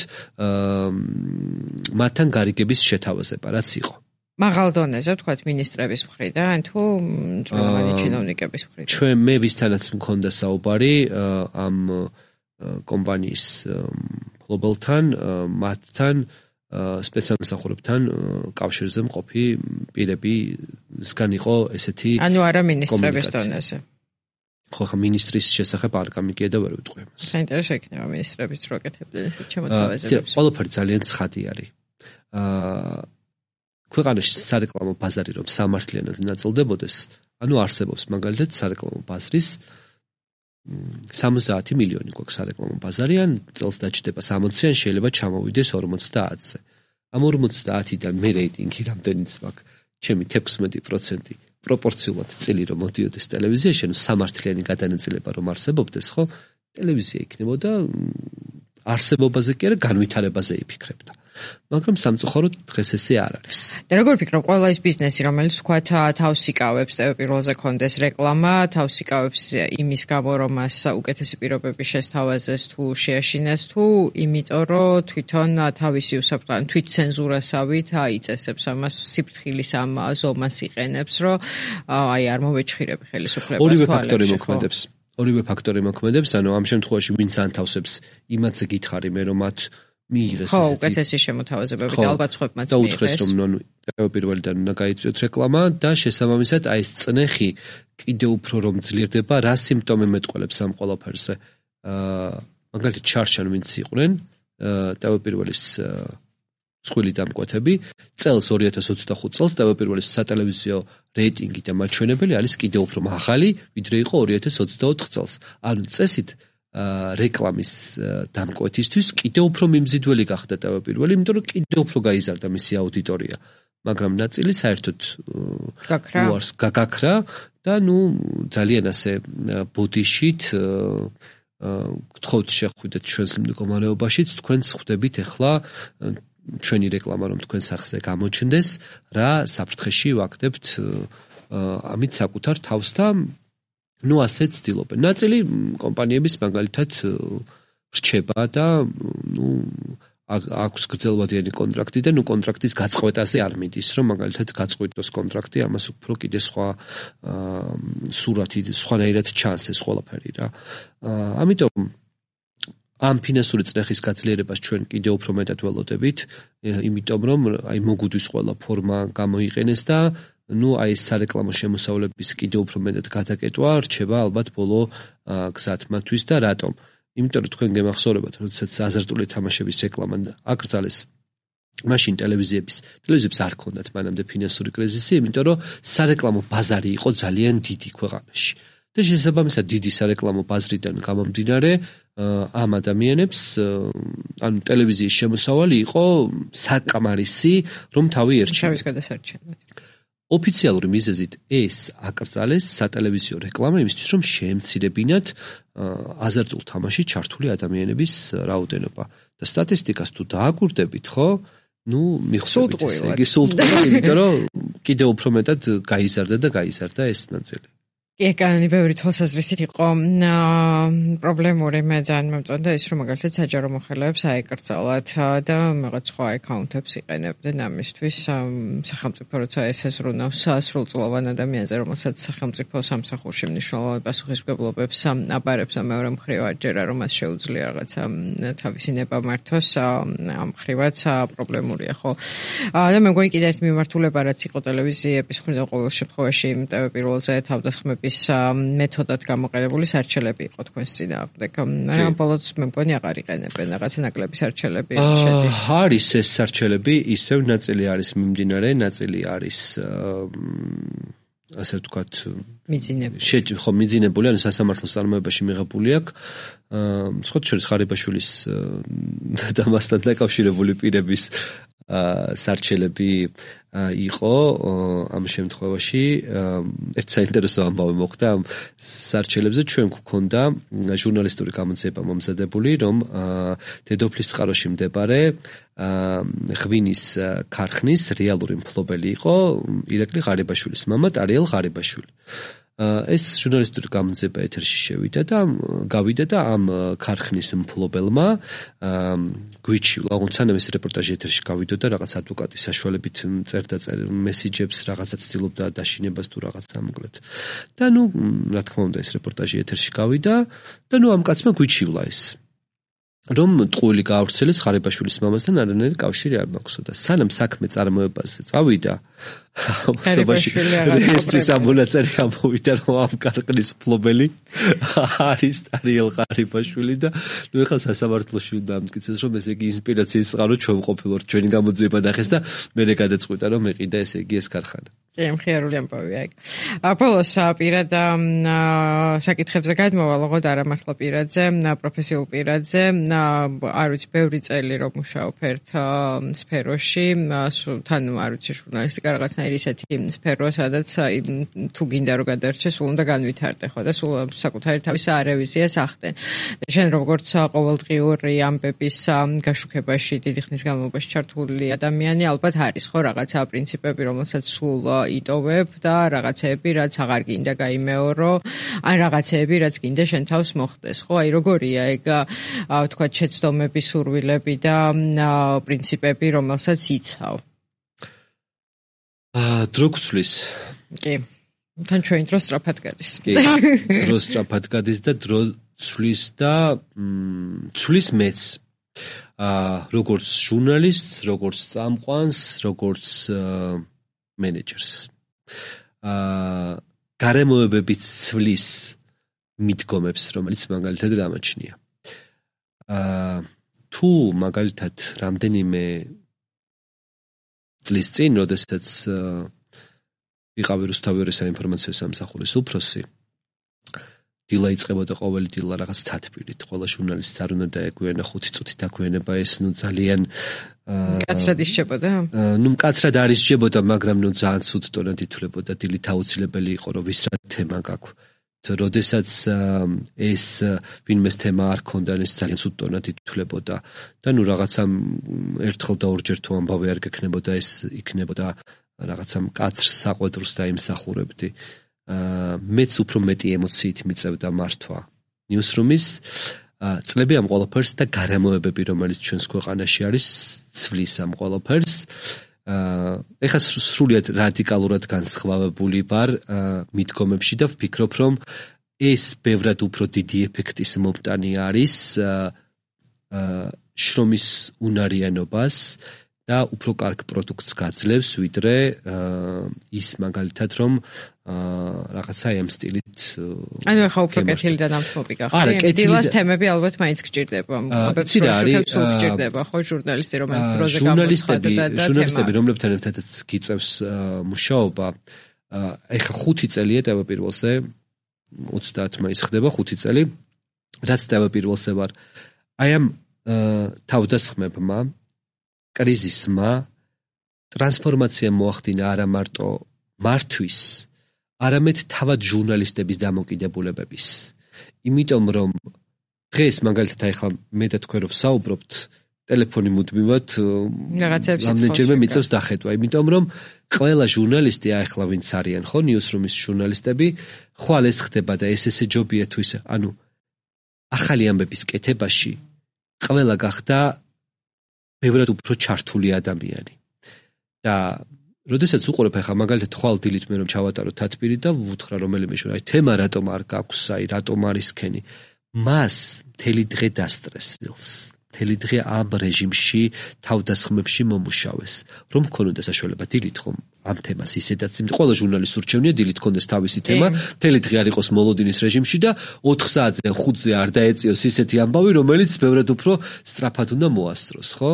მათთან გარიგების შეთავაზება, რაც იყო. მაღალ დონეზე ვთქვათ მინისტრების მხრიდან თუ მწვრთნელი ჩინოვნიკების მხრიდან? ჩვენ მე ვისთანაც მქონდა საუბარი ამ კომპანიის მფლობელთან, მათთან სპეცსამსახურებთან კავშირზე მყოფი პირებისგან იყო ესეთი ანუ არა მინისტრების დონეზე. ხო, ხა მინისტრის შესახებ არ გამიგია და ვერ ვიტყვი ამას. საინტერესო იქნება მინისტრებიც რო აკეთებდნენ ესეთ შემოთავაზებებს. ყველაფერი ძალიან ცხადი არის. აა ქვეყანაში სარეკლამო ბაზარი რომ სამართლიანად ნაწილდებოდეს, ანუ არსებობს მაგალითად სარეკლამო ბაზრის სამოცდაათი მილიონი გვაქვს სარეკლამო ბაზარი, ან წელს დაჭდება სამოცი, ან შეიძლება ჩამოვიდეს ორმოცდაათზე. ამ ორმოცდაათიდან მე რეიტინგი რამდენიც მაქვს, ჩემი თექვსმეტი პროცენტი პროპორციულად წილი რომ მოდიოდეს ტელევიზიაში, ანუ სამართლიანი გადანაწილება რომ არსებობდეს, ხო? ტელევიზია იქნებოდა არსებობაზე კი არა, განვითარებაზე იფიქრებდა. მაგრამ სამწუხაროდ დღეს ესე არ არის. და როგორ ფიქრობ, ყველა ის ბიზნესი, რომელიც თქვათ თავს იკავებს ტევ პირველზე კონდეს რეკლამა, თავს იკავებს იმის გამო, რომ მას უკეთესი პირობები შესთავაზეს თუ შეაშინეს თუ იმიტომ, რომ თვითონ თავისი უსაფრთხო თვით ცენზურასავით აიწესებს ამას სიფრთხილის ამ ზომას იყენებს, რომ აი არ მოვეჩხირები ხელისუფლებას. ორივე ფაქტორი მოქმედებს. ორივე ფაქტორი მოქმედებს, ანუ ამ შემთხვევაში ვინც ანთავსებს, იმათზე გითხარი მე რომ მათ მიიღეს ესეთი. ხო, უკეთესი შემოთავაზებები და ალბათ სხვებმაც მიიღეს. და უთხრეს რომ ნუ ტევ პირველიდან უნდა გაიწვიოთ რეკლამა და შესაბამისად აი ეს წნეხი კიდევ უფრო რომ ძლიერდება, რა სიმპტომი მეტყველებს ამ ყველაფერზე. აა მაგალითად ჩარჩან ვინც იყვნენ ტევ პირველის მსხვილი დამკვეთები, წელს ორი ათას ოცდახუთ წელს ტევ პირველის სატელევიზიო რეიტინგი და მაჩვენებელი არის კიდევ უფრო მაღალი, ვიდრე იყო ორი ათას ოცდაოთხ წელს. ანუ წესით რეკლამის დამკვეთისთვის კიდევ უფრო მიმზიდველი გახდა ტევ პირველი, იმიტომ რომ კიდევ უფრო გაიზარდა მისი აუდიტორია. მაგრამ ნაწილი საერთოდ უარს გაგაქრა და ნუ ძალიან ასე ბოდიშით გთხოვთ შეხვიდეთ ჩვენს მდგომარეობაშიც, თქვენს ხვდებით ახლა ჩვენი რეკლამა რომ თქვენს სახზე გამოჩნდეს, რა საფრთხეში ვაგდებთ ამით საკუთარ თავს და ნუ ასე ცდილობენ. ნაწილი კომპანიების მაგალითად რჩება და ნუ აქვს გრძელვადიანი კონტრაქტი და ნუ კონტრაქტის გაწყვეტაზე არ მიდის, რომ მაგალითად გაწყვეტოს კონტრაქტი, ამას უფრო კიდე სხვა სურათი, სხვანაირად ჩანს ეს ყველაფერი რა. ამიტომ ამ ფინანსური წნეხის გაძლიერებას ჩვენ კიდევ უფრო მეტად ველოდებით, იმიტომ რომ აი მოგუდვის ყველა ფორმა გამოიყენეს და ნუ აი ეს სარეკლამო შემოსავლების კიდევ უფრო მეტად გადაკეტვა რჩება ალბათ ბოლო გზად მათთვის და რატომ? იმიტომ რომ თქვენ გემახსოვრებათ, როდესაც აზარტული თამაშების რეკლამა აკრძალეს, მაშინ ტელევიზიების ტელევიზიებს არ ჰქონდათ მანამდე ფინანსური კრიზისი, იმიტომ რომ სარეკლამო ბაზარი იყო ძალიან დიდი ქვეყანაში. და შესაბამისად დიდი სარეკლამო ბაზრიდან გამომდინარე, ამ ადამიანებს ანუ ტელევიზიის შემოსავალი იყო საკმარისი, რომ თავი ერჩინა. თავის გადასარჩენად. ოფიციალური მიზეზით ეს აკრძალეს სატელევიზიო რეკლამა იმისთვის, რომ შეემცირებინათ აზარტულ თამაში ჩართული ადამიანების რაოდენობა. და სტატისტიკას თუ დააკვირდებით, ხო? ნუ მიხსოვთ ესე იგი სულტყუილად, იმიტომ რომ კიდევ უფრო მეტად გაიზარდა და გაიზარდა ეს ნაწილი. კი, კანონი ბევრი თვალსაზრისით იყო პრობლემური, მე ძალიან მომწონდა ის, რომ მაგალითად საჯარო მოხელეებს აეკრძალათ და რაღაც სხვა აკაუნტებს იყენებდნენ ამისთვის. სახელმწიფო როცა ესაზრუნავს სრულწლოვან ადამიანზე, რომელსაც სახელმწიფო სამსახურში მნიშვნელოვან პასუხისმგებლობებს აბარებს და მეორე მხრივ ჯერა რომ მას შეუძლია რაღაცა თავისი ნება მართოს, ამ მხრივაც პრობლემურია, ხო? და მე მგონი კიდევ ერთი მიმართულება, რაც იყო ტელევიზიების მხრიდან ყოველ შემთხვევაში პირველზე თავდასხმების მეთოდად გამოყენებული სარჩელები იყო თქვენს წინააღმდეგ. მაგრამ ბოლოს მე მგონი აღარ იყენებენ რაღაცა ნაკლები სარჩელები შედის. არის ეს სარჩელები, ისევ ნაწილი არის მიმდინარე, ნაწილი არის ასე ვთქვათ მიძინებული. ხო, მიძინებული, ანუ სასამართლოს წარმოებაში მიღებული აქვს. სხვათა შორის ხარიბაშვილის და მასთან დაკავშირებული პირების სარჩელები იყო ამ შემთხვევაში. ერთ საინტერესო ამბავი მოხდა ამ სარჩელებზე. ჩვენ გვქონდა ჟურნალისტური გამოძიება მომზადებული, რომ დედოფლის წყაროში მდებარე ღვინის ქარხნის რეალური მფლობელი იყო ირაკლი ღარიბაშვილის მამა ტარიელ ღარიბაშვილი. ეს ჟურნალისტური გამოძიება ეთერში შევიდა და გავიდა და ამ ქარხნის მფლობელმა გვიჩივლა, თუნდაც ეს რეპორტაჟი ეთერში გავიდოდა რაღაც ადვოკატის საშუალებით წერდა მესიჯებს, რაღაცა ცდილობდა დაშინებას თუ რაღაცა მოკლედ. და ნუ რა თქმა უნდა ეს რეპორტაჟი ეთერში გავიდა და ნუ ამ კაცმა გვიჩივლა ეს რომ ტყუილი გაავრცელეს ღარიბაშვილის მამასთან არანაირი კავშირი არ მაქვსო და სანამ საქმე წარმოებაზე წავიდა რეესტრის ამონაწერი ამოვიდა, რომ ამ ქარხნის მფლობელი არის ტარიელ ღარიბაშვილი და ნუ ეხლა სასამართლოში უნდა ამტკიცეს, რომ ესე იგი ინსპირაციის წყარო ჩვენ ყოფილვართ, ჩვენი გამოძიება ნახეს და მერე გადაწყვიტა, რომ მეყიდა ესე იგი ეს ქარხანა. კი, მხიარული ამბავია ეგ. ბოლოს პირად საკითხებზე გადმოვალ, ოღონდ არა მართლა პირადზე, პროფესიულ პირადზე. არ ვიცი, ბევრი წელი რომ მუშაობ ერთ სფეროში, თან არ ვიცი, ჟურნალისტიკა რაღაცნაირი ისეთი სფეროა, სადაც თუ გინდა რომ გადარჩე, სულ უნდა განვითარდე, ხო და სულ საკუთარი თავის რევიზიას ახდენ. შენ როგორც ყოველდღიური ამბების გაშუქებაში დიდი ხნის განმავლობაში ჩართული ადამიანი, ალბათ არის ხო რაღაცა პრინციპები, რომელსაც სულ იტოვებ და რაღაცეები, რაც აღარ გინდა გაიმეორო, ან რაღაცეები, რაც გინდა შენ თავს მოხდეს, ხო? აი როგორია ეგ თქვა შეცდომები, სურვილები და პრინციპები, რომელსაც იცავ. აა დრო გცვლის. კი. თან ჩვენი დრო სწრაფად გადის. კი. დრო სწრაფად გადის და დრო ცვლის და ცვლის მეც. აა როგორც ჟურნალისტს, როგორც წამყვანს, როგორც მენეჯერს. აა გარემოებებით ცვლის მიდგომებს, რომელიც მაგალითად გამოჩნია. აა თუ მაგალითად რამდენიმე წლის წინ, როდესაც ვიყავი რუსთავი საინფორმაციო სამსახურის უფროსი, დილა იწყებოდა ყოველი დილა რაღაც თათბირით. ყველა ჟურნალისტს არ უნდა დაეგვიანა ხუთი წუთი დაგვიანება, ეს ნუ ძალიან მკაცრად ისჯებოდა? ნუ მკაცრად არ ისჯებოდა, მაგრამ ნუ ძალიან ცუდ ტონად ითვლებოდა. დილით აუცილებელი იყო, რომ ვის რა თემა გაქვს. როდესაც ეს ვინმეს თემა არ ქონდა, ეს ძალიან ცუდ ტონად ითვლებოდა. და ნუ რაღაცა ერთხელ და ორჯერ თუ ამბავი არ გექნებოდა, ეს იქნებოდა რაღაცა მკაცრ საყვედრს დაიმსახურებდი. მეც უფრო მეტი ემოციით მიწევდა მართვა ნიუსრუმის წლები ამ ყველაფერს და გარემოებები, რომელიც ჩვენს ქვეყანაში არის, ცვლის ამ ყველაფერს. ეხლა სრულიად რადიკალურად განსხვავებული ვარ მიდგომებში და ვფიქრობ, რომ ეს ბევრად უფრო დიდი ეფექტის მომტანი არის შრომის უნარიანობას და უფრო კარგ პროდუქტს გაძლევს, ვიდრე ის მაგალითად რომ რაღაცა ამ სტილით ანუ ახლა უფრო კეთილი და ნამთმობი გახდა. დილას თემები ალბათ მაინც გჭირდება. იცი რა არის? სულ გჭირდება ხო ჟურნალისტი, რომელიც როზე გამოცხადდა და ჟურნალისტები, რომლებთან ერთადაც გიწევს მუშაობა, ეხლა ხუთი წელია თავდაპირველზე ოცდაათი მაისი ხდება ხუთი წელი, რაც თავდაპირველზე ვარ. აი ამ თავდასხმებმა, კრიზისმა ტრანსფორმაცია მოახდინა არა მარტო მართვის, არამედ თავად ჟურნალისტების დამოკიდებულებების. იმიტომ რომ დღეს მაგალითად ახლა მე და თქვენ რო ვსაუბრობთ, ტელეფონი მუდმივად რამდენჯერმე მიწევს დახედვა, იმიტომ რომ ყველა ჟურნალისტი ახლა ვინც არიან ხო ნიუსრუმის ჟურნალისტები, ხვალ ეს ხდება და ეს ესე ჯობია თუ ისე, ანუ ახალი ამბების კეთებაში ყველა გახდა ბევრად უფრო ჩართული ადამიანი. და როდესაც უყურებ ახლა მაგალითად ხვალ დილით მე რომ ჩავატარო თათბირი და ვუთხრა რომელიმე შორ, აი თემა რატომ არ გაქვს, აი რატომ არის ქენი. მას მთელი დღე დასტრესილს. მთელი დღე ამ რეჟიმში თავდასხმებში მომუშავეს. რომ მქონოდა საშუალება დილით ხომ ამ თემას ისედაც ყველა ჟურნალისტს ურჩევნია დილით ქონდეს თავისი თემა, მთელი დღე არ იყოს მოლოდინის რეჟიმში და ოთხ საათზე ხუთზე არ დაეწიოს ისეთი ამბავი, რომელიც ბევრად უფრო სწრაფად უნდა მოასწროს, ხო?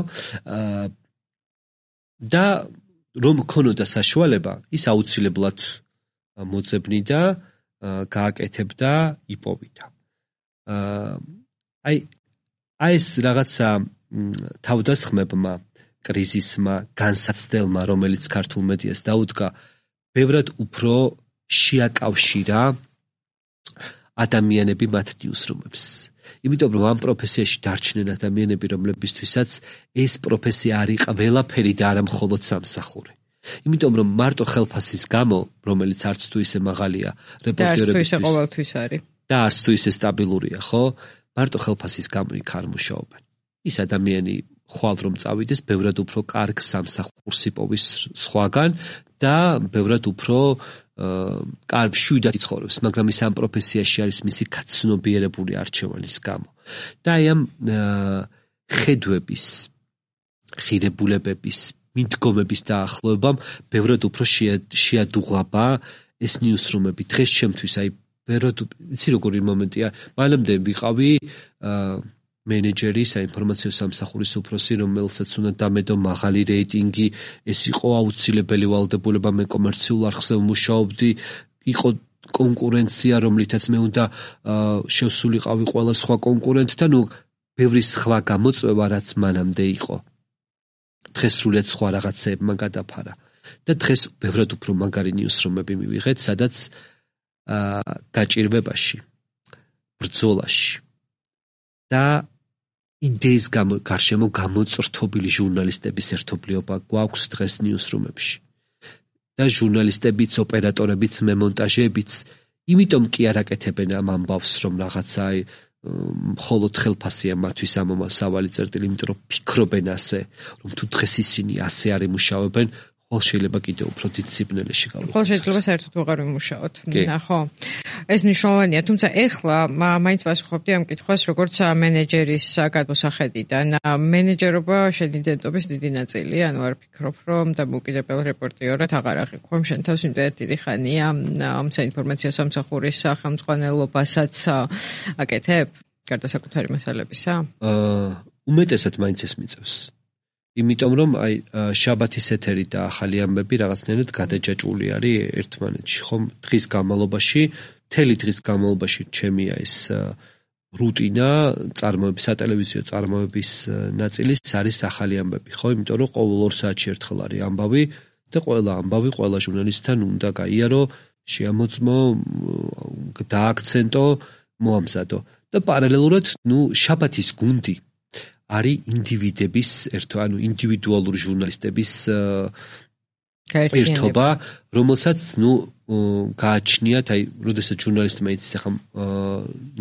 და რომ მქონოდა საშუალება, ის აუცილებლად მოძებნიდა, გააკეთებდა, იპოვიდა. აი აი ეს რაღაცა თავდასხმებმა, კრიზისმა, განსაცდელმა, რომელიც ქართულ მედიას დაუდგა, ბევრად უფრო შეაკავშირა ადამიანები მათ ნიუსრუმებს. იმიტომ რომ ამ პროფესიაში დარჩნენ ადამიანები, რომლებისთვისაც ეს პროფესია არის ყველაფერი და არა მხოლოდ სამსახური. იმიტომ რომ მარტო ხელფასის გამო, რომელიც არც თუ ისე მაღალია რეპორტერებისთვის ყოველთვის არის და არც თუ ისე სტაბილურია, ხო? მარტო ხელფასის გამო იქ არ მუშაობენ. ის ადამიანი ხვალ რომ წავიდეს, ბევრად უფრო კარგ სამსახურს იპოვის სხვაგან და ბევრად უფრო კარგ შვიდად იცხოვრებს, მაგრამ ის ამ პროფესიაში არის მისი გაცნობიერებული არჩევანის გამო. და აი ამ ხედვების, ღირებულებების, მიდგომების დაახლოებამ ბევრად უფრო შეადუღაბა ეს ნიუსრუმები. დღეს ჩემთვის აი ბევრად იცი როგორი მომენტია, მანამდე ვიყავი მენეჯერი საინფორმაციო სამსახურის უფროსი, რომელსაც უნდა დამედო მაღალი რეიტინგი, ეს იყო აუცილებელი ვალდებულება, მე კომერციულ არხზე ვმუშაობდი, იყო კონკურენცია, რომლითაც მე უნდა შევსულიყავი ყველა სხვა კონკურენტთან, ნუ ბევრი სხვა გამოწვევა, რაც მანამდე იყო. დღეს სრულიად სხვა რაღაცეებმა გადაფარა. და დღეს ბევრად უფრო მაგარი ნიუსრუმები მივიღეთ, სადაც გაჭირვებაში, ბრძოლაში და იდეის გარშემო გამოწრთობილი ჟურნალისტების ერთობლიობა გვაქვს დღეს ნიუსრუმებში. და ჟურნალისტებიც, ოპერატორებიც, მემონტაჟეებიც იმიტომ კი არ აკეთებენ ამ ამბავს, რომ რაღაცა მხოლოდ ხელფასია მათთვის ამომასავალი წერტილი, იმიტომ რომ ფიქრობენ ასე, რომ თუ დღეს ისინი ასე არ იმუშავებენ, ხოლ შეიძლება კიდევ უფრო დიდ სიბნელეში გავიყვანოთ. ხოლ შეიძლება საერთოდ უღარ ვიმუშაოთ. ხო. ეს მნიშვნელოვანია, თუმცა ეხლა მაინც პასუხობდი ამ კითხვას, როგორც მენეჯერის გადმოსახედიდან. მენეჯერობა შენი იდენტობის დიდი ნაწილი, ანუ არ ფიქრობ, რომ დამოუკიდებელ რეპორტიორად აღარ აღიქვამ შენ თავს, იმდენად დიდი ხანია ამ საინფორმაციო სამსახურის სახელმძღვანელობასაც აკეთებ, გარდა საკუთარი მასალებისა? უმეტესად მაინც ეს მიწევს. იმიტომ რომ აი შაბათის ეთერი და ახალი ამბები რაღაცნაირად გადაჯაჭვული არის ერთმანეთში, ხომ? დღის განმავლობაში, მთელი დღის განმავლობაში ჩემია ეს რუტინა, წარმოების, სატელევიზიო წარმოების ნაწილის არის ახალი ამბები, ხო? იმიტომ რომ ყოველ ორ საათში ერთხელ არის ამბავი და ყველა ამბავი, ყველა ჟურნალისტთან უნდა გაიარო, შეამოწმო, დააქცენტო, მოამზადო. და პარალელურად, ნუ შაბათის გუნდი არის ინდივიდების, ერთო, ანუ ინდივიდუალური ჟურნალისტების ერთობა, რომელსაც ნუ გააჩნიათ, აი, როდესაც ჟურნალისტმა იცის ახლა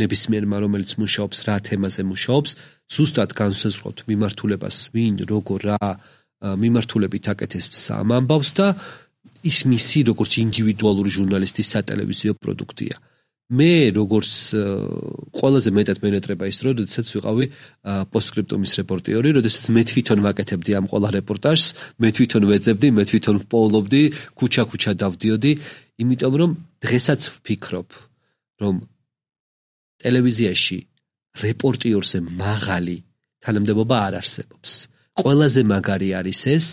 ნებისმიერმა რომელიც მუშაობს, რა თემაზე მუშაობს, ზუსტად განსაზღვრავთ მიმართულებას, ვინ, როგორ, რა მიმართულებით აკეთებს ამ ამბავს და ის მისი როგორც ინდივიდუალური ჟურნალისტის სატელევიზიო პროდუქტია. მე როგორც ყველაზე მეტად მენეტრება ის დრო, როდესაც ვიყავი პოსტსკრიპტუმის რეპორტიორი, როდესაც მე თვითონ ვაკეთებდი ამ ყველა რეპორტაჟს, მე თვითონ ვეძებდი, მე თვითონ ვპოულობდი, ქუჩა-ქუჩა დავდიოდი, იმიტომ რომ დღესაც ვფიქრობ, რომ ტელევიზიაში რეპორტიორზე მაღალი თანამდებობა არ არსებობს. ყველაზე მაგარი არის ეს,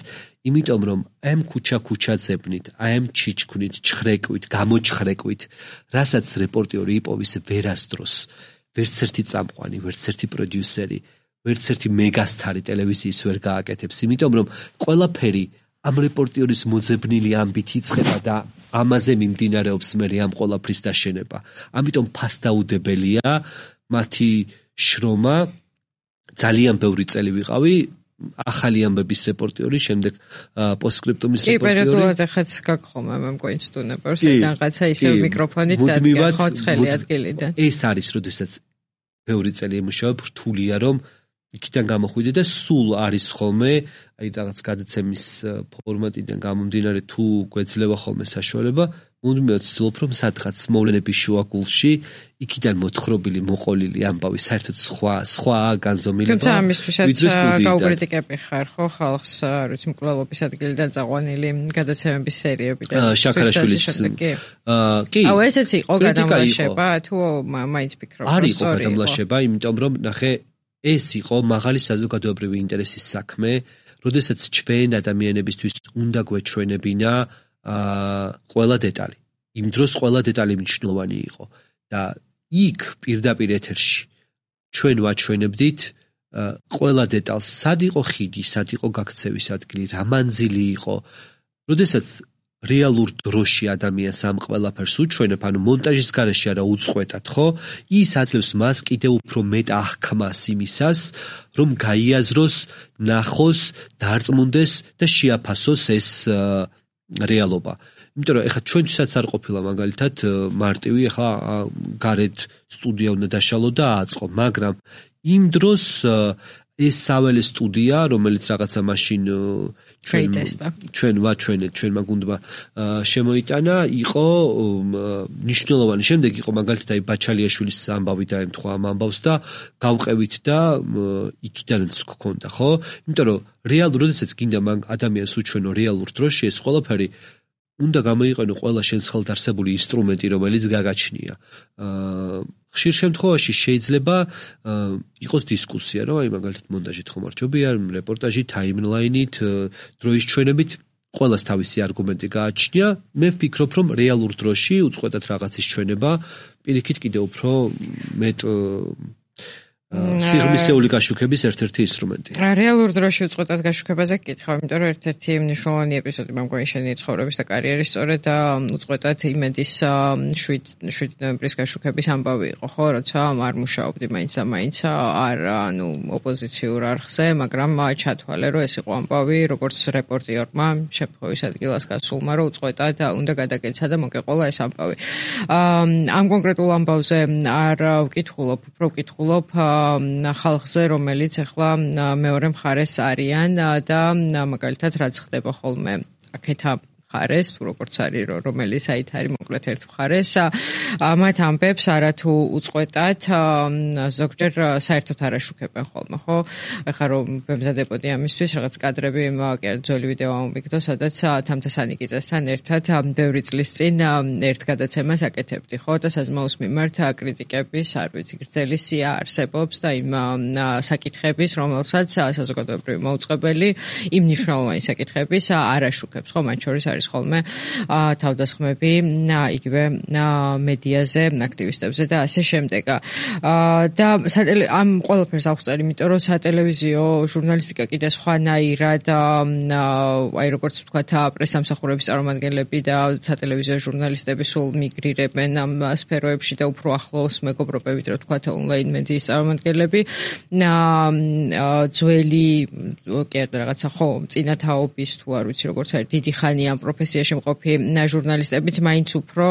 იმიტომ რომ ამ ქუჩა-ქუჩა ძებნით, ამ ჩიჩქვნით, ჩხრეკვით, გამოჩხრეკვით, რასაც რეპორტიორი იპოვის ვერასდროს, ვერც ერთი წამყვანი, ვერც ერთი პროდიუსერი, ვერც ერთი მეგასტარი ტელევიზიის ვერ გააკეთებს, იმიტომ რომ ყველაფერი ამ რეპორტიორის მოძებნილი ამბით იწყება და ამაზე მიმდინარეობს მე ამ ყველაფრის დაშენება. ამიტომ ფასდაუდებელია მათი შრომა. ძალიან ბევრი წელი ვიყავი ახალი ამბების რეპორტიორი, შემდეგ პოსტსკრიპტუმის რეპორტიორი. კი, პერიოდულად ახაც გაგხომა მე მგონი სტუნებორს, რაღაცა ისევ მიკროფონით დადგა ხოცხელი ადგილიდან. ეს არის, როდესაც ბევრი წელი ემუშავებ, რთულია რომ იქიდან გამოხვიდე და სულ არის ხოლმე, აი რაღაც გადაცემის ფორმატიდან გამომდინარე თუ გვეძლევა ხოლმე საშუალება, მუდმივად ვცდილობ რომ სადღაც მოვლენების შუაგულში იქიდან მოთხრობილი მოყოლილი ამბავი საერთოდ სხვა სხვა განზომილება. თუმცა ამისთვისაც გაუკრიტიკები ხარ ხო ხალხს, არ ვიცი, მკვლელობის ადგილიდან წაყვანილი გადაცემების სერიებიდან. შაქარაშვილის კი. აუ ესეც იყო გადამლაშება თუ მაინც ფიქრობ რომ არის გადამლაშება, იმიტომ რომ ნახე ეს იყო მაღალი საზოგადოებრივი ინტერესის საქმე, როდესაც ჩვენ ადამიანებისთვის უნდა გვეჩვენებინა ყველა დეტალი. იმ დროს ყველა დეტალი მნიშვნელოვანი იყო და იქ პირდაპირ ეთერში ჩვენ ვაჩვენებდით ყველა დეტალს, სად იყო ხიდი, სად იყო გაქცევის ადგილი, რა მანძილი იყო. როდესაც რეალურ დროში ადამიანს ამ ყველაფერს უჩვენებ, ანუ მონტაჟის გარეშე არა უწყვეტად, ხო? ის აძლევს მას კიდევ უფრო მეტ აღქმას იმისას, რომ გაიაზროს, ნახოს, დარწმუნდეს და შეაფასოს ეს რეალობა. იმიტომ რომ ეხლა ჩვენთვისაც არ ყოფილა მაგალითად მარტივი ეხლა გარეთ სტუდია უნდა დაშალო და აწყო, მაგრამ იმ დროს ეს საველე სტუდია, რომელიც რაღაცა მაშინ ჩვენ ჩვენ ვაჩვენეთ, ჩვენმა გუნდმა შემოიტანა, იყო მნიშვნელოვანი. შემდეგ იყო მაგალითად აი ბაჩალიაშვილის ამბავი დაემთხვა ამ ამბავს და გავყევით და იქიდანაც გქონდა, ხო? იმიტომ რომ რეალურ, როდესაც გინდა მაგ ადამიანს უჩვენო რეალურ დროში, ეს ყველაფერი უნდა გამოიყენო ყველა შენს ხელთ არსებული ინსტრუმენტი, რომელიც გაგაჩნია. ხშირ შემთხვევაში შეიძლება იყოს დისკუსია, რომ აი მაგალითად მონტაჟით ხომ არ ჯობია, რეპორტაჟით, ტაიმლაინით, დროის ჩვენებით ყველას თავისი არგუმენტი გააჩნია. მე ვფიქრობ, რომ რეალურ დროში უწყვეტად რაღაცის ჩვენება პირიქით კიდევ უფრო მეტ სიღრმისეული გაშუქების ერთ-ერთი ინსტრუმენტია. რეალურ დროში უწყვეტად გაშუქებაზე გკითხავ, იმიტომ რომ ერთ-ერთი მნიშვნელოვანი ეპიზოდი მე მგონი შენი ცხოვრების და კარიერის სწორედ უწყვეტად იმედის შვიდ ნოემბრის გაშუქების ამბავი იყო, ხო, როცა არ მუშაობდი მაინც და მაინც არ ანუ ოპოზიციურ არხზე, მაგრამ ჩათვალე, რომ ეს იყო ამბავი, როგორც რეპორტიორმა შემთხვევის ადგილას გასულმა, რომ უწყვეტად უნდა გადაგეცა და მოგეყოლა ეს ამბავი. ამ კონკრეტულ ამბავზე არ ვკითხულობ, უფრო ვკითხულობ ხალხზე, რომელიც ახლა მეორე მხარეს არიან და მაგალითად რაც ხდება ხოლმე აქეთა მხარეს, თუ როგორც არის რომელიც საით არის მოკლედ ერთ მხარეს, მათ ამბებს არათუ უწყვეტად ზოგჯერ საერთოდ არ აშუქებენ ხოლმე, ხო? ეხლა რომ ვემზადებოდი ამისთვის რაღაც კადრები ძველი ვიდეო ამოვიგდო, სადაც თამთასანიკიძესთან ერთად ბევრი წლის წინ ერთ გადაცემას აკეთებდი, ხო? და საზმაუს მიმართ კრიტიკების, არ ვიცი, გრძელი სია არსებობს და იმ საკითხების, რომელსაც საზოგადოებრივი მოუწყებელი იმ მნიშვნელოვანი საკითხების არ აშუქებს, ხო? მათ შორის არის ხოლმე თავდასხმები იგივე მედიაზე, აქტივისტებზე და ასე შემდეგ. და ამ ყველაფერს აღწერ, იმიტომ რომ სატელევიზიო ჟურნალისტიკა კიდე სხვანაირად აი როგორც ვთქვათ, პრესამსახურების წარმომადგენლები და სატელევიზიო ჟურნალისტები სულ მიგრირებენ ამ სფეროებში და უფრო ახლოს მეგობრობებით, რა ვთქვათ, ონლაინ მედიის წარმომადგენლები. ძველი კი არა რაღაცა ხო, წინათაობის თუ არ ვიცი როგორც არის დიდი ხანი ამ პროფესიაში მყოფი ჟურნალისტებიც მაინც უფრო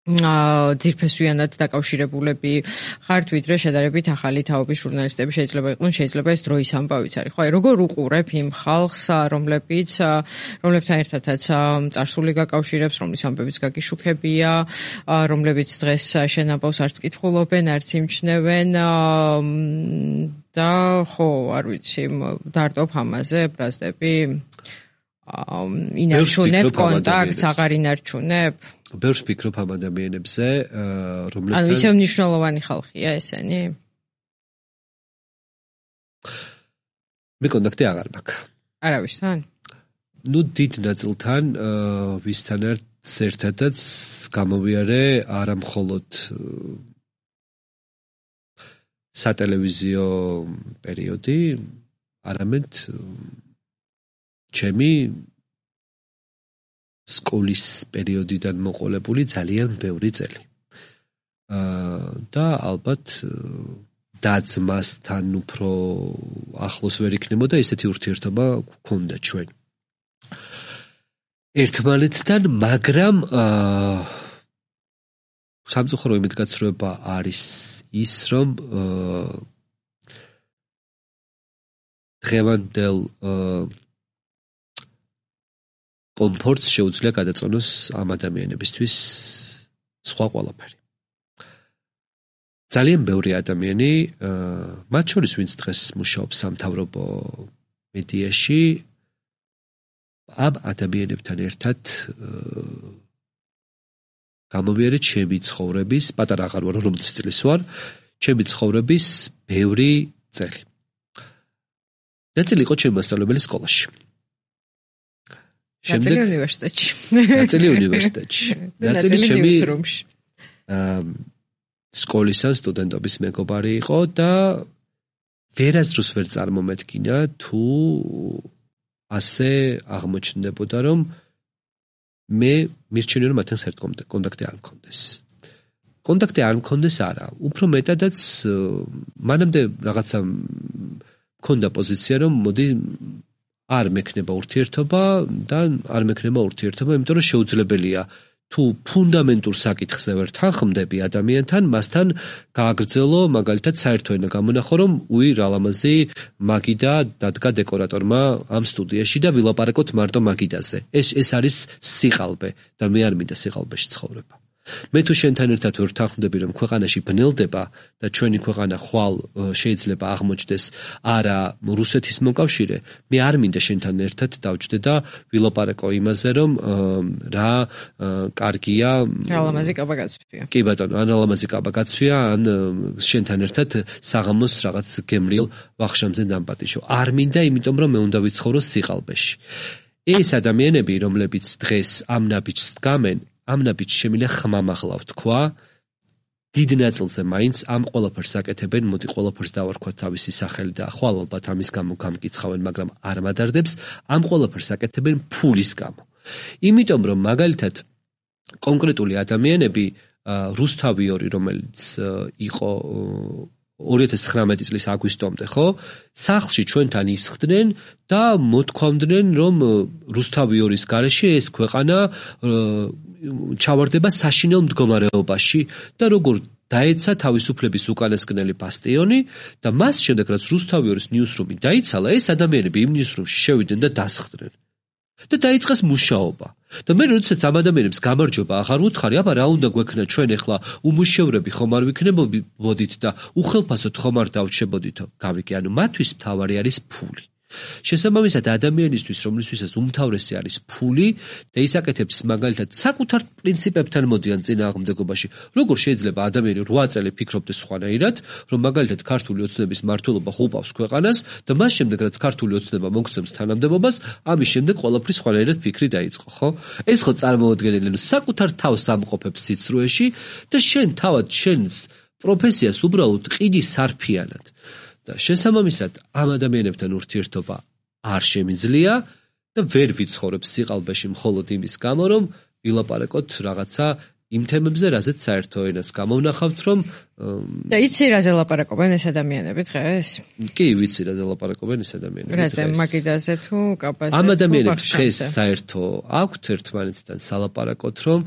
ძირფესვიანად დაკავშირებულები ხართ, ვიდრე შედარებით ახალი თაობის ჟურნალისტები შეიძლება იყვნენ, შეიძლება ეს დროის ამბავიც არის. ხო, აი როგორ უყურებ იმ ხალხს, რომლებიც რომლებთან ერთადაც წარსული გაკავშირებს, რომლის ამბებიც გაგიშუქებია, რომლებიც დღეს შენ ამბავს არც კითხულობენ, არც იმჩნევენ და ხო, არ ვიცი, დარტობ ამაზე, ბრაზდები ინარჩუნებ კონტაქტს, აღარ ინარჩუნებ. ბევრს ვფიქრობ ამ ადამიანებზე, რომლებთან ანუ ისევ მნიშვნელოვანი ხალხია ესენი? მე კონტაქტი აღარ მაქვს. არავისთან? ნუ დიდ ნაწილთან ვისთან ერთადაც გამოვიარე არა მხოლოდ სატელევიზიო პერიოდი, არამედ ჩემი სკოლის პერიოდიდან მოყოლებული ძალიან ბევრი წელი. და ალბათ დაძმასთან უფრო ახლოს ვერ იქნებოდა ესეთი ურთიერთობა გქონდა ჩვენ. ერთმანეთთან, მაგრამ სამწუხარო იმედგაცრუება არის ის, რომ დღევანდელ კომფორტს შეუძლია გადაწონოს ამ ადამიანებისთვის სხვა ყველაფერი. ძალიან ბევრი ადამიანი, მათ შორის ვინც დღეს მუშაობს სამთავრობო მედიაში, ამ ადამიანებთან ერთად გამოვიარე ჩემი ცხოვრების, პატარა აღარ ვარ, ორმოცი წლის ვარ, ჩემი ცხოვრების ბევრი წელი. ნაწილი იყო ჩემი მასწავლებელი სკოლაში. ნაწილი უნივერსიტეტში. ნაწილი უნივერსიტეტში. ნაწილი ჩემი სკოლის ან სტუდენტობის მეგობარი იყო და ვერასდროს ვერ წარმომედგინა თუ ასე აღმოჩნდებოდა, რომ მე მირჩენია, რომ მათთან საერთოდ კონტაქტი არ მქონდეს. კონტაქტი არ მქონდეს არა, უფრო მეტადაც მანამდე რაღაცა მქონდა პოზიცია, რომ მოდი არ მექნება ურთიერთობა და არ მექნება ურთიერთობა, იმიტომ რომ შეუძლებელია თუ ფუნდამენტურ საკითხზე ვერ თანხმდები ადამიანთან, მასთან გააგრძელო მაგალითად საერთო ენა გამონახო, რომ უი რა ლამაზი მაგიდა დადგა დეკორატორმა ამ სტუდიაში და ვილაპარაკოთ მარტო მაგიდაზე. ეს ეს არის სიყალბე და მე არ მინდა სიყალბეში ცხოვრება. მე თუ შენთან ერთად ვერ თანხმდები, რომ ქვეყანაში ბნელდება და ჩვენი ქვეყანა ხვალ შეიძლება აღმოჩნდეს არა რუსეთის მოკავშირე, მე არ მინდა შენთან ერთად დავჯდე და ვილაპარაკო იმაზე, რომ რა კარგია რა ლამაზი კაბა გაცვია. კი ბატონო, ან ლამაზი კაბა გაცვია, ან შენთან ერთად საღამოს რაღაც გემრიელ ვახშამზე დამპატიშო. არ მინდა, იმიტომ რომ მე უნდა ვიცხოვრო სიყალბეში. ეს ადამიანები, რომლებიც დღეს ამ ნაბიჯს დგამენ, ამ ნაბიჯს შემიძლია ხმამაღლა ვთქვა, დიდ ნაწილზე მაინც ამ ყველაფერს აკეთებენ, მოდი ყველაფერს დავარქვა თავისი სახელი და ხვალ ალბათ ამის გამო გამკიცხავენ, მაგრამ არ მადარდებს, ამ ყველაფერს აკეთებენ ფულის გამო. იმიტომ რომ მაგალითად კონკრეტული ადამიანები, რუსთავიორი, რომელიც იყო ორი ათას ცხრამეტი წლის აგვისტომდე, ხო? სახლში ჩვენთან ისხდნენ და მოთქვამდნენ, რომ რუსთავიორის გარეშე ეს ქვეყანა ჩავარდება საშინელ მდგომარეობაში და როგორ დაეცა თავისუფლების უკანასკნელი ბასტიონი და მას შემდეგ რაც რუსთავიორის ნიუსრუმი დაიცალა, ეს ადამიანები იმ ნიუსრუმში შევიდნენ და დასხდნენ. და დაიწყეს მუშაობა. და მე როდესაც ამ ადამიანებს გამარჯობა აღარ უთხარი, აბა რა უნდა გვექნა ჩვენ ახლა უმუშევრები ხომ არ ვიქნებოდით და უხელფასოდ ხომ არ დავრჩებოდითო? გავიგე, ანუ მათთვის მთავარი არის ფული. შესაბამისად ადამიანისთვის, რომლისთვისაც უმთავრესი არის ფული და ის აკეთებს მაგალითად საკუთარ პრინციპებთან მოდიან წინააღმდეგობაში. Როგორ შეიძლება ადამიანი რვა წელი ფიქრობდეს სხვანაირად, რომ მაგალითად ქართული ოცნების მმართველობა ხუპავს ქვეყანას და მას შემდეგ რაც ქართული ოცნება მოგცემს თანამდებობას, ამის შემდეგ ყველაფრის სხვანაირად ფიქრი დაიწყო, ხო? ეს ხო წარმოუდგენელი, რომ საკუთარ თავს ამყოფებს სიცრუეში და შენ თავად შენს პროფესიას უბრალოდ ყიდი სარფიანად. და შესაბამისად ამ ადამიანებთან ურთიერთობა არ შემიძლია და ვერ ვიცხოვრებს სიყალბეში მხოლოდ იმის გამო, რომ ვილაპარაკოთ რაღაცა იმ თემებზე, რაზეც საერთო ენას გამოვნახავთ, რომ და იცი რაზე ლაპარაკობენ ეს ადამიანები დღეს? კი, ვიცი რაზე ლაპარაკობენ ეს ადამიანები დღეს. რაზე მაგიდაზე თუ კაბაზე? ამ ადამიანებს დღეს საერთო აქვთ ერთმანეთთან სალაპარაკოთ, რომ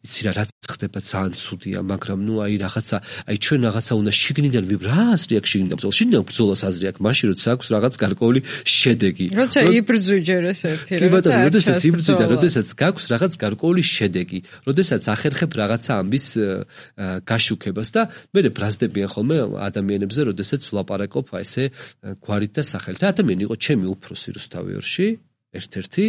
იცი რა რაც ხდება ძალიან ცუდია, მაგრამ ნუ აი რაღაცა, აი ჩვენ რაღაცა უნდა შიგნიდან ვიბრას რეაქ შიგნიდან ბრძოლა. შიგნიდან ბრძოლას აზრი აქვს, მაშინ როცა აქვს რაღაც გარკვეული შედეგი. როცა იბრძვი ჯერ ეს ერთი რა. კი ბატონო, როდესაც იბრძვი და როდესაც გაქვს რაღაც გარკვეული შედეგი, როდესაც ახერხებ რაღაცა ამბის გაშუქებას და მე ბრაზდებიან ხოლმე ადამიანებზე, როდესაც ვლაპარაკობ აი ესე გვარით და სახელით. ადამიანი იყო ჩემი უფროსი რუსთავიორში, ერთ-ერთი,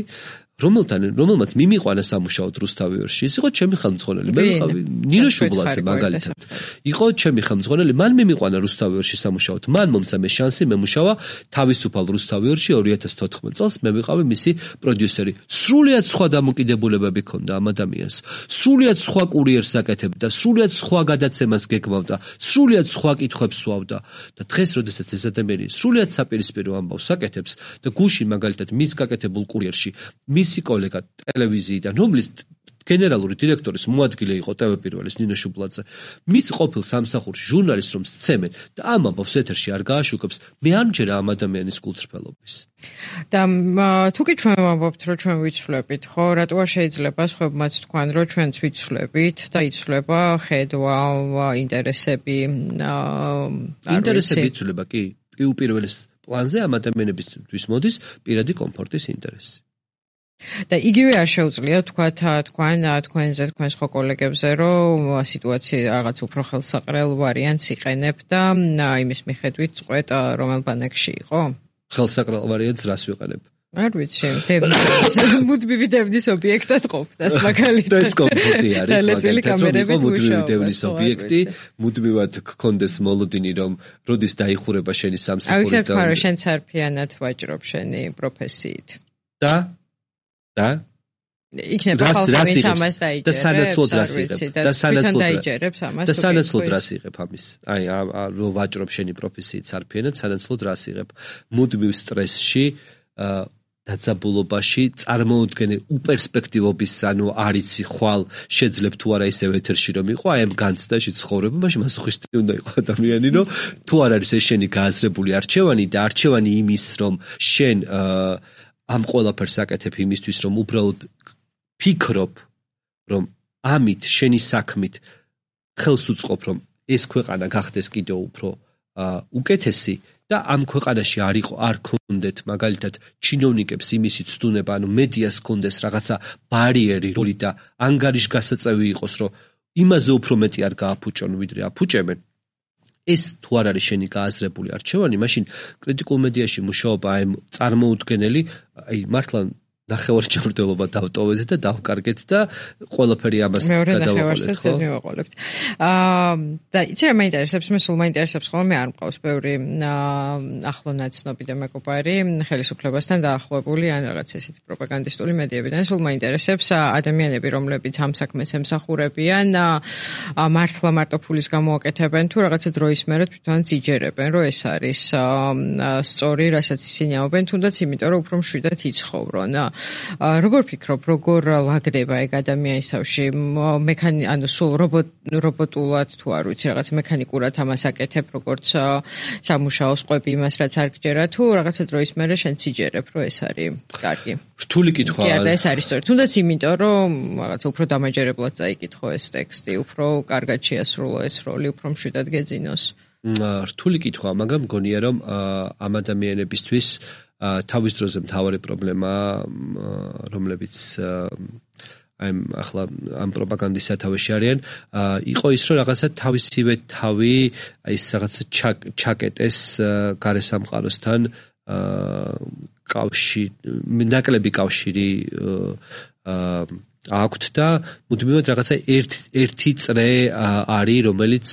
რომელთან რომელმაც მიმიყვანა სამუშაოდ რუსთავიორში. ის იყო ჩემი ხელმძღვანელი. მე ვიყავი ნინო შუბლაძე მაგალითად. იყო ჩემი ხელმძღვანელი, მან მიმიყვანა რუსთავიორში სამუშაოდ. მან მომცა მე შანსი მემუშავა თავისუფალ რუსთავიორში ორი ათას თოთხმეტ წელს. მე ვიყავი მისი პროდიუსერი. სრულიად სხვა დამოკიდებულებები ჰქონდა ამ ადამიანს. სრულიად სხვა კურიერს აკეთებდა, სრულიად სხვა გადაცემას გეგმავდა, სრულიად სხვა კითხვებს სვავდა. და დღეს, როდესაც ეს ადამიანი სრულიად საპირისპირო ამბავს აკეთებს და გუში მაგალითად მის გაკეთებულ კურიერში მისი კოლეგა ტელევიზიიდან, რომლის გენერალური დირექტორის მოადგილე იყო ტევ პირველის ნინო შუბლაძე, მის ყოფილ სამსახურში ჟურნალისტს რომ სცემენ და ამ ამბავს ეთერში არ გააშუქებს, მე არ მჯერა ამ ადამიანის კულწრფელობის. და თუ კი ჩვენ ვამბობთ, რომ ჩვენ ვიცვლებით, ხო, რატო არ შეიძლება სხვებმაც თქვან, რომ ჩვენც ვიცვლებით და იცვლება ხედვა, ინტერესები, ინტერესები იცვლება, კი, უპირველეს პლანზე ამ ადამიანებისთვის მოდის პირადი კომფორტის ინტერესი. და იგივე არ შეუძლია თქვათ თქვენ თქვენზე თქვენს ხო კოლეგებზე რომ სიტუაცია რაღაც უფრო ხელსაყრელ ვარიანტს იყენებ და იმის მიხედვით წყვეტ რომელ ბანაკში იყო? ხელსაყრელ ვარიანტს რას ვიყენებ? არ ვიცი, დევნის მუდმივი დევნის ობიექტად ყოფნას მაგალითად. და ეს კომფორტი არის მაგალითად, მუდმივი დევნის ობიექტი, მუდმივად გქონდეს მოლოდინი, რომ როდის დაიხურება შენი სამსახური და აი, ვთქვათ, შენ სარფიანად ვაჭრობ შენი პროფესიით. და და იქნება ხალხი ამას დაიჯერებს და სანაცვლოდ რას იღებ და სანაცვლოდ დაიჯერებს ამას და სანაცვლოდ რას იღებ ამის აი რომ ვაჭრობ შენი პროფესიით სარფიანად სანაცვლოდ რას იღებ მუდმივ სტრესში დაძაბულობაში წარმოუდგენელ უპერსპექტივობის ანუ არიცი ხვალ შეძლებ თუ არა ისევ ეთერში რომ იყო აი ამ განცდაში ცხოვრება მაშინ მასოხისტი უნდა იყო ადამიანი რომ თუ არ არის ეს შენი გააზრებული არჩევანი და არჩევანი იმის რომ შენ ამ ყველაფერს აკეთებ იმისთვის რომ უბრალოდ ფიქრობ რომ ამით შენი საქმით ხელს უწყობ რომ ეს ქვეყანა გახდეს კიდევ უფრო უკეთესი და ამ ქვეყანაში არ იყო არ ქონდეთ მაგალითად ჩინოვნიკებს იმისი ცდუნება ანუ მედიას ქონდეს რაღაცა ბარიერი როლი და ანგარიშგასაწევი იყოს რომ იმაზე უფრო მეტი არ გააფუჭონ ვიდრე აფუჭებენ ეს თუ არ არის შენი გააზრებული არჩევანი მაშინ კრიტიკულ მედიაში მუშაობა აი წარმოუდგენელი აი მართლა ნახევარჯამრთელობა დავტოვეთ და დავკარგეთ და ყველაფერი ამას გადავაყოლეთ ხო? მივაყოლებთ. აა და იცი რა მაინტერესებს, მე სულ მაინტერესებს ხოლმე მე არ მყავს ბევრი ახლო ნაცნობი და მეგობარი ხელისუფლებასთან დაახლოებული ან რაღაც ესეთი პროპაგანდისტული მედიებიდან სულ მაინტერესებს ადამიანები რომლებიც ამ საქმეს ემსახურებიან მართლა მარტო ფულის გამოაკეთებენ თუ რაღაცა დროის მერე თვითონაც იჯერებენ რომ ეს არის სწორი რასაც ისინი ამბობენ თუნდაც იმიტომ რომ უფრო მშვიდად იცხოვრონ. როგორ ფიქრობ, როგორ ლაგდება ეგ ადამიანის თავში? მექანი, ანუ სულ რობოტ რობოტულად თუ არ ვიცი, რაღაც მექანიკურად ამას აკეთებ, როგორც სამუშაოს ყვები იმას, რაც არ გჯერა, თუ რაღაცა დროის მერე შენ სიჯერებ, რომ ეს არის კარგი. რთული კითხვა. კი, და ეს არის სწორი. თუნდაც იმიტომ, რომ რაღაცა უფრო დამაჯერებლად წაიკითხო ეს ტექსტი, უფრო კარგად შეასრულო ეს როლი, უფრო მშვიდად გეძინოს. რთული კითხვა, მაგრამ მგონია, რომ ამ ადამიანებისთვის თავის დროზე მთავარი პრობლემა რომლებიც აი ახლა ამ პროპაგანდის სათავეში არიან იყო ის რომ რაღაცა თავისივე თავი აი ეს რაღაცა ჩაკეტეს გარესამყაროსთან კავშირი ნაკლები კავშირი აქვთ და მუდმივად რაღაცა ერთი ერთი წრე არის, რომელიც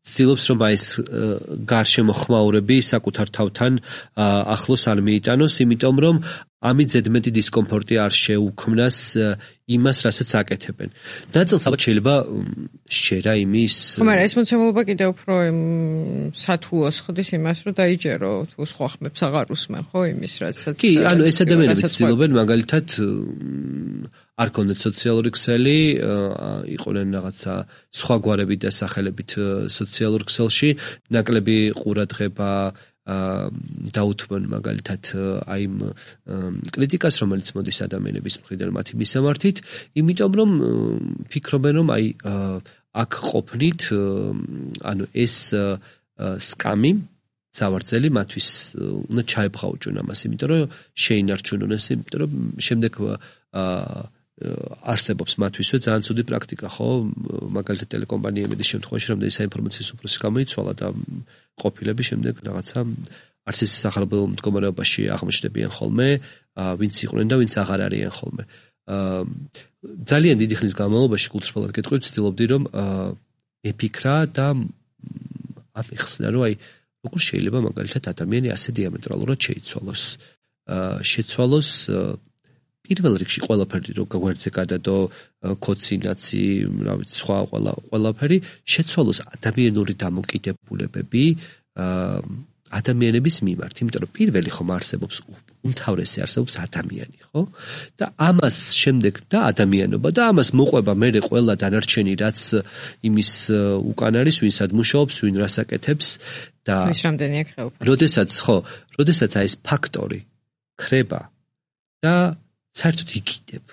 ცდილობს რომ აი ეს გარშემო ხმაურები საკუთარ თავთან ახლოს არ მიიტანოს, იმიტომ რომ ამით ზედმეტი დისკომფორტი არ შეუქმნას იმას, რასაც აკეთებენ. ნაწილს ალბათ შეიძლება შეერა იმის. მაგრამ ეს მოცემულობა კიდევ უფრო სათუოს ხდის იმას, რომ დაიჯერო თუ სხვა ხმებს აღარ უსმენ, ხო, იმის, რასაც კი, ანუ ეს ადამიანები ცდილობენ მაგალითად არ კონდეთ სოციალური ქსელი, იყვნენ რაღაცა სხვა გვარებით და სახელებით სოციალურ ქსელში, ნაკლები ყურადღება დაუთმენ მაგალითად აი იმ კრიტიკას, რომელიც მოდის ადამიანების მხრიდან მათი მისამართით, იმიტომ რომ ფიქრობენ, რომ აი აქ ყოფნით, ანუ ეს სკამი სავარძელი მათთვის უნდა ჩაებღაუჭონ ამას, იმიტომ რომ შეინარჩუნონ ეს, იმიტომ რომ შემდეგ არსებობს მათთვისვე ძალიან ცუდი პრაქტიკა, ხო? მაგალითად ტელეკომპანიების შემთხვევაში რამდენი საინფორმაციო უფროსი გამოიცვალა და ყოფილები შემდეგ რაღაცა არც ის სახალხო მდგომარეობაში აღმოჩნდებიან ხოლმე, ვინც იყვნენ და ვინც აღარ არიან ხოლმე. ძალიან დიდი ხნის განმავლობაში კულტურულად გეტყვით, ვცდილობდი რომ მეფიქრა და ამიხსნა, რომ აი როგორ შეიძლება მაგალითად ადამიანი ასე დიამეტრალურად შეიცვალოს. შეცვალოს პირველ რიგში ყველაფერი რო გვერდზე გადადო, კოცინაცი, რა ვიცი, სხვა ყველა ყველაფერი შეცვალოს ადამიანური დამოკიდებულებები ადამიანების მიმართ, იმიტომ რომ პირველი ხომ არსებობს უმთავრესი არსებობს ადამიანი, ხო? და ამას შემდეგ და ადამიანობა და ამას მოყვება მერე ყველა დანარჩენი, რაც იმის უკან არის, ვინსად მუშაობს, ვინ რას აკეთებს და ის რამდენია ხელფასი. როდესაც, ხო, როდესაც აი ეს ფაქტორი ხრება და საერთოდ იკიდებ.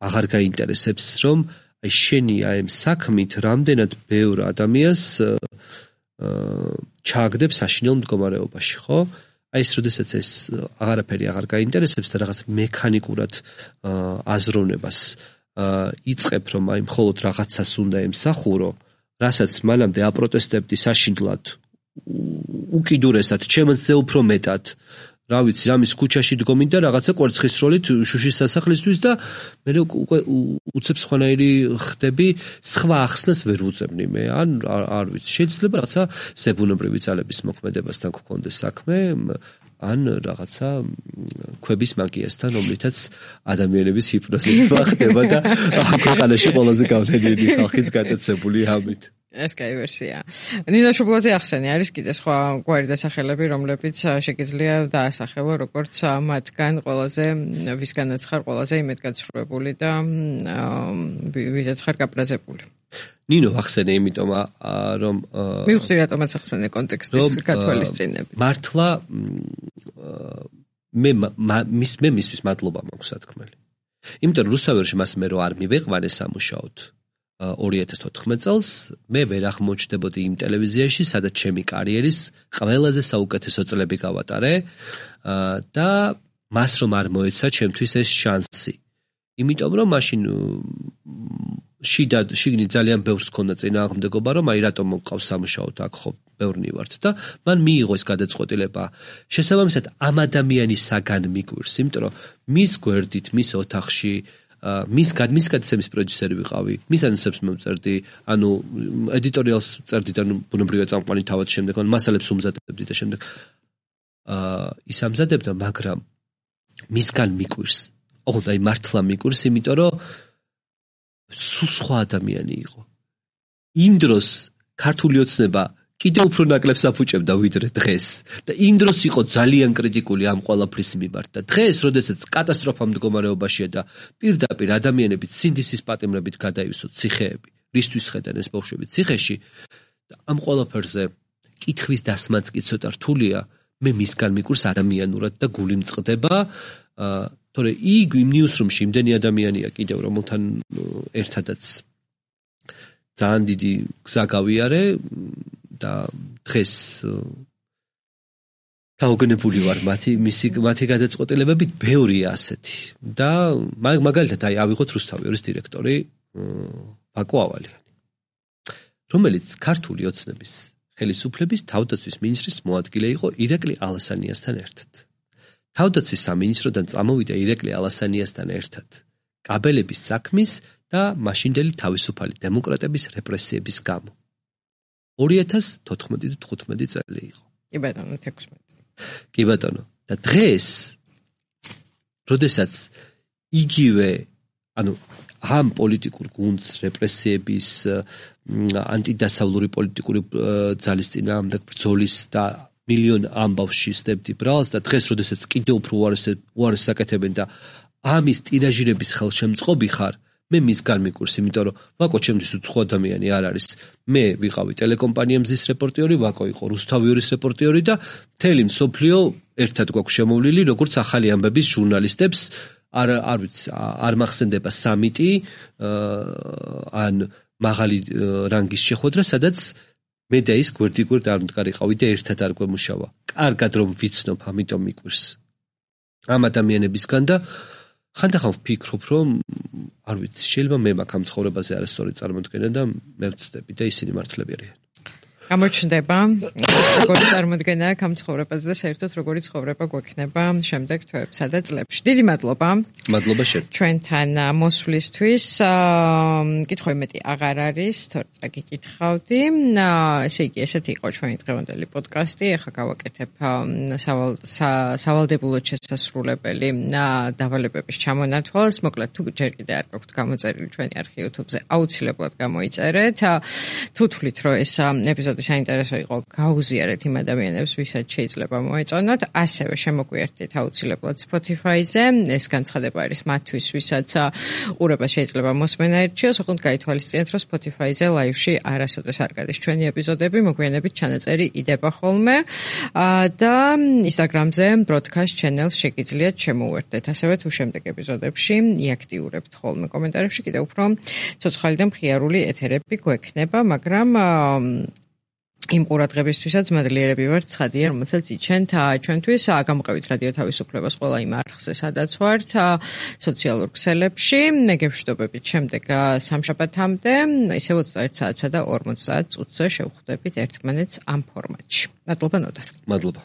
აღარ გაინტერესებს, რომ აი შენი აი ამ საქმით რამდენად ბევრ ადამიანს ჩააგდებ საშინელ მდგომარეობაში, ხო? აი ეს როდესაც ეს აღარაფერი აღარ გაინტერესებს და რაღაც მექანიკურად აზროვნებას იწყებ, რომ აი მხოლოდ რაღაცას უნდა ემსახურო, რასაც მანამდე აპროტესტებდი საშინლად, უკიდურესად, ჩემზე უფრო მეტად რა ვიცი, რამის ქუჩაში დგომით და რაღაცა კვერცხისროლით შუშის სასახლისთვის და მე უკვე უცებ სხვანაირი ხდები, სხვა ახსნას ვერ უწევნი მე, ან არ ვიცი, შეიძლება რაღაცა ზებუნებრივი ძალების მოქმედებასთან გქონდეს საქმე, ან რაღაცა ქვების მაგიასთან, რომლითაც ადამიანების ჰიპნოზება ხდება და ქვეყანაში ყველაზე გავლენიანი ხალხიც გატაცებული ამით. ეს კაი ვერსია. ნინო შუბლაძე ახსენე, არის კიდე სხვა გვარი დასახელები, რომლებიც შეგიძლია დაასახელო, როგორც მათგან ყველაზე ვისგანაც ხარ ყველაზე იმედგაცრუებული და ვისაც ხარ გაბრაზებული. ნინო ახსენე, იმიტომ რომ მივხვდი რატომაც ახსენე კონტექსტის გათვალისწინებით. მართლა მე მე მისთვის მადლობა მაქვს სათქმელი. იმიტომ რომ რუსთავერში მას მე რო არ მივეყვანე სამუშაოდ ორი ათას ოთხმეტ წელს მე ვერ აღმოჩნდებოდი იმ ტელევიზიაში, სადაც ჩემი კარიერის ყველაზე საუკეთესო წლები გავატარე და მას რომ არ მოეცა ჩემთვის ეს შანსი. იმიტომ რომ მაშინ შიდა შიგნით ძალიან ბევრს ქონდა წინააღმდეგობა, რომ აი რატომ მყავს სამუშაოდ აქ ხო ბევრნი ვართ და მან მიიღო ეს გადაწყვეტილება. შესაბამისად ამ ადამიანისაგან მიგვირს, იმიტომ რომ მის გვერდით, მის ოთახში მის მის გადაცემის პროდიუსერი ვიყავი, მის ანონსებს მომწერდი, ანუ ედიტორიალს წერდი და ბუნებრივია წამყვანი თავად შემდეგ, ან მასალებს უმზადებდი და შემდეგ აა ის ამზადებდა, მაგრამ მისგან მიკვირს. ოღონდ აი მართლა მიკვირს, იმიტომ რომ სულ სხვა ადამიანი იყო. იმ დროს ქართული ოცნება კიდევ უფრო ნაკლებს აფუჭებდა ვიდრე დღეს და იმ დროს იყო ძალიან კრიტიკული ამ ყველაფრის მიმართ და დღეს, როდესაც კატასტროფა მდგომარეობაშია და პირდაპირ ადამიანები სინდისის პატიმრებით გადაივსოთ ციხეები, რისთვის ხედან ეს ბავშვები ციხეში და ამ ყველაფერზე კითხვის დასმაც კი ცოტა რთულია, მე მისგან მიკვირს ადამიანურად და გული მწყდება, თორე იქ იმ ნიუსრუმში იმდენი ადამიანია კიდევ, რომელთან ერთადაც ძალიან დიდი გზა გავიარე და დღეს დაუგნებული ვარ მათი მისი მათი გადაწყვეტილებებით ბევრია ასეთი და მაგალითად აი ავიღოთ რუსთავიორის დირექტორი ბაკო ავალიანი, რომელიც ქართული ოცნების ხელისუფლების თავდაცვის მინისტრის მოადგილე იყო ირაკლი ალასანიასთან ერთად. თავდაცვის სამინისტროდან წამოვიდა ირაკლი ალასანიასთან ერთად კაბელების საქმის და მაშინდელი თავისუფალი დემოკრატების რეპრესიების გამო. ორი ათას თოთხმეტი და თხუთმეტი წელი იყო. კი ბატონო, თექვსმეტი. კი ბატონო, და დღეს როდესაც იგივე, ანუ ამ პოლიტიკურ გუნდს რეპრესიების ანტიდასავლური პოლიტიკური ძალის წინააღმდეგ ბრძოლის და მილიონ ამბავში სდებდი ბრალს და დღეს როდესაც კიდევ უფრო უარეს საკეთებენ და ამის ტირაჟირების ხელშემწყობი ხარ, მე მისგან მიკურს, იმიტომ რომ ვაკო ჩემთვის უცხო ადამიანი არ არის. მე ვიყავი ტელეკომპანია მზის რეპორტიორი, ვაკო იყო რუსთავიორის რეპორტიორი და მთელი მსოფლიო ერთად გვაქვს შემოვლილი, როგორც ახალი ამბების ჟურნალისტებს. არ არ ვიცი, არ მახსენდება სამიტი ან მაღალი რანგის შეხვედრა, სადაც მე და ის გვერდიგვერდ არ მდგარიყავი და ერთად არ გვემუშავა. კარგად რომ ვიცნობ, ამიტომ მიკვირს. ამ ადამიანებისგან და ხანდახან ვფიქრობ, რომ არ ვიცი, შეიძლება მე მაქვს ამ ცხოვრებაზე არასწორი წარმოდგენა და მე ვცდები და ისინი მართლები არიან. გამოჩნდება როგორი წარმოდგენა აქვს ამ ცხოვრებაზე და საერთოდ როგორი ცხოვრება გვექნება შემდეგ თვეებსა და წლებში. დიდი მადლობა. მადლობა შენ. ჩვენთან მოსვლისთვის. კითხვა მეტი აღარ არის, თორე წაგიკითხავდი. ესე იგი, ესეთი იყო ჩვენი დღევანდელი პოდკასტი. ახლა გავაკეთებ სავალდებულოდ შესასრულებელი დავალებების ჩამონათვალს. მოკლედ, თუ ჯერ კიდე არ გაქვთ გამოწერილი ჩვენი არხი YouTube-ზე, აუცილებლად გამოიწერეთ. თუ თვლით, რომ ეს ეპიზოდი საინტერესო იყო, გაუზიარეთ იმ ადამიანებს, ვისაც შეიძლება მოეწონოთ. ასევე შემოგვიერთდით აუცილებლად Spotify-ზე. ეს განცხადება არის მათთვის, ვისაც ყურება შეიძლება მოსმენა ერჩიოს. ოღონდ გაითვალისწინეთ, რომ Spotify-ზე live-ში არასოდეს არ გადის ჩვენი ეპიზოდები, მოგვიანებით ჩანაწერი იდება ხოლმე. და Instagram-ზე broadcast channel-ს შეგიძლიათ შემოუერთდეთ. ასევე თუ შემდეგ ეპიზოდებში იაქტიურებთ ხოლმე კომენტარებში, კიდევ უფრო ცოცხალი და მხიარული ეთერები გვექნება, მაგრამ იმ ყურადღებისთვისაც მადლიერები ვართ ცხადია, რომელსაც იჩენთ ჩვენთვის. გამოყევით რადიო თავისუფლებას ყველა იმ არხზე, სადაც ვართ, სოციალურ ქსელებში. მე გევშვიდობებით შემდეგ სამშაბათამდე, ისევ ოცდაერთ საათსა და ორმოცდაათ წუთზე შევხვდებით ერთმანეთს ამ ფორმატში. მადლობა ნოდარ. მადლობა.